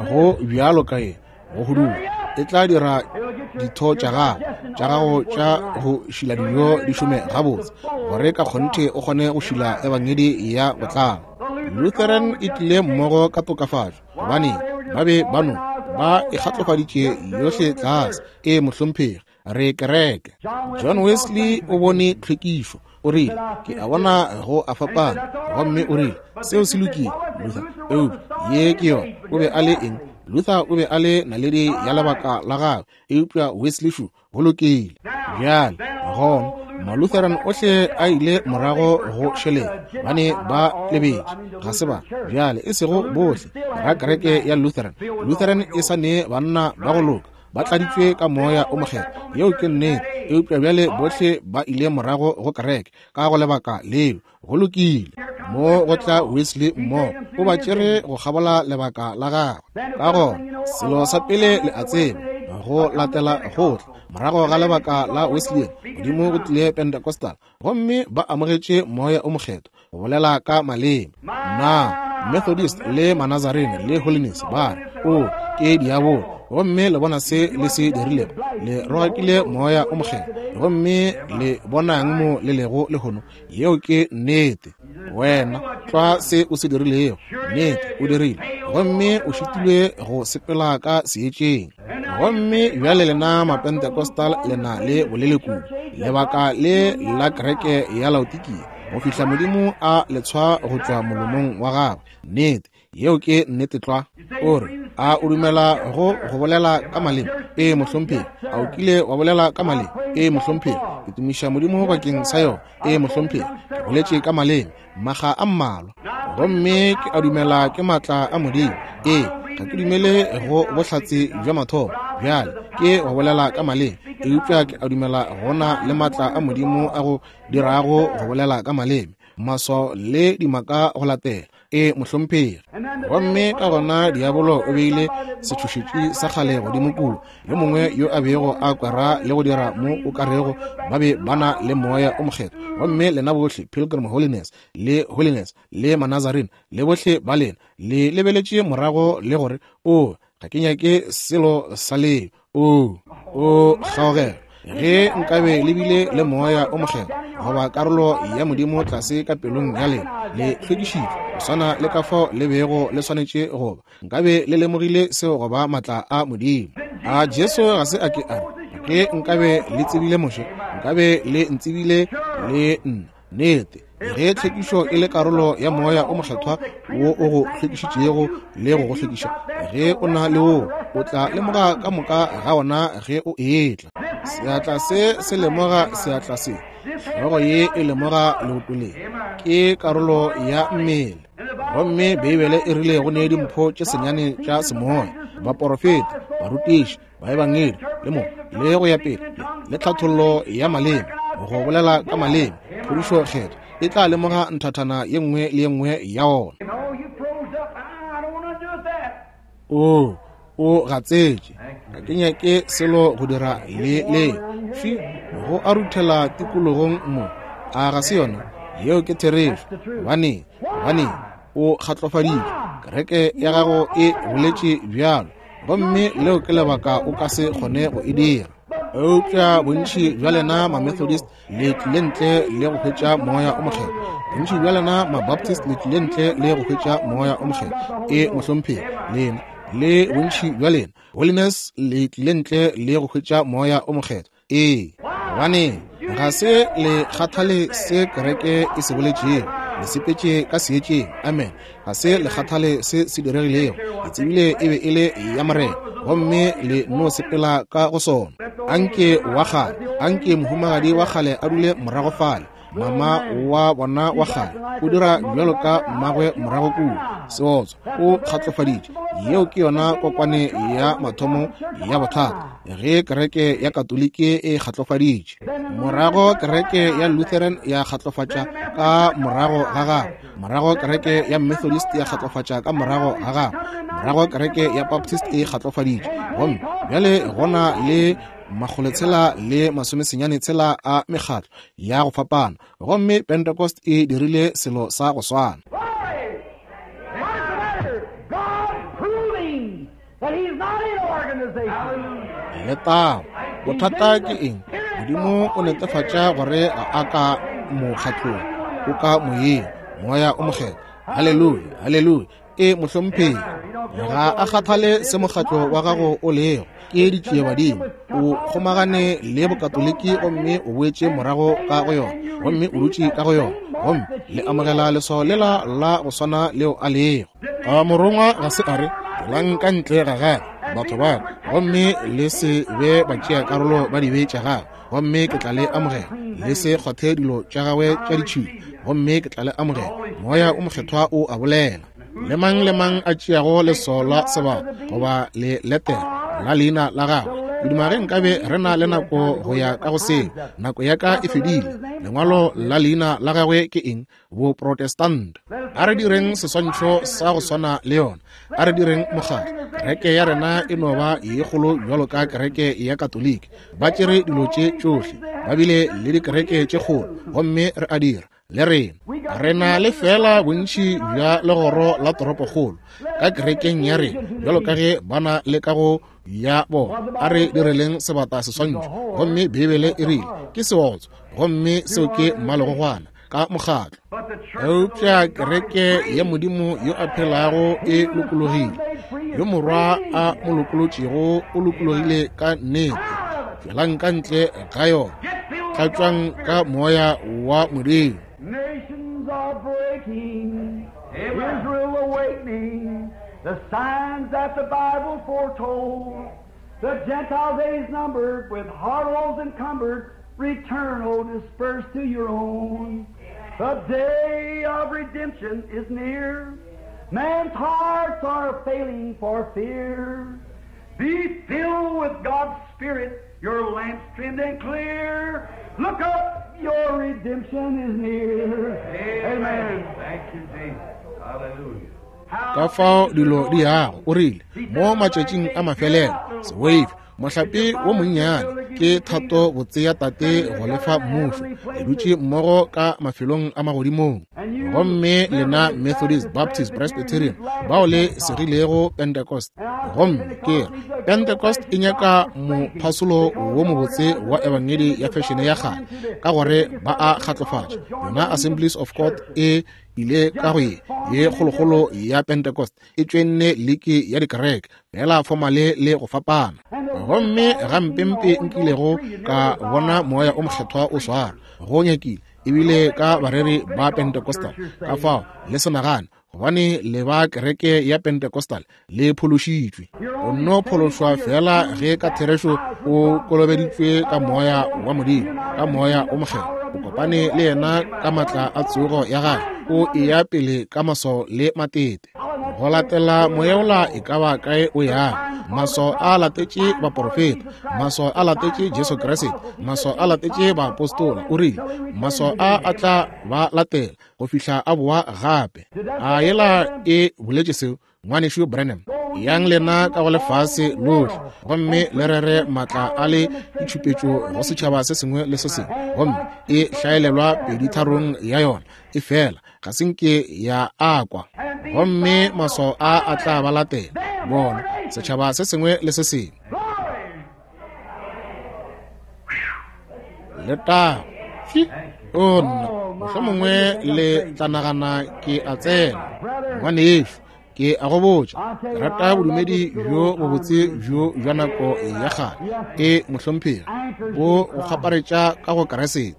S1: Go bjalo ka ye, go huduga, e tla dira ditho tša gago, tša gago tša go šila dijo di šome gabotse, gore ka kgonthe o kgone go šila ebangedi ya botlalo. Lutheran e tlile mmogo ka tokafatšo, gobane ba be ba no ba e kgatlofaditše yohle tlase. E mohlomphegi, re kereke. John Wesley o bone tlhwekišo, o rile, ke a bona go a fapana, gomme o rile, seo se lokile, Luther, eupša ye ke yona. O be a le eng? Luther o be a le naledi ya lebaka la gagwe, eupša Wesley šo, go lokile. Bjale, gona, Malutheran ohle a ile morago go šeleng, ba ne ba lebetše, ga se ba, bjale, e sego bohle, ra kereke ya Lutheran. Lutheran e sa ne banna ba go loka, ba tladitšwe ka moya o mokgethwa, yeo ke nnete, eupša bjale bohle ba ile morago go kereke ka go lebaka leo. Go lokile. Mo go tla Wesley mmogo, o ba tšere go kgabola lebaka la gagwe. Ka gona, selo sa pele le a tseba, Go latela go tla morago ga lebaka la Wesleyan, godimo go tlile Pentecostal, gomme ba amogetše Moya o Mokgethwa, go bolela ka maleme. Na Methodist le Manazarene le Holiness ba re, O ke diabolo, gomme le bona se le se dirilego, le rogakile Moya o Mokgethwa, gomme le bonang mo le lego lehono. Yeo ke nnete. Wena tlwa se o se dirilego, nnete o dirile, gomme o šitilwe go sepela ka seetšeng. Gomme bjale lena Mapentecostal le na le bolelekudu, lebaka le la kereke ya Laodikia, go fihla Modimo a le tshwa go tšwa molomong wa gagwe. Nnete, yeo ke nnete tlwa. O re, a o dumela go go bolela ka maleme? Ee, mohlomphegi. A o kile wa bolela ka maleme? Ee, mohlomphegi. Ke tumiša Modimo bakeng sa yona. Ee, mohlomphegi. Ke boletše ka maleme maga a mmalwa, gomme ke a dumela ke maatla a Modimo. Ee, ga ke dumele go bohlatse bja mathomo bjale ke go bolela ka maleme, eupša ke a dumela gona le maatla a Modimo a go dirago go bolela ka maleme, maswao le dimaka go latela. E, mohlomphegi. Gomme ka gona diabolo o beile setšhošetši sa kgale godimo kua, yo mongwe yo a bego a kwera le go dira mo o ka rego ba be ba na le Moya o Mokgethwa. Gomme lena bohle Pilgrim Holiness le Holiness le Manazarene le bohle ba lena le lebeletše morago le gore, O, ga ke nyake selo sa leo. O, o kgaogelo. Ge nkabe le bile le Moya o Mokgethwa goba karolo ya Modimo tlase ka pelong ya lena, le hlwekišitšwe go swana le ka fao le bego le swanetše go ba, nkabe le lemogile seo go ba maatla a Modimo. A Jesu ga se a ke a re, Ge nkabe le tsebile Moshe, nkabe le ntsebile le nna. Nnete, ge tlhwekišo e le karolo ya Moya o Mokgethwa wo o go hlwekišitšego le go go hlwekiša, ge o na le woo, o tla lemoga ka moka ga ona ge o etla. Seatla se se lemoga seatla se, hlogo ye e lemoga leoto le, ke karolo ya mmele. Gomme Beibele e rile go ne dimpho tše senyane tša semoya, baporofeta, barutiši, baebangedi, le mo le go ya pele, le tlhathollo ya maleme, go bolela ka maleme, phodišo kgetho e tla lemoga nthathana ye nngwe le ye nngwe ya ona. O, o gatsetše, ga ke nyake selo go dira le le fi go a ruthela tikologong mo. A ga se yona? Yeo ke therešo. Gobaneng? Gobaneng? O kgatlofaditšwe. Kereke ya gago e boletše bjalo, gomme leo ke lebaka o ka se kgone go e dira. Eupša bontši bja lena Mamethodist le tlile ntle le go hwetša Moya o Mokgethwa. Bontši bja lena Mabaptist le tlile ntle le go hwetša Moya o Mokgethwa. E, mohlomphegi, lena le bontši bja lena Holiness le tlile ntle le go hwetša Moya o Mokgethwa. Ee, gobane ga se le kgathale se kereke e se boletšego, le sepetše ka seetšeng. Amen. Ga se le kgathale se se diregilego, le tsebile e be e le ya Morena, gomme le no sepela ka go sona. Anke wa kgale, anke mohumagadi wa kgale a dule morago fale, mama wa bona wa kgale o dira bjalo ka mmagwe morago kua, seotswa, o kgatlofaditše. Yeo ke yona kokwane ya mathomo ya bothata, ge kereke ya Katoliki e kgatlofaditše, morago kereke ya Lutheran ya kgatlofatša ka morago ga gagwe, morago kereke ya Methodist ya kgatlofatša ka morago ga gagwe, morago kereke ya Baptist e kgatlofaditše, gomme bjale gona le makgolotshela le masomesenyane tshela a mekgatlo ya go fapana, gomme Pentecost e dirile selo sa go swana. Letago! Bothata ke eng? Modimo o netefatša gore ga a ka mokgatlong, o ka moyeng, Moya o Mokgethwa. Haleluya, haleluya! E, mohlomphegi, ga a kgathale se mokgatlo wa gago o lego, ke ditšiebadimo. O kgomagane le Bokatoliki gomme o boetše morago ka go yona, gomme o dutše ka go yona, gomme le amogela leswao lela la go swana leo a lego. A morongwa ga se a re, Tšwelang ka ntle ga gagwe, batho ba ka, gomme le se be batšeakarolo ba dibe tša gagwe, gomme ke tla le amogela. Le se kgwathe dilo tša gagwe tša ditšhila, gomme ke tla le amogela. Moya o Mokgethwa o a bolela. Le mang le mang a tšeago leswao la sebata goba le letere la leina la gagwe, Ke duma ge nkabe re na le nako go ya ka go seo. Nako ya ka e fedile. Lengwalo la leina la gagwe ke eng? Boprotestant. A re direng seswantšho sa go swana le yona. A re direng mokgatlo. Kereke ya rena e no ba ye kgolo bjalo ka kereke ya Katoliki. Ba tšere dilo tše tšohle. Ba bile le dikereke tše kgolo, gomme re a dira le rena. Re na le feela bontši bja legoro la toropokgolo ka kerekeng ya rena bjalo ka ge ba na le ka go ya bona. A re direleng sebata seswantšho. Gomme Beibele e rile ke seotso, gomme seo ke mmalegogwana ka mokgatlo. Eupša kereke ya Modimo yo a phelago e lokologile. Yo Morwa a mo lokolotšego o lokologile ka nnete. Tšwelang ka ntle ga yona, tlatšwang ka Moya wa Modimo.
S2: Nations are breaking, Israel awakening, the signs that the Bible foretold. The Gentile days numbered, with harlots encumbered, return, O dispersed to your own. The day of redemption is near. Man's hearts are failing for fear. Be filled with God's Spirit, your lamps trimmed and clear. Look up, your redemption is near. Amen.
S3: Thank you, Jesus. Hallelujah.
S1: Ka fao dilo di yago, o rile, mo matšatšing a mafelelo, seweife, mohlape wo monnyane, ke thato botse ya Tate go lefa mmušo, le dutše mmogo ka mafelong a magodimong. Gomme lena Methodist, Baptist, Presbyterian, bao le segilego Pentecost, gomme ke re Pentecost e nyaka mophasolo wo mobotse wa ebangedi ya fešene ya kgale, ka gore ba a kgatlofatša. Yona Assemblies of God e ile ka go ye ye kgolokgolo ya Pentecost, e tšwenne liki ya dikereke fela fomale le go fapana. Gomme gampempe nkilego ka bona Moya o Mokgethwa o swara go nyakile ebile ka bareri ba Pentecostal. Ka fao le se nagane gobane le ba kereke ya Pentecostal le phološitšwe. O nno phološwa fela ge ka therešo o kolobeditšwe ka Moya wa Modimo, ka Moya o Mokgethwa. O kopane le yena ka matla a tsogo ya gagwe, o eya pele ka maswao le matete. Go latela moya ola e ka ba kae o yang. Maswao a latetše baporofeta, maswao a latetše Jesu Kriste, maswao a latetše baapostola. O rile maswao a a tla ba latela go fihla a boa gape. A yela e boletše seo, Ngwanešu Branham? Yang lena ka go lefase lohle gomme le rere matla a le ditšhupetšo go setšhaba se sengwe le se sengwe, gomme e hlaelelwa peditharong ya yona, e fela ga se nke ya akwa. Gomme maswao a a tla ba latela bona, setšhaba se sengwe le se sengwe. Letago! O nna, mohlomongwe le tla nagana ke a tsena. Ngwanešu, ke a go botša, ke rata bodumedi bjo bobotse bjo bja nako ya kgale. E mohlomphegi, bo go kgaparetša ka go Keresete.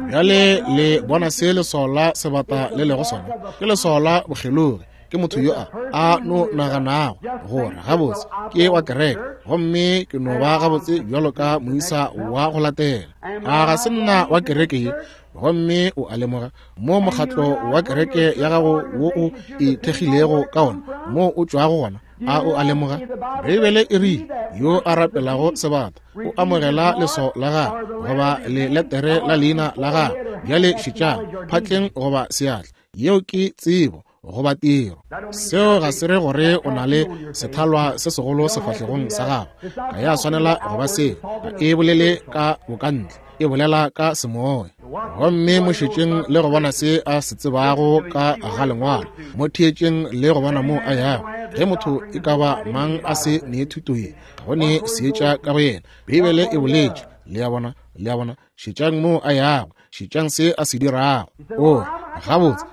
S1: Bjale le bona se leswao la sebata le lego sona? Ke leswao la bokgelogi. Ke motho yo a no naganago gore gabotse ke wa kereke, gomme ke no ba gabotse bjalo ka moisa wa go latela. A ga se nna wa kereke ye? Gomme o a lemoga mo mokgatlo wa kereke ya gago wo o ithekgilego ka ona, mo o tšwago gona. A o a lemoga? Beibele e rile yo a rapelago sebata o amogela leswao la gagwe goba leletere la leina la gagwe. Bjale šetšang, phatleng goba seatla, yeo ke tsebo goba tiro. Seo ga se re gore o na le sethalwa se segolo sefahlegong sa gago. Ga ya swanela go ba seo. Ga e bolele ka bokantle, e bolela ka semoya. Gomme mo šetšeng le go bona se a se tsebago ka ga lengwalo. Mo theetšeng le go bona mo a yago. Ge motho e ka ba mang a se ne thuto ye, ga go ne seetša ka go yena. Beibele e boletše. Le a bona? Le a bona? Šetšang mo a yago, šetšang se a se dirago. O gabotse,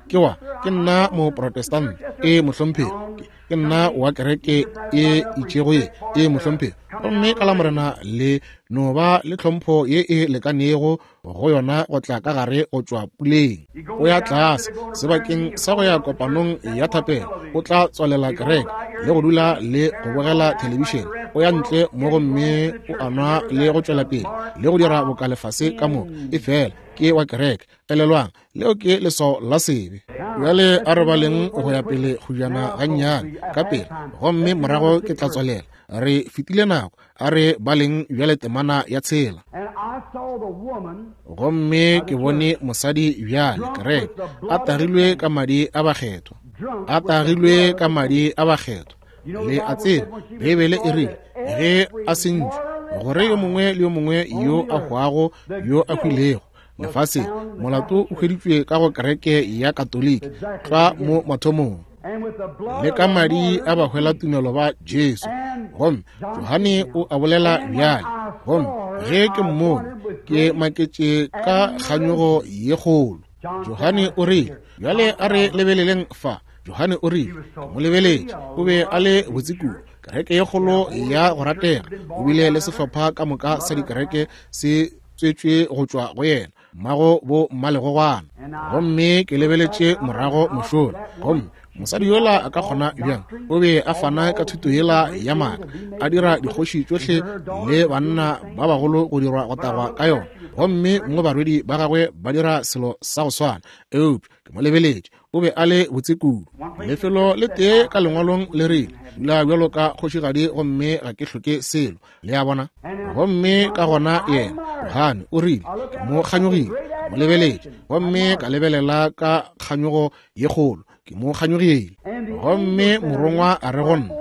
S1: ke wa, ke nna moprotestant, e mohlomphegi, ke nna wa kereke e itšego ye, e mohlomphegi. Gomme ka la Morena le no ba le tlhompho ye e lekanego go yona go tla ka gare go tšwa puleng. O ya tlase sebakeng sa go ya kopanong ya thapelo, o tla tswalela kereke le go dula le go bogela thelebišene. O ya ntle mo gomme o a nwa le go tšwela pele le go dira boka lefase ka moka, e fela ke wa kereke. Elelwang, leo ke leswao la sebe. Bjale a re baleng go ya pele kgojana gannyane ka pele, gomme morago ke tla tswalela. Re fetile nako. A re baleng bjale temana ya 6. Gomme ke bone mosadi bjale, kereke, a tagilwe ka madi a bakgethwa, a tagilwe ka madi a bakgethwa. Le a tseba, Beibele e rile, ge a sentšwe, gore yo mongwe le yo mongwe yo a hwago, yo a hwilego lefaseng, molato o hweditšwe ka go kereke ya Katoliki tlwa mo mathomong, le ka madi a bahwelatumelo ba Jesu. Gomme Johane o a bolela bjale, gomme ge ke mmone, ke maketše ka kganyogo ye kgolo. Johane o rile, bjale a re lebeleleng fa. Johane o rile, ke mo lebeletše, o be a le botse kudu, kereke ye kgolo ya go ratega, o bile le sehlopha ka moka sa dikereke se tswetšwe go tšwa go yena, mmago bo mmalegogwana. Gomme ke lebeletše morago mošola, gomme mosadi yola a ka kgona bjang? O be a fana ka thuto yela ya maaka, a dira dikgoši tšohle le banna ba bagolo go dirwa go tagwa ka yona, gomme mo barwedi ba gagwe ba dira selo sa go swana. Eupša ke mo lebeletše, o be a le botse kudu. Lefelo le tee ka lengwalong le rile, dula bjalo ka kgošigadi gomme ga ke hloke selo. Le a bona? Gomme ka gona yena, Johane, o rile, ke mo kganyogile, ke mo lebeletše, gomme ka lebelela ka kganyogo ye kgolo, ke mo kganyogile. Gomme morongwa a re go nna,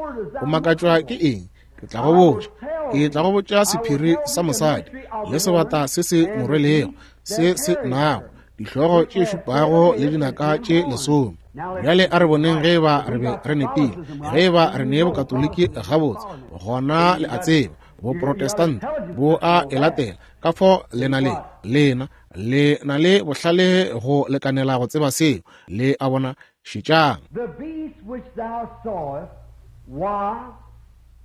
S1: o makatšwa ke eng? Ke tla go botša, ke tla go botša sephiri sa mosadi le sebata se se mo rwelego, se se nago dihlogo tše šupago le dinaka tše 10. Bjale a re boneng ge eba re be re nepile. Ge eba re ne bokatoliki gabotse, gona le a tseba boprotestant bo a e latela. Ka fao le na le, lena le na le bohlale go lekanela go tseba seo. Le a bona? Šetšang.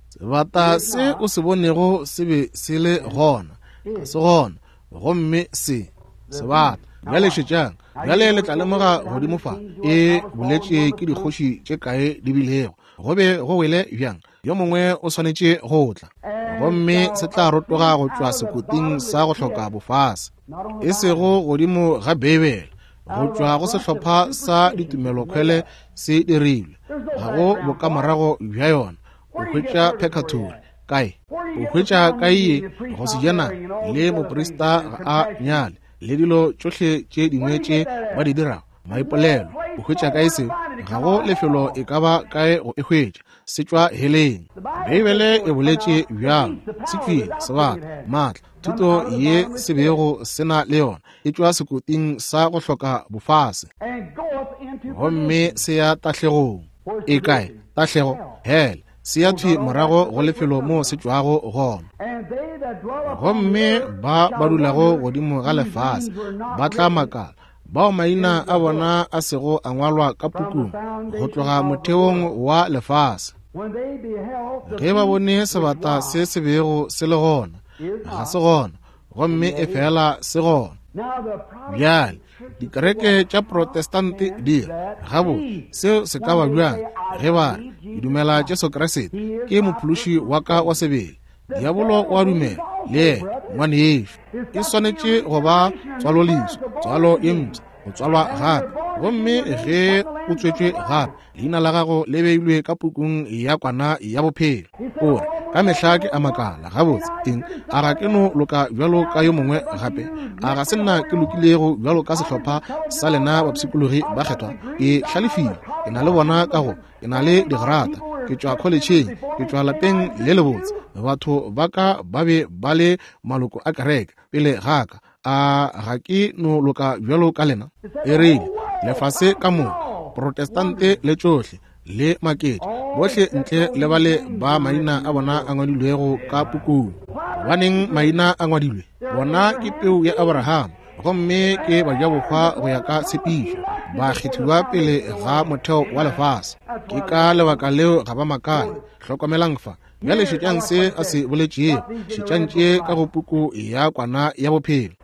S1: Sebata se o se bonego se be se le gona, ga se gona, gomme se sebata. Bjale šetšang. Bjale le tla lemoga godimo fa, e boletše ke dikgoši tše kae di bilego. Go be go wele bjang? Yo mongwe o swanetše go tla, gomme se tla rotoga go tšwa sekoting sa go hloka bofase, e sego godimo ga Beibele, go tšwa go sehlopha sa ditumelokhwele se dirilwe. Ga go bokamorago bja yona. O hwetša pekatori kae? O hwetša kae ye go se jana le moprista ga a nyale, le dilo tšohle tše dingwe tše ba di dirago, maipolelo. O hwetša kae seo? Ga go lefelo e ka ba kae go e hwetša. Se tšwa heleng. Beibele e boletše bjalo. Se tšwile, sebata, maatla, thuto ye se bego se na le yona, e tšwa sekoting sa go hloka bofase, gomme se ya tahlegong. E kae tahlego? Hele. Se ya thwi morago go lefelo moo se tšwago gona. Gomme ba ba dulago godimo ga lefase ba tla makala, bao maina a bona a sego a ngwalwa ka pukung go tloga motheong wa lefase. Ge ba bone sebata se se bego se le gona, ga se gona, gomme e fela se gona. Bjale dikereke tša Protestante di re, gabotse, seo se ka ba bjang ge ba re, ke dumela Jesu Kriste ke mophološi wa ka wa sebele. Diabolo o a dumela le yena, ngwanešu. E swanetše go ba tswaloleswa, tswalo ye mpsha, go tswalwa gape. Gomme ge o tswetšwe gape, leina la gago le beilwe ka pukung ya kwana ya bophelo. O re, ka mehla ke a makala, gabotse, eng, a ga ke no loka bjalo ka yo mongwe gape? A ga se nna ke lokilego bjalo ka sehlopha sa lena bapshikologi ba kgethwa? Ke hlalefile, ke na le bona ka go, ke na le digrata, ke tšwa kholetšheng, ke tšwa lapeng le lebotse. Batho ba ka ba be ba le maloko a kereke pele ga ka. A ga ke no loka bjalo ka lena? E rile, lefase ka moka, Protestante le tšohle, le maketše, bohle ntle le bale ba maina a bona a ngwadilwego ka pukung. Gobaneng maina a ngwadilwe? Bona ke peu ya Abraham, gomme ke bajabohwa go ya ka tshepišo, ba kgethiwa pele ga motheo wa lefase. Ke ka lebaka leo ga ba makale. Hlokomelang fa. Bjale šetšang se a se boletšego, šetšang tše ka go puku ya kwana ya bophelo.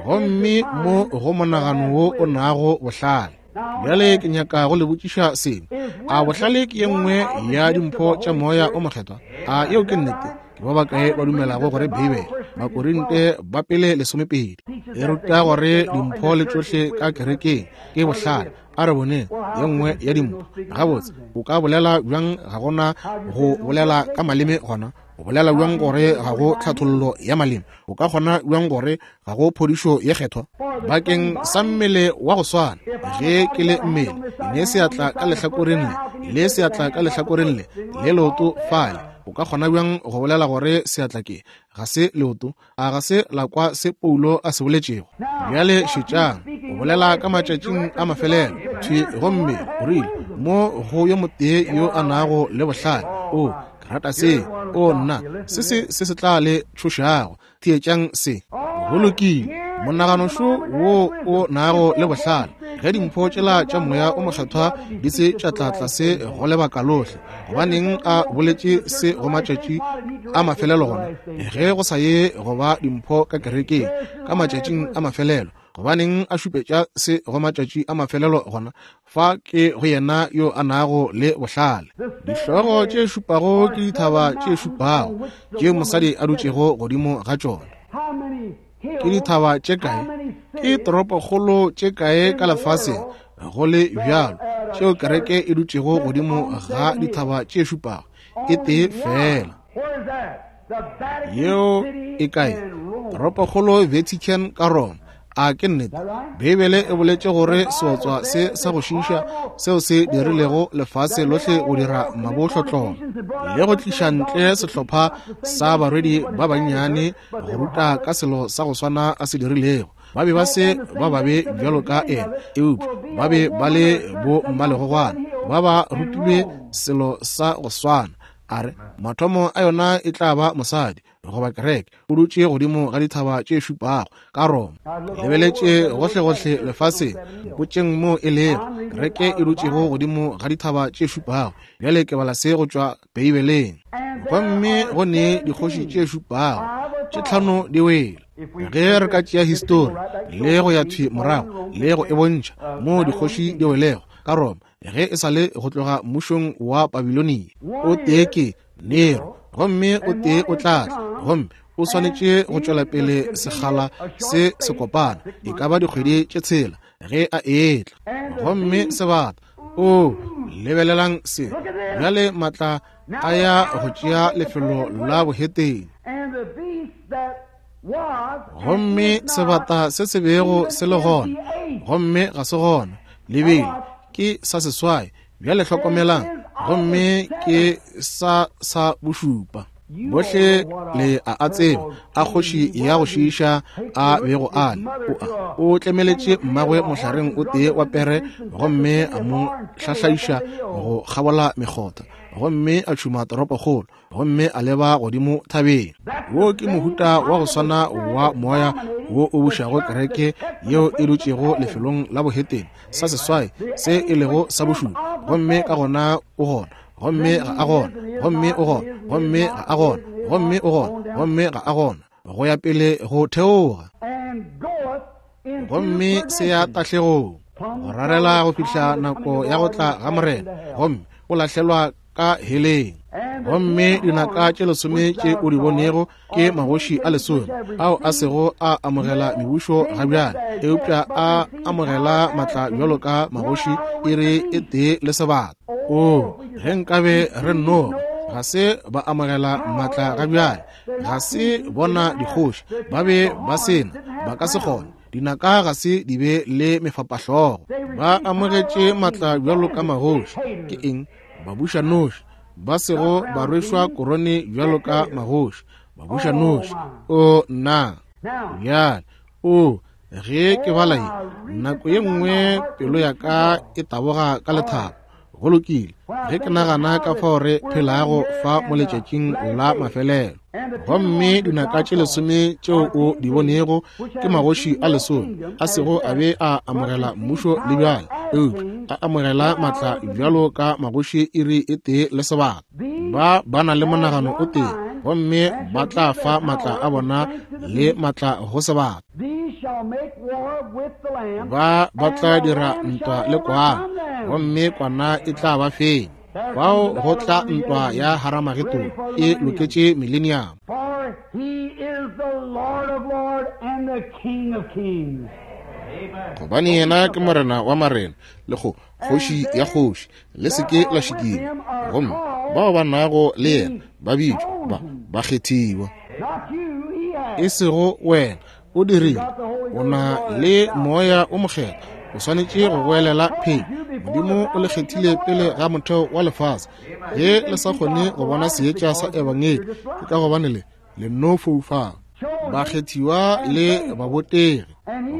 S1: Gomme mo go monagano wo o nago bohlale. Bjale ke nyaka go le botšiša sengwe. A bohlale ke ye nngwe ya dimpho tša Moya o Mokgethwa? A yeo ke nnete? Ke ba bakae ba dumelago gore Beibele? Bakorinte ba Pele 12. E ruta gore dimpho le tšohle ka kerekeng ke bohlale. A re boneng ye nngwe ya dimpho. Gabotse, o ka bolela bjang ga gona go bolela ka maleme gona? O bolela bjang gore ga go tlhathollo ya maleme? O ka kgona bjang gore ga go phodišo ye kgethwa? Bakeng sa mmele wa go swana, ge ke le mmele, ne seatla ka lehlakoreng le, le seatla ka lehlakoreng le, le leoto fale, o ka kgona bjang go bolela gore seatla ke ga se leoto? A ga se la kwa se Paulo a se boletšego? Bjale šetšang, o bolela ka matšatšing a mafelelo thwi, gomme o rile mo go yo motee yo a nago le bohlale. O, ke rata se. O, nna, se se se se tla le tšhošago. Theetšang se. Go lokile. Monaganošo wo o nago le bohlale, ge dimpho tšela tša Moya o Mokgethwa di se tša tla tlase go lebaka lohle, gobaneng a boletše se go matšatši a mafelelo gona? Ge go sa ye go ba dimpho ka kerekeng ka matšatšing a mafelelo, gobaneng a šupetša se go matšatši a mafelelo gona? Fa ke go yena yo a nago le bohlale. Dihlogo tše šupago ke dithaba tše šupago tše mosadi a dutšego godimo ga tšona. Ke dithaba tše kae? Ke toropokgolo tše kae ka lefaseng go le bjalo tšeo kereke e dutšego godimo ga dithaba tše šupago? E tee fela. Yeo e kae? Toropokgolo Vatican ka Roma. A ke nnete? Beibele e boletše gore seotswa se sa go šiiša seo se dirilego lefase lohle go dira mabohlotlolo le go tliša ntle sehlopha sa barwedi ba bannyane go ruta ka selo sa go swana a se dirilego. Ba be ba se ba babe bjalo ka ena, eupša ba be ba le bo mmalegogwana, ba ba rutilwe selo sa go swana. A re, mathomo a yona e tla ba mosadi, goba kereke, o dutše godimo ga dithaba tše šupago ka Roma. Lebeletše gohlegohle lefaseng, mpotšeng mo e lego kereke e dutšego godimo ga dithaba tše šupago. Bjale ke bala se go tšwa Beibeleng. Gomme go ne dikgoši tše šupago, tše tlhano di wele. Ge re ka tšea histori le go ya thwi morago le go e bontšha moo dikgoši di welego ka Roma, ge e sa le go tloga mmušong wa Babilonia, o tee ke Nero, gomme o tee o tla tla, gomme o swanetše go tšwela pele sekgala se se kopana, e ka ba dikgwedi tše tshela ge a etla. Gomme sebata, o lebelelang se bjale, matla a ya go tšea lefelo la bohetene. Gomme sebata se se bego se le gona, gomme ga se gona, lebele ke sa seswai. Bjale hlokomelang, gomme ke sa sa bošupa. Bohle le a a tseba a kgoši ya go šiiša a bego a le. O a o tlemeletše mmagwe mohlareng o tee wa pere, gomme a mo hlahlaiša go kgabola mekgotha, gomme a tšhuma toropokgolo, gomme a leba godimo thabeng. Wo ke mohuta wa go swana wa moya wo o bušago kereke yeo e dutšego lefelong la bohetene, sa seswai se e lego sa bošupa, gomme ka gona o gona, gomme ga a gona, gomme o gona, gomme ga a gona, gomme o gona, gomme ga a gona, go ya pele go theoga, gomme se ya tahlegong, go rarela go fihla nako ya go tla ga Morena, gomme o lahlelwa ka heleng. Gomme dinaka tše lesome tše o di bonego ke magoši a lesome ao a sego a amogela mebušo ga bjale, eupša a amogela matla bjalo ka magoši iri e tee le sebaka. O, ge nkabe re nno ga se ba amogela matla ga bjale, ga se bona dikgoši, ba be ba sena, ba ka se kgone. Dinaka ga se di be le mefapahlogo. Ba amogetše matla bjalo ka magoši. Ke eng? Babušanoši, ba sego ba rwešwa korone bjalo ka magoši, babušanoši. O, nna! Bjale, o, ge ke bala ye, nako ye nngwe pelo ya ka e taboga ka lethabo. Go lokile, ge ke nagana ka fao re phelago fa mo letšatšing la mafelelo. Gomme dinaka tše lesome tšeo o di bonego ke magoši a lesome a sego a be a amogela mmušo le bjale, eupša a amogela matla bjalo ka magoši iri e tee le sebaka. Ba ba na le monagano o tee, gomme ba tla fa matla a bona le matla go sebaka. Ba ba tla dira ntwa le kwana, gomme kwana e tla ba fenya. Fao go tla ntwa ya Haramagedone e loketše mileniamo.
S2: and the King of Kings.
S1: Gobane yena ke Morena wa marena le go kgoši ya kgoši, le se ke la šikinywa. Gomme bao ba nago le yena ba bitšwa ba bakgethiwa. E sego wena, o dirile, o na le Moya o Mokgethwa, o swanetše go goelela phenyo. Modimo o le kgethile pele ga motheo wa lefase. Ge le sa kgone go bona seetša sa Ebangedi, ke ka gobane le le no foufala. Bakgethiwa le babotegi.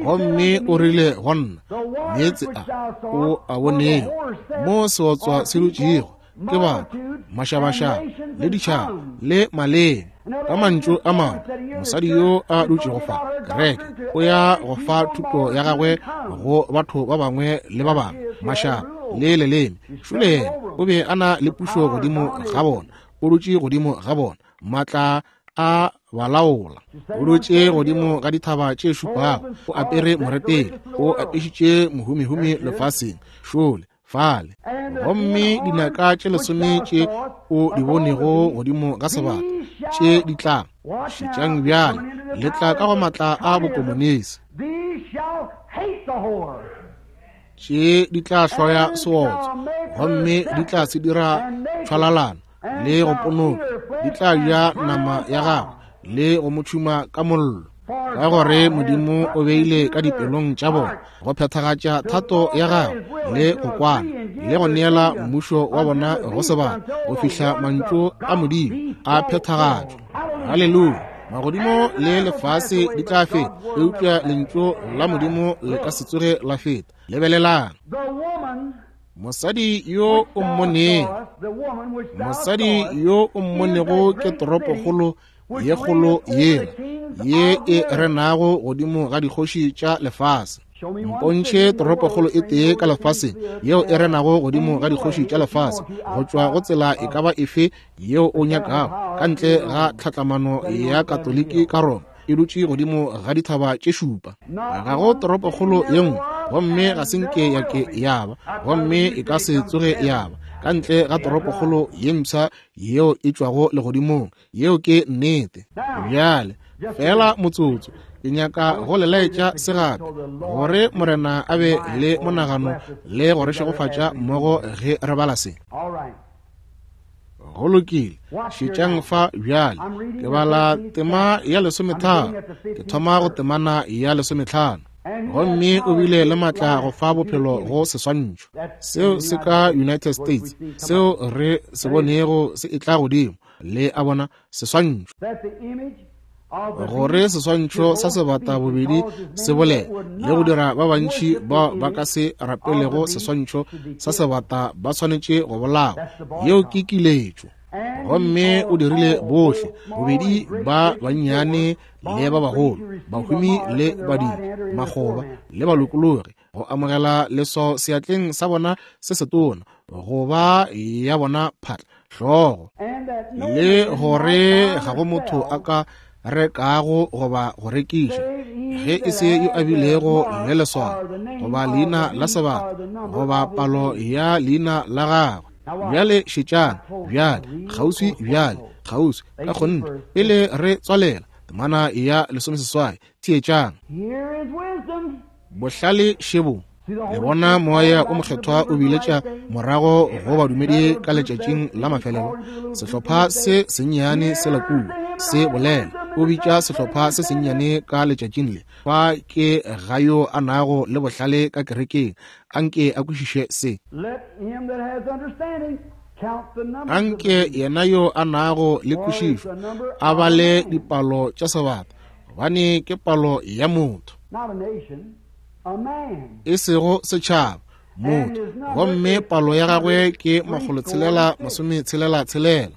S1: Gomme o rile go nna, meetse a o a bonego mo seotswa se dutšego ke batho, mašabašaba le ditšhaba le maleme. Ka mantšu a mangwe, mosadi yo a dutšego fa, kereke, o ya go fa thuto ya gagwe go batho ba bangwe le ba bangwe, mašaba le leleme. Šole yena o be a na le pušo godimo ga bona, o dutše godimo ga bona, maatla a balaola. O dutše godimo ga dithaba tše šupago, o apere moretele, o apešitše mohumihumi lefaseng, šole fale. Gomme dinaka tše lesome tše o di bonego godimo ga sebata tše di tla, šetšang bjale, le tla ka go maatla a bokomonisi. Tše di tla hloya seotswa, gomme di tla se dira tšhwalalana le go ponoka, di tla ja nama ya gagwe le go mo tšhuma ka mollo. Ka gore Modimo o beile ka dipelong tša bona go phethagatša thato ya gagwe le go kwana le go neela mmušo wa bona go sebaka go fihla mantšu a Modimo a phethagatšwa. Haleluya! Magodimo le lefase di tla feta, eupša lentšu la Modimo le ka se tsoge la feta. Lebelelang. Mosadi yo o mmonego, mosadi yo o mmonego ke toropokgolo ye kgolo yela ye e renago godimo ga dikgoši tša lefase. Mpontšhe toropokgolo e tee ka lefaseng yeo e renago godimo ga dikgoši tša lefase, go tšwa go tsela e ka ba efe yeo o nyakago, ka ntle ga tlhatlamano ya Katoliki ka Roma, e dutše godimo ga dithaba tše šupa. Ga go toropokgolo ye nngwe, gomme ga se nke ya ke ya ba, gomme e ka se tsoge ya ba, ka ntle ga toropokgolo ye mpsha yeo e tšwago legodimong. Yeo ke nnete. Bjale, feela motsotso, ke nyaka go le laetša se gape, gore Morena a be le monagano le go re šegofatša mmogo ge re bala se. Go lokile, šetšang fa bjale. Ke bala tema ya 13, ke thoma go temana ya 15. Gomme o bile le maatla go fa bophelo go seswantšho seo se ka United States, seo re se bonego se etla godimo, le a bona, seswantšho, gore seswantšho sa sebata bobedi se bolele le go dira ba bantši bao ba ka se rapelego seswantšho sa sebata ba swanetše go bolawa. Yeo ke kiletšo. Gomme o dirile bohle bobedi ba bannyane le ba bagolo, bahumi le badiri, makgoba le balokologi, go amogela leswao seatleng sa bona se setona goba ya bona phatla hlogo, le gore ga go motho a ka rekago goba go rekiša ge e se yo a bilego le leswao goba leina la sebata goba palo ya leina la gagwe. Bjale šetšang, bjale, kgauswi bjale, kgauswi ka kgonthe, pele re tswalela temana ya 18, theetšang. Bohlale šebo. Le bona Moya o Mokgethwa o biletša morago go badumedi ka letšatšing la mafelelo. Sehlopha se sennyane se la kua se bolela, o bitša sehlopha se sennyane ka letšatšing le. Fa ke ga yo a nago le bohlale ka kerekeng, anke a kwešiše se. Anke yena yo a nago le kwešišo a bale dipalo tša sebata, gobane ke palo ya motho, e sego setšhaba, motho, gomme palo ya gagwe ke 666.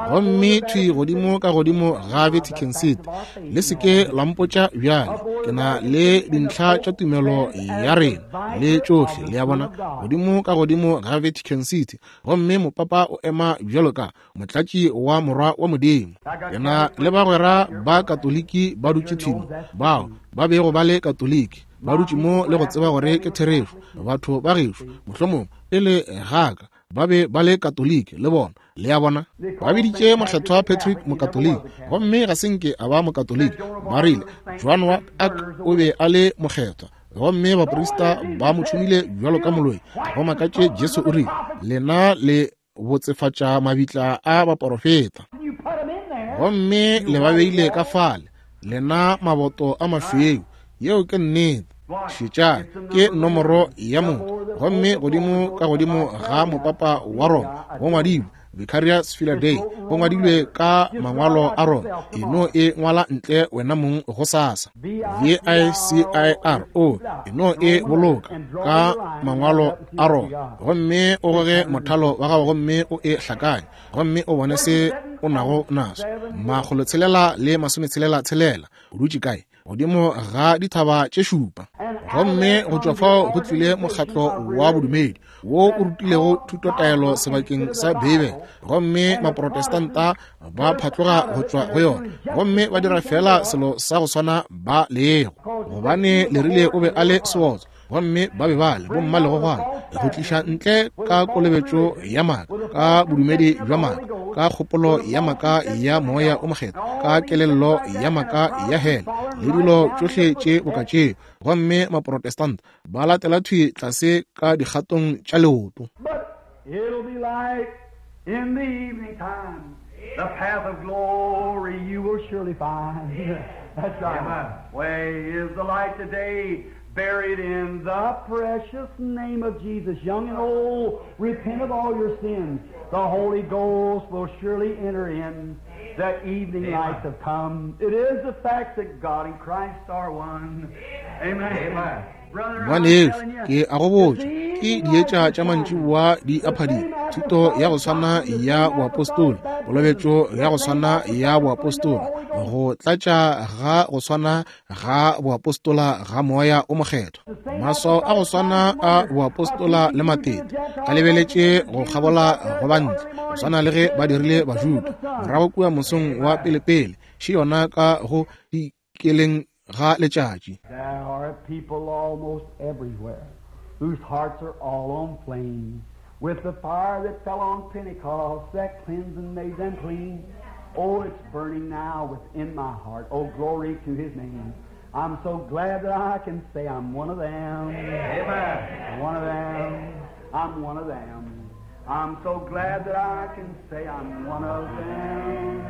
S1: Gomme thwi godimo ka godimo ga Vatican City, le se ke la mpotša bjale, ke na le dintlha tša tumelo ya rena le tšohle, le a bona, godimo ka godimo ga Vatican City, gomme mopapa o ema bjalo ka motlatši wa morwa wa Modimo. Ke na le bagwera ba Katoliki ba dutše thwi mo, bao ba bego ba le Katoliki, ba dutše mo le go tseba gore ke therešo. Batho ba gešo, mohlomongwe pele ga ka, Ba be ba le Katoliki, le bona. Le a bona? Ba biditše Mokgethwa Patrick Mokatoliki, gomme ga se nke a ba Mokatoliki. Ba rile, Joan wa Arc o be a le mokgethwa, gomme baprista ba mo tšhumile bjalo ka moloi. Go makatše, Jesu o rile, Lena le botsefatša mabitla a baporofeta, gomme le ba beile ka fale, lena maboto a mašweu. Yeo ke nnete. Šetšang, ke nomoro ya motho, gomme godimo ka godimo ga mopapa wa Roma go ngwadilwe Vicarius Filii Dei, go ngwadilwe ka mangwalo a Roma. E no e ngwala ntle wena mong gosasa. V-I-C-I-R-O, e no e boloka ka mangwalo a Roma, gomme o goge mothalo wa gago gomme o e hlakanye, gomme o bone se o nago naso. 666, o dutše kae? Godimo ga dithaba tše šupa. Gomme go tšwa fao go tlile mokgatlo wa bodumedi wo o rutilego thutotaelo sebakeng sa Beibele, gomme Maprotestanta ba phatloga go tšwa go yona gomme ba dira feela selo sa go swana ba lego, gobane le rile o be a le seotswa, gomme ba be ba le bommalegogwana go tliša ntle ka kolobetšo ya maaka, ka bodumedi bja maaka, ka kgopolo ya maaka ya moya o mokgethwa, ka kelello ya maaka ya hele le dilo tšohle tše boka tšeo, gomme Maprotestanta ba latela thwi tlase ka dikgatong tša leoto.
S2: It'll be light in the evening time. The path of glory you will surely find. That's right.
S3: Amen.
S2: Way is the light today, buried in the precious name of Jesus. Young and old, repent of all your sins. The Holy Ghost will surely enter in. The evening
S3: Amen.
S2: lights have come. It is the fact that God and Christ are one. Amen.
S3: Amen.
S2: Brother, I'm
S1: Ngwanešu,
S2: telling you,
S1: ke a go botša, ke dietša tša mantšiboa di a phadima, thuto ya go swana ya boapostola, kolobetšo ya go swana ya boapostola, go tlatša ga go swana ga boapostola ga moya o mokgethwa, maswao a go swana a boapostola le matete a lebeletše go kgabola go bantle, go swana le ge ba dirile Bajuda morago kua mosong wa pelepele, še yona ka go dikeleng ga letšatši.
S2: There are people almost everywhere whose hearts are all on flame with the fire that fell on Pentecost that cleansed and made them clean. Oh, it's burning now within my heart. Oh, glory to His name. I'm so glad that I can say I'm one of them.
S3: Amen.
S2: One of them. I'm one of them. I'm so glad that I can say I'm one of them.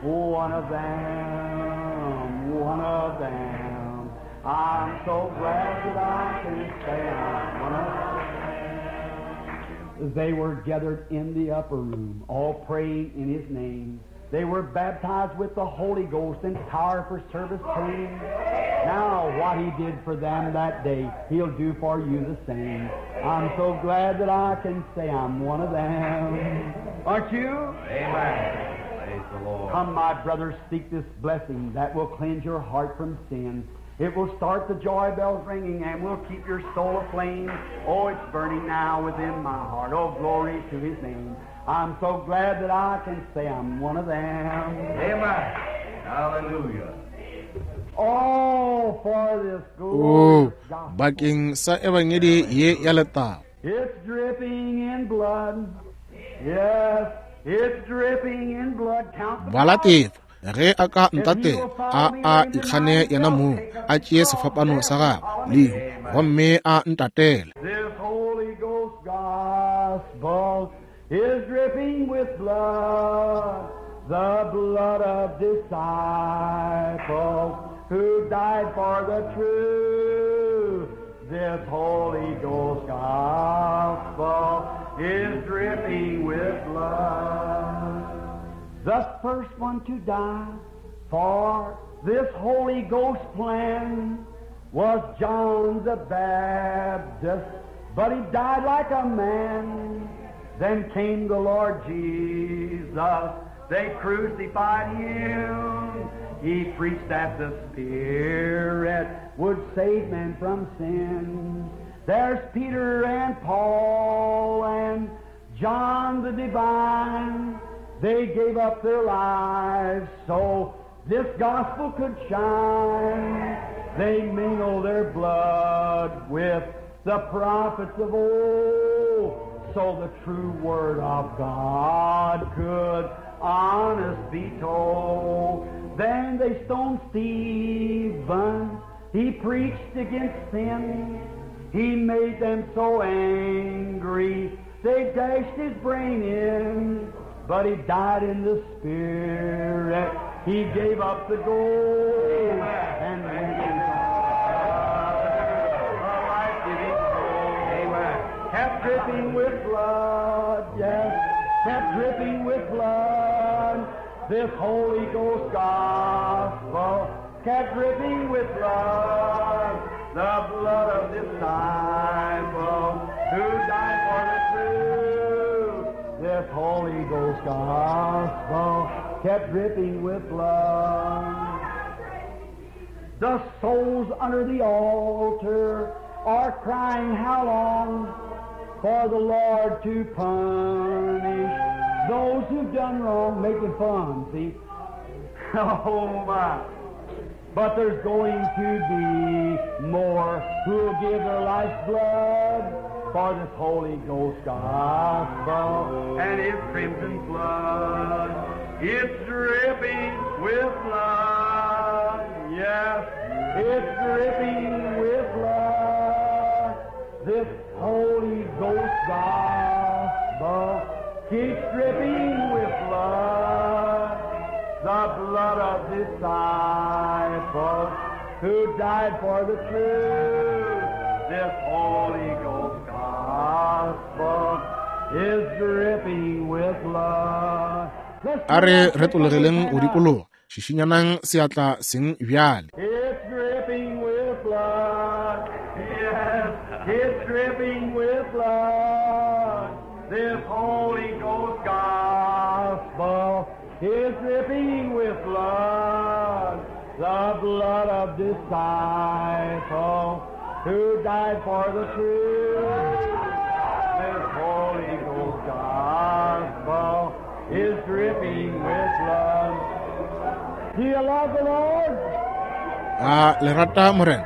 S2: One of them. One of them. I'm so glad that I can say I'm one of them. They were gathered in the upper room, all praying in His name. They were baptized with the Holy Ghost and power for service came. Now what He did for them that day, He'll do for you the same. I'm so glad that I can say I'm one of them. Aren't you?
S3: Amen. Praise the Lord.
S2: Come, my brothers, seek this blessing that will cleanse your heart from sin. It will start the joy bells ringing and will keep your soul aflame. Oh, it's burning now within my heart. Oh, glory to His name. I'm so glad that I can say I'm one of them.
S3: Amen. Hallelujah.
S2: Oh, for this
S1: O
S2: glorious gospel.
S1: bakeng sa ebangedi ye ya letago.
S2: It's dripping in blood. Yes, it's dripping in blood. Count the
S1: Bala
S2: cost.
S1: tefo, ge a ka ntatela, a a ikgane yena mong, a tšee sefapano sa gagwe lehu, gomme a ntatele.
S2: This Holy Ghost gospel is dripping with blood, the blood of disciples who died for the truth. This Holy Ghost gospel is dripping with blood. The first one to die for this Holy Ghost plan was John the Baptist, but he died like a man. Then came the Lord Jesus. They crucified him. He preached that the Spirit would save men from sin. There's Peter and Paul and John the Divine. They gave up their lives so this gospel could shine. They mingled their blood with the prophets of old. So the true word of God could honest be told. Then they stoned Stephen. He preached against sin. He made them so angry. They dashed his brain in. But he died in the spirit. He gave up the ghost and went into the life-giving
S3: Amen.
S2: Kept dripping with blood, yes, kept dripping with blood. This Holy Ghost gospel kept dripping with blood, the blood of disciple who died for the truth. This Holy Ghost gospel kept dripping with blood. The souls under the altar are crying, how long for the Lord to punish those who've done wrong, making fun, see? Oh my. But there's going to be more who'll give their life's blood for this Holy Ghost gospel.
S3: And his crimson flood, it's dripping with blood. Yes,
S2: It's dripping with blood. This Holy Ghost gospel keeps dripping with blood. The blood of disciples who died for the truth. This Holy Ghost gospel is dripping with blood. Let's
S1: A re retologeleng go dikologa šišinyanang seatla seng bjale.
S2: It's dripping with blood. Yes, it's dripping with blood. This Holy Ghost gospel is dripping with blood. The blood of disciple who died for the truth. This Holy Ghost gospel is dripping with blood. Do you love the Lord?
S1: A le rata Morena?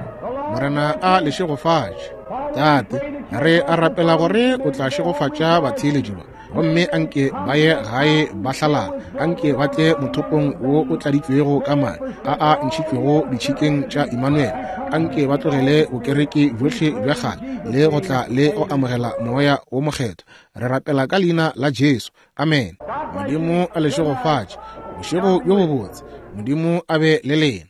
S1: Morena a le šegofatše. Tate, re a rapela gore o tla šegofatša batheeletši ba, gomme anke ba ye gae ba hlalala, anke ba tle mothopong wo o tladitšwego ka madi a a ntšhitšwego ditšhikeng tša Emmanuel, anke ba tlogele bokereke bjohle bja kgale le go tla le go amogela moya wo mokgethwa. Re rapela ka leina la Jesu. Amen. Modimo a le šegofatše. Bošego bjo bobotse. Modimo a be le lena.